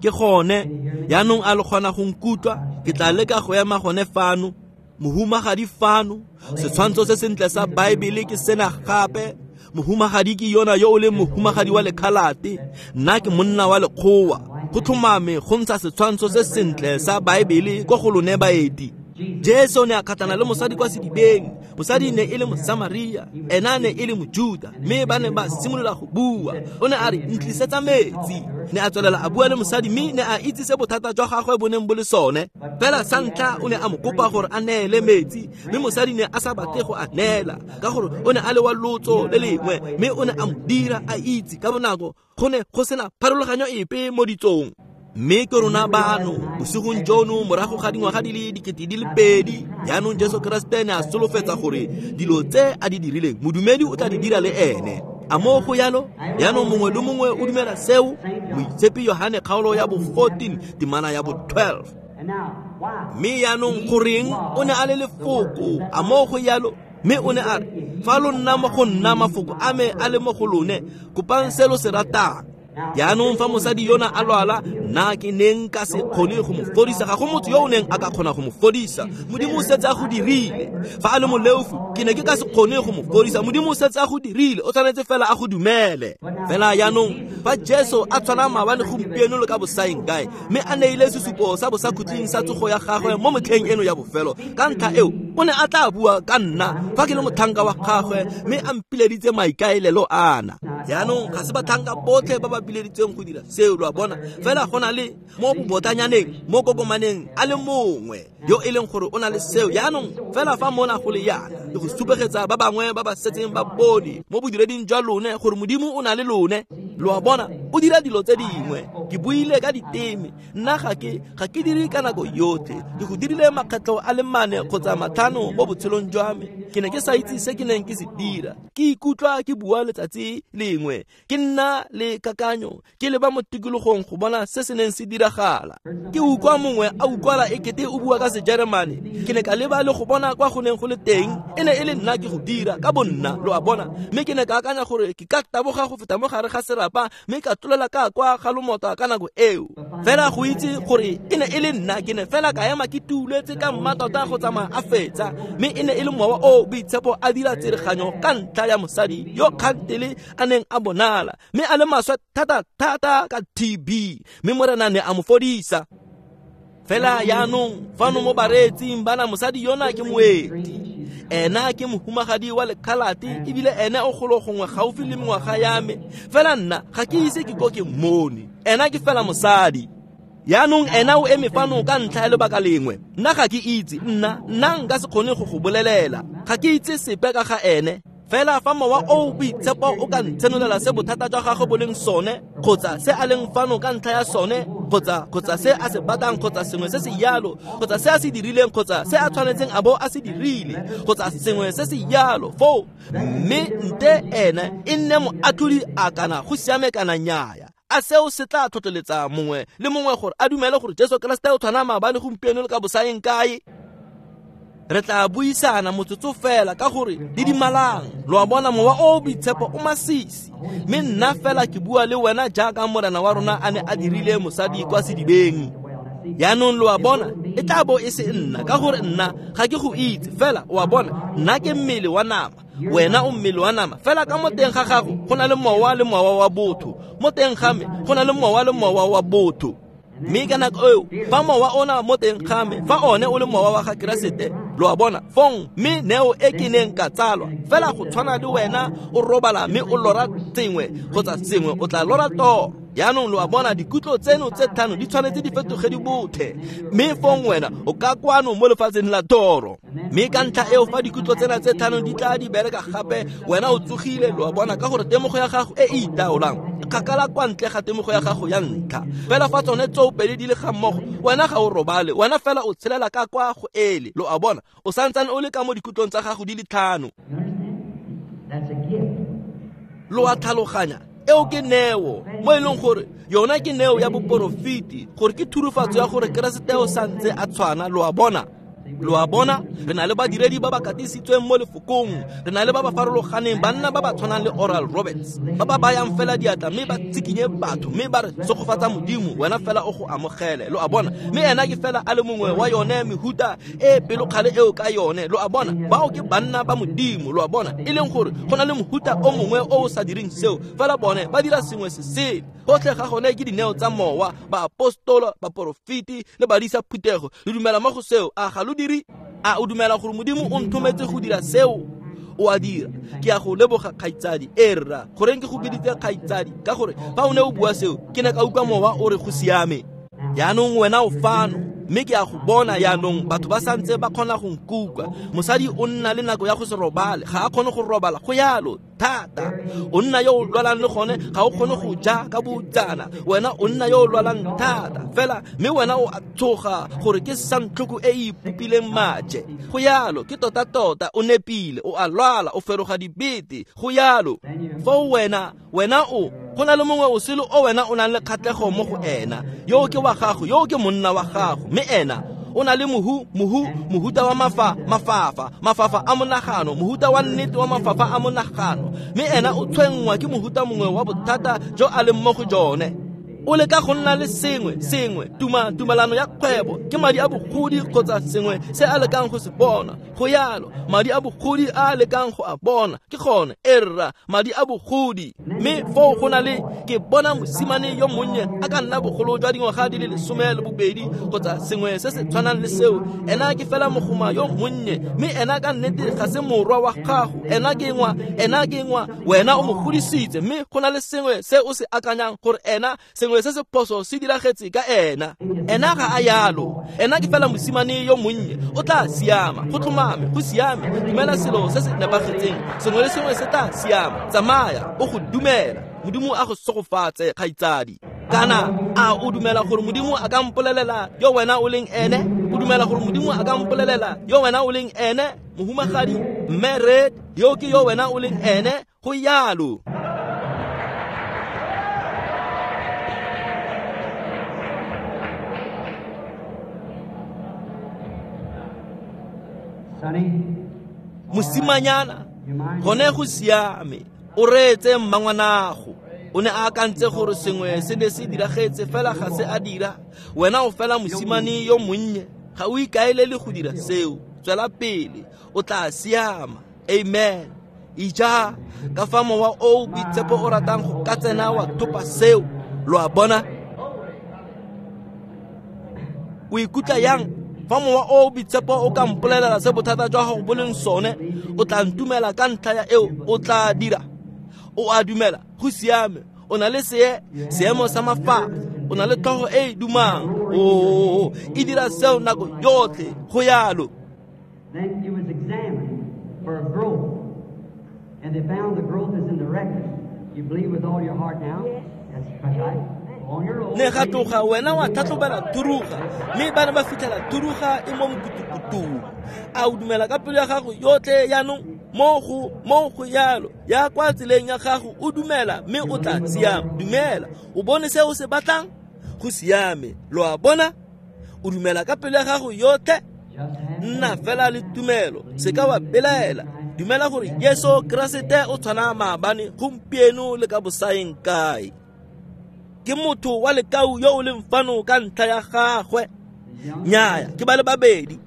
Ke gone yaanong a le kgona go nkutlwa? Ke tla leka go ema gone fano. Mohumagadi fano, setshwantsho se sentle sa Baebele ke sena gape. Mohumagadi ke yona yo o leng mohumagadi wa lekhalate, nna ke monna wa lekgowa. Go tlhomame go ntsha setshwantsho se sentle sa Baebele ko go lone baeti. Jesu ne a kgatlhana le mosadi kwa sedibeng. Mosadi ne e le Mosamaria, ena ne e le Mojuda, mme ba ne ba simolola go bua. O ne a re, ntlisetsa metsi. Ne a tswelela a bua le mosadi mme ne a itse se bothata jwa gagwe bo neng bo le sone. Fela sa ntlha o ne a mo kopa gore a neele metsi, mme mosadi ne a sa batle go a neela ka gore o ne a le wa lotso le lengwe, mme o ne a mo dira a itse ka bonako go ne go sena pharologanyo epe mo ditsong. Mme ke rona bano bosigong jono morago ga dingwaga di le dikete di le pedi, yaanong Jesu Keresete ne a solofetsa gore dilo tse a di dirileng modumedi o tla di dira le ene. A mo go yalo? Yaanong mongwe le mongwe o dumela seo? Moitshepi Yohane kgaolo ya bo fourteen temana ya bo twelve. Mme yaanong goreng o ne a le lefoko? A mo go yalo? Mme o ne a re, fa lo nna mo go nna, mafoko a me a le mo go lone, kopang se lo se ratang. Yaanong fa mosadi yona a lwala, nna ke neng ka se kgone go mo fodisa, ga go motho yo o neng a ka kgona go mo fodisa. Modimo o setse a go dirile. Fa a le moleofu, ke ne ke ka se kgone go mo fodisa. Modimo o setse a go dirile, o tshwanetse fela a go dumele. Fela yaanong Fa Jesu a tshwana maabane gompieno le ka bosaeng kae, mme a neile sesupo sa bosakhutleng sa tsogo ya gagwe mo motlheng eno ya bofelo, ka ntlha eo o ne a tla bua ka nna fa ke le motlhanka wa gagwe mme a mpileditse maikaelelo ana. Jaanong ga se batlhanka botlhe ba ba bileditsweng go dira seo, lo a bona. Fela go na le mo bobotanyaneng, mo kokomaneng a le mongwe yo e leng gore o na le seo. Jaanong fela fa mona go le yana, ke go supegetsa ba bangwe ba ba setseng ba bone mo bodireding jwa lone gore Modimo o na le lone. Lo a bona, o dira dilo tse dingwe. Ke buile ka diteme, nna ga ke ga ke dire ka nako yotlhe. Ke go dirile makgetlho a le mane kgotsa matlhano mo botshelong jwa me. Ke ne ke sa itse se ke neng ke se dira. Ke ikutlwa ke bua letsatsi lengwe, ke nna le kakanyo, ke leba mo tikologong go bona se se neng se diragala. Ke utlwa mongwe a utlwala ekete o bua ka Sejeremane. Ke ne ka leba le go bona kwa go neng go le teng, e ne e le nna ke go dira ka bonna, lo a bona. Mme ke ne ka akanya gore ke ka taboga go feta mo gare ga serapa mme ka tlolela ka kwa ga lomota ka nako eo. Fela go itse gore e ne e le nna, ke ne fela ka ema ke tuletse ka mmatota go tsamaya a fetsa, mme e ne e le mowa o boitshepo a dira tsereganyo ka ntlha ya mosadi yo kgantele a neng a bonala, mme a le maswe thata-thata ka T B, mme Morena ne a mo fodisa. Fela jaanong fano mo bareetsing bana, mosadi yona ke moeti. Ena ke mohumagadi wa lekhalate, ebile ene o golo gongwe gaufi le mengwaga ya me. Fela nna ga ke ise ke ko ke mmone. Ena ke fela mosadi. Jaanong ena o eme fano ka ntlha ya lebaka lengwe. Nna ga ke itse, nna nna nka se kgone go go bolelela. Ga ke itse sepe ka ga ene. Fela fa mowa o boitshepo o ka ntshenolela se bothata jwa gagwe bo leng sone, kgotsa se a leng fano ka ntlha ya sone, kgotsa kgotsa se a se batlang, kgotsa sengwe se se yalo, kgotsa se a se dirileng, kgotsa se a tshwanetseng a bo a se dirile, kgotsa sengwe se se yalo foo, mme nte ene e nne moatlhodi a kana go siame kana nnyaya. A seo se tla tlhotlheletsa mongwe le mongwe gore a dumele gore Jesu Keresete o tshwana maabane gompieno le ka bosaeng kae. Re tla buisana motsotso fela ka gore di dimalang. Lo a bona, mowa o boitshepo o masisi, mme nna fela ke bua le wena jaaka Morena wa rona a ne a dirile mosadi kwa sedibeng. Jaanong lo a bona, e tla bo e se nna, ka gore nna ga ke go itse. Fela o a bona, nna ke mmele wa nama, wena o mmele wa nama. Fela ka mo teng ga gago go na le mowa le mowa wa botho, mo teng ga me go na le mowa le mowa wa botho. Mme ka nako eo fa mowa ona mo teng ga me, fa one o le mowa wa ga Keresete, lo a bona, fong mme neo e ke neng ka tsalwa. Fela go tshwana le wena o robala mme o lora sengwe kgotsa sengwe, o tla lora toro. Jaanong lo a bona, dikutlo tseno tse tlhano di tshwanetse di fetoge di bothe, mme fong wena o ka kwano mo lefatsheng la toro. Mme ka ntlha eo fa dikutlo tsena tse tlhano di tla di bereka gape, wena o tsogile, lo a bona, ka gore temogo ya gago e e itaolang e kgakala kwa ntle ga temogo ya gago ya ntlha. Fela fa tsone tsoopedi di le ga mmogo, wena ga o robale, wena fela o tshelela ka kwa go ele, lo a bona, o santsane o le ka mo dikutlong tsa gago di le tlhano. Lo a tlhaloganya, eo ke neo mo e leng gore yona ke neo ya boporofeti, gore ke thurufatso ya gore Keresete o santse a tshwana, lo a bona. Lo a bona, re na le badiredi ba ba katisitsweng mo lefokong, re na le ba ba farologaneng, banna ba ba tshwanang le Oral Roberts, ba ba bayang fela diatla mme ba tsikinye batho mme ba re tsogofatsa Modimo, wena fela o go amogele, lo a bona. Mme ena ke fela a le mongwe wa yone mehuta e pelokgale eo ka yone, lo a bona. Bao ke banna ba Modimo, lo a bona, e leng gore go na le mohuta o mongwe o o sa direng seo, fela bone ba dira sengwe se sele. Gotlhe ga gone ke dineo tsa mowa, baapostolo, baporofeti le badisa phuthego. Le dumela mo go seo, a ga lo dire? A o dumela gore Modimo o nthometse go dira seo? O a dira. Ke a go leboga kgaitsadi. E rra, goreng ke go biditse kgaitsadi? Ka gore fa o ne o bua seo, ke ne ka utlwa mowa o re go siame. Jaanong wena o fano, mme ke a go bona jaanong batho ba santse ba kgona go nkutlwa. Mosadi o nna le nako ya go se robale, ga a kgone go robala, go yalo thata. O nna yo o lwalang le gone, ga o kgone go ja ka botsana. Wena o nna yo o lwalang thata fela, mme wena o a tsoga gore ke santlhoko e e ipopileng maje. Go yalo, ke tota-tota, o nepile, o a lwala, o feroga dibete, go yalo. Foo wena, wena o go na le mongwe o sele o wena o nang le kgatlhego mo go ena, yo ke wa gago, yo ke monna wa gago, mme ena o na le mohu mohu mohuta wa mafa mafafa mafafa a monagano, mohuta wa nnete wa mafafa a monagano, mme ena o tshwenngwa ke mohuta mongwe wa bothata jo a leng mo go jone. O leka go nna le sengwe sengwe tuma tumalano ya kgwebo ke madi a bogodi kgotsa sengwe se a lekang go se bona. Go yalo madi a bogodi a lekang go a bona ke gone erra madi a bogodi. Mme foo go na le ke bona mosimane yo monnye a ka nna bogolo jwa dingwaga di le lesome le bobedi kgotsa sengwe se se tshwanang le seo. Ena ke fela mogoma yo monnye mme ena ka nnete ga se morwa wa gago. Ena ke ngwa ena ke ngwa wena o mo godisitse mme go na le sengwe se o se akanyang gore ena sengwe se se phoso se diragetse ka ena. Ena ga a yalo. Ena ke fela mosimane yo monnye o tla siama go tlhomame go siame. Dumela selo se se nepagetseng sengwe le sengwe se tla siama. Tsamaya o go dumela. Modimo a go segofatse kgaitsadi. Kana a o dumela gore Modimo a ka mpolelela yo wena o leng ene? O dumela gore Modimo a ka mpolelela yo wena o leng ene? Mohumagadi Mme Red yo ke yo wena o leng ene? Go yalo. Mosimanyana gone go siame o reetse mmangwanago. O ne a akantse gore sengwe se ne se diragetse fela ga se a dira. Wena o fela mosimane yo monnye ga o ikaelele go dira seo. Tswela pele o tla siama. Amen. Ija ka fa mowa o boitshepo o ratang go ka tsena wa thopa seo. Lo a bona? O ikutlwa yang fa mowa o boitshepo o ka mpolelela se bothata jwa gago bo leng sone? O tla ntumela ka ntlha ya eo o tla dira. O a dumela go siame. O na le see seemo sa mafafa. O na le tlhogo e e dumang. O e dira seo nako yotlhe. Go yalo. Then it was examined for growth, and they found the growth is in the rectum. You believe with all your heart now? That's right. Ne ga tloga wena wa tlhatlhobela thuruga mme ba ne ba fitlhela thuruga e mo mkutukutung. A o dumela ka pelo ya gago yotlhe jaanong? Mo go mo go yalo ya kwa tseleng ya gago o dumela mme o tla siama. Dumela o bone se o se batlang go siame. Lo a bona? O dumela ka pelo ya gago yotlhe. Nna fela le tumelo se ka wa belaela. Dumela gore Jesu Keresete o tshwana maabane gompieno le ka bosaeng kae. Ke motho wa lekau yo o leng fano ka ntlha ya gagwe. Nnyaya ke ba le babedi.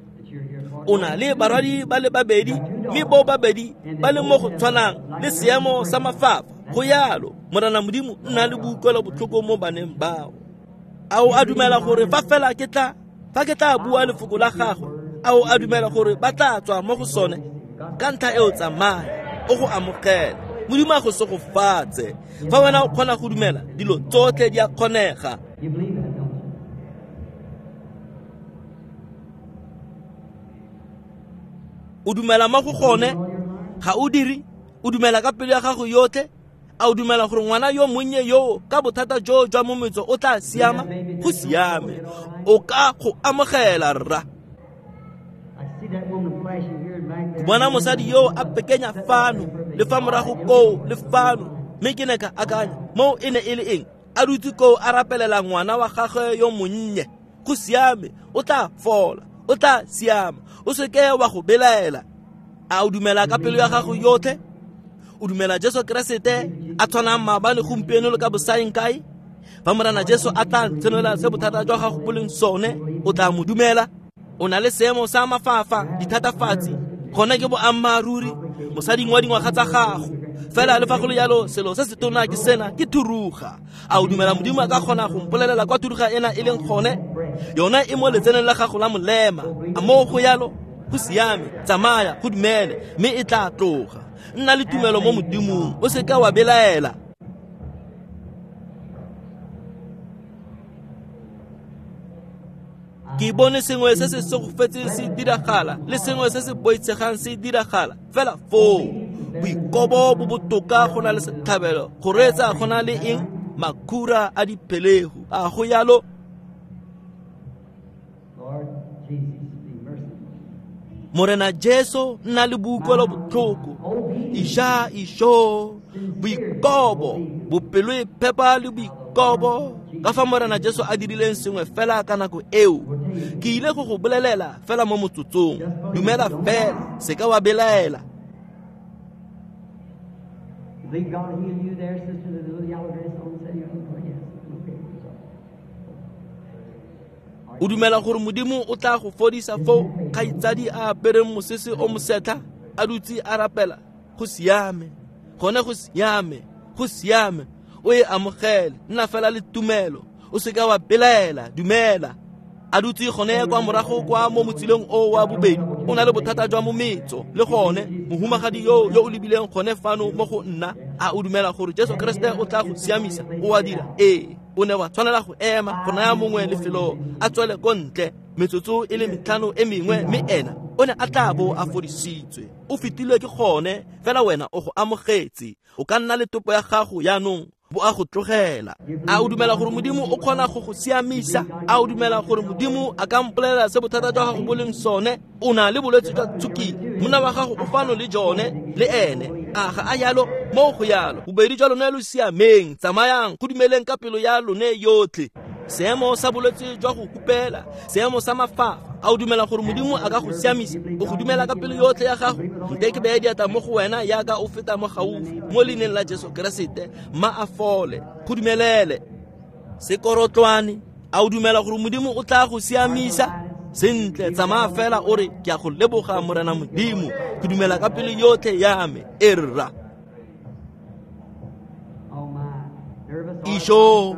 O na le barwadi ba le babedi mme bo babedi ba le mo go tshwanang le seemo sa mafafa. Go yalo Morena Modimo nna le boikuelo botlhoko mo baneng bao. A o a dumela gore fa fela ke tla fa ke tla bua lefoko la gagwe? A o a dumela gore ba tla tswa mo go sone? Ka ntlha eo tsamaya o go amogela. Modimo a go segofatse. Fa wena o kgona go dumela dilo tsotlhe di a kgonega. O dumela mo go gone? Ga o dire? O dumela ka pelo ya gago yotlhe? A o dumela gore ngwana yo monnye yo ka bothata jo jwa mometso o tla siama? Go siame. O ka go amogela rra. Ke bona mosadi yo a pekenya fano le fa morago koo le fano mme ke ne ka akanya moo e ne e le eng? A dutse koo a rapelela ngwana wa gagwe yo monnye. Go siame o tla fola o tla siama. O seke wa go belaela. A o dumela ka pelo ya gago yotlhe? O dumela Jesu Keresete a tshwanang maabane gompieno le ka bosaeng kae? Fa Morena Jesu a tla tshenola se bothata jwa gago bo leng sone o tla mo dumela? O na le seemo sa mafafa dithatafatsi gone ke boammaaruri mosading wa dingwaga tsa gago. Fela le fa go le yalo selo se se tona ke sena ke thuruga. A o dumela Modimo a ka kgona go mpolelela kwa thuruga ena e leng gone? Yona e mo letseneng la gago la molema. A mo go yalo? Go siame. Tsamaya go dumele mme e tla tloga. Nna le tumelo mo Modimong o seka wa belaela. Ke bone sengwe se se segofetseng se diragala le sengwe se se boitshegang se diragala fela foo. Boikobo bo botoka go na le setlhabelo. Go reetsa go na le eng? Makhura a diphelegu. A go yalo? Morena Jesu nna le boikuelo botlhoko. Ija isho boikobo bopelo e phepa le boikobo. Ka fa Morena Jesu a dirileng sengwe fela ka nako eo. Ke ile go go bolelela fela mo motsotsong. Dumela fela se ka wa belaela. Believe God heal you there, sister, the little yellow dress on, say, oh, yes. Okay, sorry. O dumela gore Modimo o tla go fodisa foo, kgaitsadi a apereng mosese o mosetlha, a dutse a rapela? Go siame, gone go siame, go siame. O e amogele, nna fela le tumelo, o seka wa belaela, dumela. A dutse gone kwa morago kwa mo motsileng o wa bobedi, o na le bothata jwa mometso le gone. Mohumagadi yo yo o lebileng gone fano mo go nna, a o dumela gore Jesu Kriste o tla go siamisa? O a dira? Ee. O ne wa tshwanela go ema go naya mongwe lefelo a tswele ko ntle metsotso e le metlhano e mengwe, mme ena o ne a tla bo a fodisitswe. O fetilwe ke gone, fela wena o go amogetse. O ka nna le topo ya gago yaanong, bo a go tlogela. A o dumela gore Modimo o kgona go go siamisa? A o dumela gore Modimo a ka mpolelela se bothata jwa gago bo leng sone? O na le bolwetse jwa tshukiri, monna wa gago o fano le jone le ene. A ga a yalo? Mo go yalo. Bobedi jwa lone lo siameng, tsamayang go dumeleng ka pelo ya lone yotlhe. Seemo sa bolwetse jwa go hupela, seemo sa mafafa, a o dumela gore Modimo a ka go siamisa? O go dumela ka pelo yotlhe ya gago? Nte ke beye diatla mo go wena yaka o feta mo gaufi, mo leineng la Jesu Keresete, mma a fole. Go dumelele. Sekorotlwane, a o dumela gore Modimo o tla go siamisa? Sentle, tsamaya fela o re, ke a go leboga Morena Modimo, ke dumela ka pelo yotlhe ya me. E rra. Isho,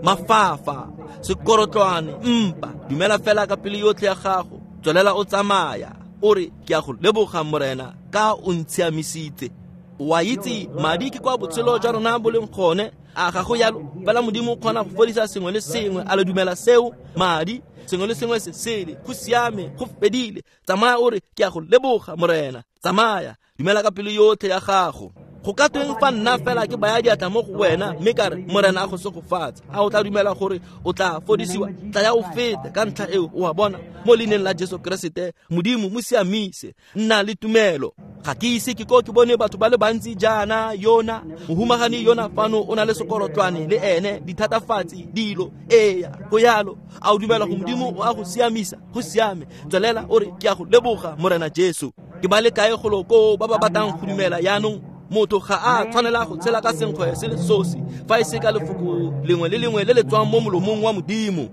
mafafa, sekorotlwane, mpa, dumela fela ka pelo yotlhe ya gago. Tswelela o tsamaya, o re, ke a go leboga Morena, ka o ntshiamisitse. Wa itse madi ke kwa botshelo jwa rona bo leng gone. A ga go yalo? Fela Modimo o kgona go fodisa sengwe le sengwe. A le dumela seo? Madi, sengwe le sengwe se sele, go siame, go fedile. Tsamaya o re, ke a go leboga Morena. Tsamaya, dumela ka pelo yotlhe ya gago. Go ka tweng fa nna fela ke baya diatla mo go wena, mme ka re, Morena a go segofatse? A o tla dumela gore o tla fodisiwa? Tlaya o fete ka ntlha eo, o a bona. Mo leineng la Jesu Keresete, Modimo mo siamise. Nna le tumelo. Ga ke ise ke ko ke bone batho ba le bantsi jaana. Yona mohumagadi yona fano o na le sekorotlwane le ene, dithatafatsi, dilo. Eya, go yalo. A o dumela go Modimo o a go siamisa? Go siame. Tswelela o re, ke a go leboga Morena Jesu. Ke ba le kae golo koo ba ba batlang go dumela yaanong? Motho ga a tshwanela go tshela ka senkgwe se le sosi, fa e se ka lefoko lengwe le lengwe le le tswang mo molomong wa Modimo.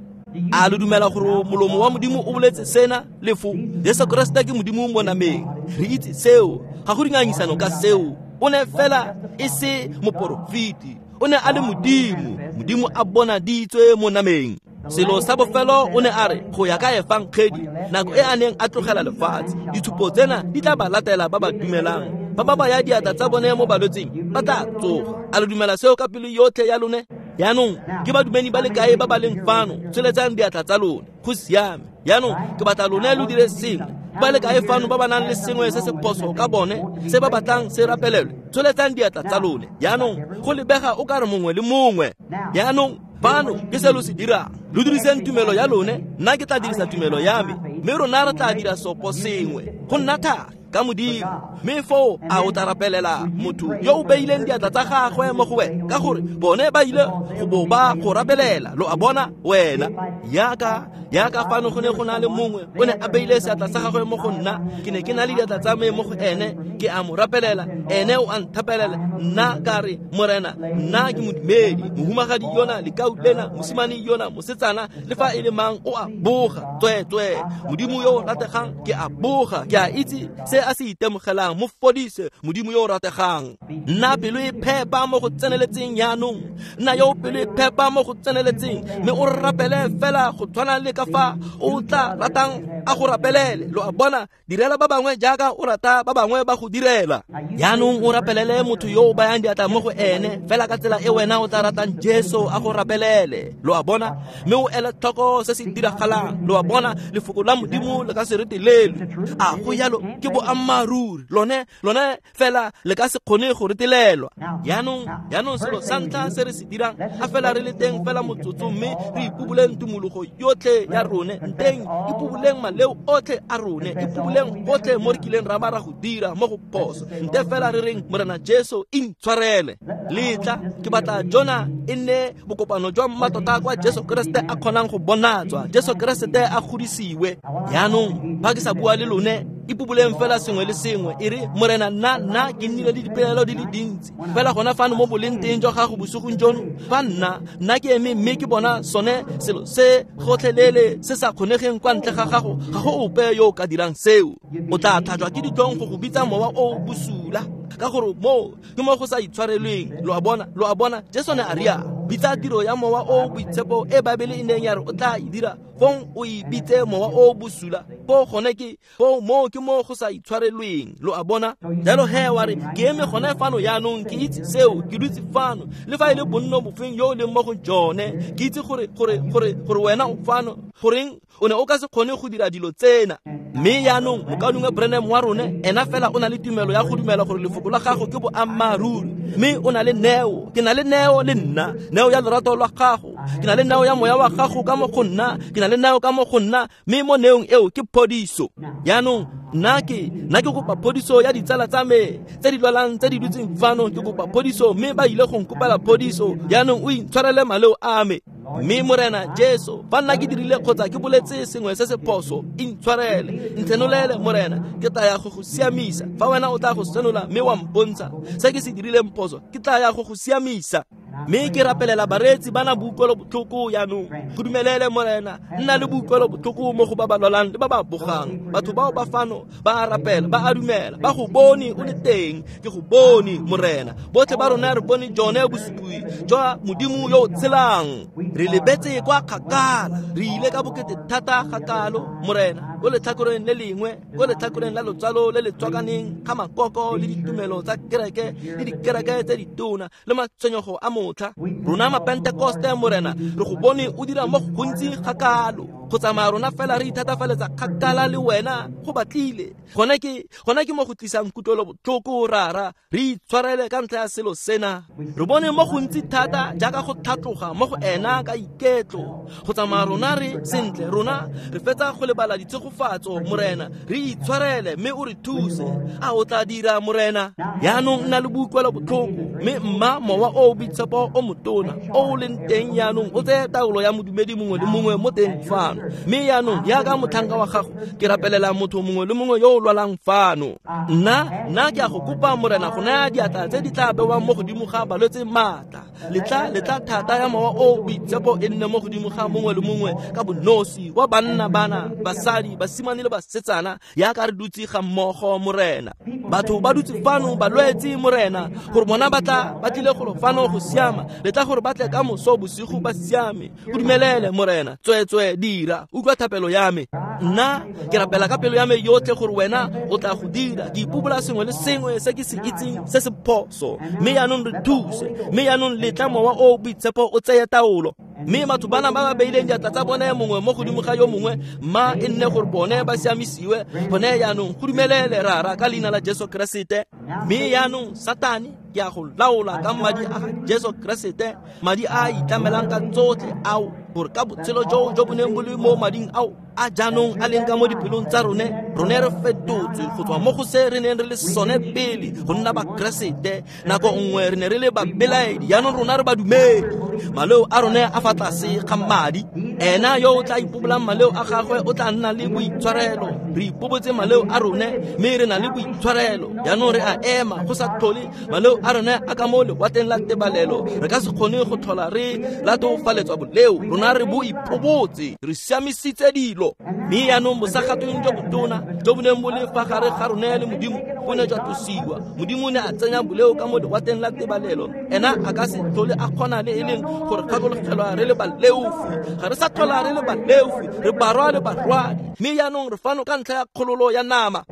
A lo dumela gore molomo wa Modimo o boletse sena? Lefo Jesu Kriste ke Modimo mo nameng. Re itse seo, ga go dingangisano ka seo. O ne fela e se moporofeti, o ne a le Modimo. Modimo a bonaditswe mo nameng. Selo sa bofelo o ne a re, go ya ka efangedi, nako e a neng a tlogela lefatshe, ditshupo tsena di tla ba latela ba ba dumelang. Ba ba baya diatla tsa bone mo balwetseng, ba tla tsoga. A lo dumela seo ka pelo yotlhe ya lone? Yaanong ke badumedi ba le kae ba ba leng fano? Tsholetsang diatla tsa lone. Go siame. Yaanong ke batla lone lo dire sengwe. Ba le kae fano ba ba nang le sengwe se se phoso ka bone, se ba batlang se rapelelwe? Tsholetsang diatla tsa lone. Yaanong go lebega o ka re mongwe le mongwe. Yaanong fano ke se lo se dirang. Lo diriseng tumelo ya lone, nna ke tla dirisa tumelo ya me, mme rona re tla dira sopo sengwe. Go nna thata ka Modimo. Mme foo a o tla rapelela motho yo o beileng diatla tsa gagwe mo go wena, ka gore bone ba ile go bo ba go rapelela. Lo a bona wena? Yaka yaka fano go ne go na le mongwe o ne a beile seatla sa gagwe mo go nna, ke ne ke na le diatla tsa me mo go ene, ke a mo rapelela, ene o a nthapelela. Nna ka re, Morena, nna ke modumedi. Mohumagadi yona, lekau lena, mosimane yona, mosetsana, le fa e le mang, o a boga. Tsweetswee, Modimo yo o rategang, ke a boga, ke a itse se a se itemogelang. Mo fodise, Modimo yo o rategang. Nna pelo e phepa mo go tseneletseng yaanong. Nna yo pelo e phepa mo go tseneletseng, mme o rapele fela go tshwana le ka fa o tla ratang a go rapelele. Lo a bona? Direla ba bangwe jaaka o rata ba bangwe ba go direla. Yaanong o rapelele motho yo o bayang diatla mo go ene, fela ka tsela e wena o tla ratang Jesu a go rapelele. Lo a bona? Mme o ele tlhoko se se diragalang. Lo a bona? Lefoko la Modimo le ka se retelelwe. A go yalo? Ke boammaaruri. Lone lone fela le ka se kgone go retelelwa. Yaanong yaanong selo sa ntlha se re se dirang, a fela re le teng fela motsotso, mme re ipuboleng tumologo yotlhe ya rone. Nteng ipuboleng maleo otlhe a rone, ipuboleng gotlhe mo re kileng ra ba ra go dira mo go phoso. Nte fela re reng, Morena Jesu intshwarele. Letla ke batla jona e nne bokopano jwa mmatota kwa Jesu Kriste a kgonang go bonatswa, Jesu Kriste a godisiwe. Yaanong fa ke sa bua le lone, Ipoboleng fela sengwe le sengwe. E re, Morena, nna nna ke nnile le dipelaelo di le dintsi. Fela gona fano mo boleng teng jwa gago bosigong jono, fa nna nna ke eme mme ke bona sone selo se gotlhelele se sa kgonegeng kwa ntle ga gago, ga go ope yo o ka dirang seo. O tla tlhajwa ke ditlhong go go bitsa mowa o bosula, ka gore moo ke mo go sa itshwarelweng. Lo a bona, lo a bona, Jesu ne a rialo. Bitsa tiro ya mowa o boitshepo e Baebele e neng ya re o tla e dira, fong o e bitse mowa o bosula. Foo gone ke foo moo ke mo go sa itshwarelweng. Lo a bona? Jalo he wa re, ke eme gone fano jaanong, ke itse seo, ke dutse fano. Le fa e le bonno bofeng yo o leng mo go jone, ke itse gore gore gore gore wena o fano. Goreng o ne o ka se kgone go dira dilo tsena? Mme jaanong mokaulengwe Branham wa rone, ena fela o na le tumelo ya go dumela gore lefoko la gago ke boammaaruri. Mme o na le neo, ke na le neo le nna, neo ya lorato lwa gago, ke na le neo ya moya wa gago ka mo go nna, ke na le neo ka mo go nna, mme mo neong eo ke phodiso. Jaanong nna ke nna ke kopa phodiso ya ditsala tsa me tse di lwalang tse di dutseng fano, ke kopa phodiso, mme ba ile go nkopela phodiso. Jaanong o intshwarele maleo a me. Mme Morena Jesu, fa nna ke dirile kgotsa ke boletse sengwe se se phoso, intshwarele, ntshenolele Morena, ke tla ya go go siamisa. Fa wena o tla go senola mme wa mpontsha se ke se dirileng phoso, ke tla ya go go siamisa. Mme ke rapelela bareetsi ba na boutlwelo botlhoko jaanong. Go dumelele Morena, nna le boutlwelo botlhoko mo go ba ba lwalang le ba ba bogang. Batho bao ba fano ba a rapela, ba a dumela, ba go bone o le teng. Ke go bone Morena. Botlhe ba rona re bone jone bosupi jwa Modimo yo o tshelang. Re lebetse kwa kgakala, re ile ka bokete thata gakalo Morena, ko letlhakoreng le lengwe, ko letlhakoreng la lotsalo le le tswakaneng ga makoko le ditumelo tsa kereke le dikereke tse ditona le matshwenyego a motlha. Rona mapentekoste Morena, re go bone o dira mo go gontsi gakalo. Go tsamaya rona fela re ithatafaletsa kgakala le wena go batlile. Gone ke gone ke mo go tlisang kutlwelo botlhoko rara, re itshwarele ka ntlha ya selo sena. Re bone mo gontsi thata jaaka go tlhatloga mo go ena ka iketlo. Go tsamaya rona re sentle, rona re fetsa go lebala ditshegofatso Morena, re itshwarele mme o re thuse. A o tla dira Morena? Jaanong nna le boutlwelo botlhoko, mme mma mowa o o boitshepo o motona o o leng teng jaanong o tseye taolo ya modumedi mongwe le mongwe mo teng fano. Mme jaanong jaaka motlhanka wa gago, ke rapelela motho mongwe le mongwe yo o lwalang fano. Nna nna ke a go kopa Morena go naya diatla tse di tla bewang mo godimo ga balwetse maatla. Letla letla thata ya mowa o boitshepo e nne mo godimo ga mongwe le mongwe ka bonosi wa banna, bana, basadi, basimane le basetsana, jaaka re dutse ga mmogo Morena. Batho ba dutse fano balwetse Morena, gore bona ba tla ba tlile golo fano go siama. Letla gore ba tle ka moso bosigo ba siame. Go dumelele Morena, tsweetswe dira, utlwa thapelo ya me. Nna ke rapela ka pelo ya me yotlhe gore wena o tla go dira. Ke ipobola sengwe le sengwe se ke se itseng se se phoso. Mme jaanong re thuse, mme jaanong letla mowa o boitshepo o tseye taolo. Mme batho bana ba ba beileng diatla tsa bone mongwe mo godimo ga yo mongwe, mma e nne gore bone ba siamisiwe gone jaanong. Go dumelele rara ka leina la Jesu Keresete. Mme jaanong Satane, ke a go laola ka madi a ga Jesu Keresete, madi a a itlamelang ka tsotlhe ao, gore ka botshelo jo jo bo neng bo le mo mading ao a jaanong a leng ka mo dipelong tsa rone, rone re fetotswe go tswa mo go se re neng re le sone pele go nna bakeresete. Nako nngwe re ne re le babelaedi, jaanong rona re badumedi. Maleo a rone a fa tlase ga madi. Ena yo o tla ipobolang maleo a gagwe o tla nna le boitshwarelo. Re ipobotse maleo a rone mme re na le boitshwarelo. Jaanong re a ema go sa tlhole maleo a rone a ka mo lewatleng la tebalelo. Re ka se kgone go tlhola re latofaletswa boleo. Rona re bo ipobotse, re siamisitse dilo. Mme jaanong bosagatweng jo botona jo bo neng bo le fa gare ga rone le Modimo bo ne jwa tlosiwa. Modimo ne a tsenya boleo ka mo lewatleng la tebalelo. Ena a ka se tlhole a kgona le e leng gore gakologelwa re le baleofi. Ga re sa tlhola re le baleofi, re barwa le barwadi. Mme jaanong re fano ka ntlha ya kgololo ya nama.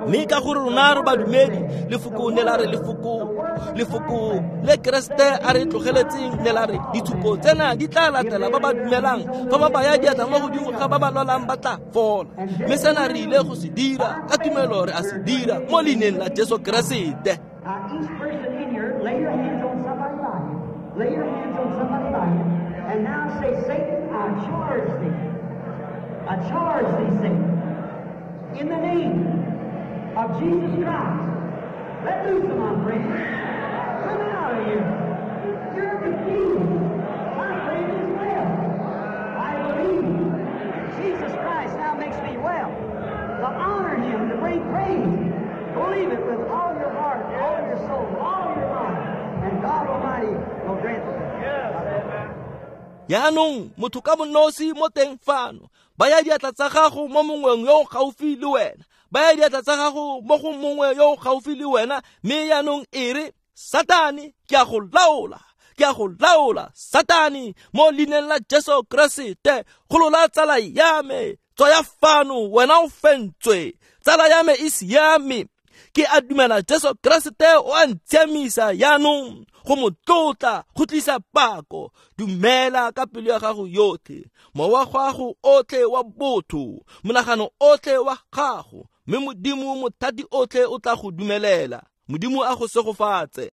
Mme ka gore rona re badumedi, lefoko ne la re lefoko lefoko le Keresete a re tlogeletseng ne la re ditshupo tsena di tla latela ba ba dumelang. Fa ba baya diatla mo godimo ga ba ba lwalang ba tla fola. Mme sena re ile go se dira ka tumelo, re a se dira mo leineng la Jesu Keresete. Lay your hands on somebody by you, and now say, Satan, I charge thee. I charge thee, Satan, in the name of Jesus Christ. Let loose of my friend. Come out of here. You're defeated. My friend is well. I believe. Jesus Christ now makes me well. to honor Him, to bring praise. Believe it with all your heart, all your soul, all your mind, and God Almighty will grant it. Yaanong motho ka bonosi mo teng fano, baya diatla tsa gago mo mongweng yo o gaufi le wena, baya diatla tsa gago mo go mongwe yo o gaufi le wena, mme yaanong e re, Satane, ke a go laola, ke a go laola, Satane, mo leineng la Jesu Keresete, golola tsala ya me, tswaya fano, wena o fentswe, tsala ya me e siame. Ke a dumela Jesu Keresete o a ntshiamisa yaanong go mo tlotla, go tlisa pako. Dumela ka pelo ya gago yotlhe, mowa gago otlhe wa botho, monagano otlhe wa gago, mme Modimo mothati otlhe o tla go dumelela. Modimo a go segofatse.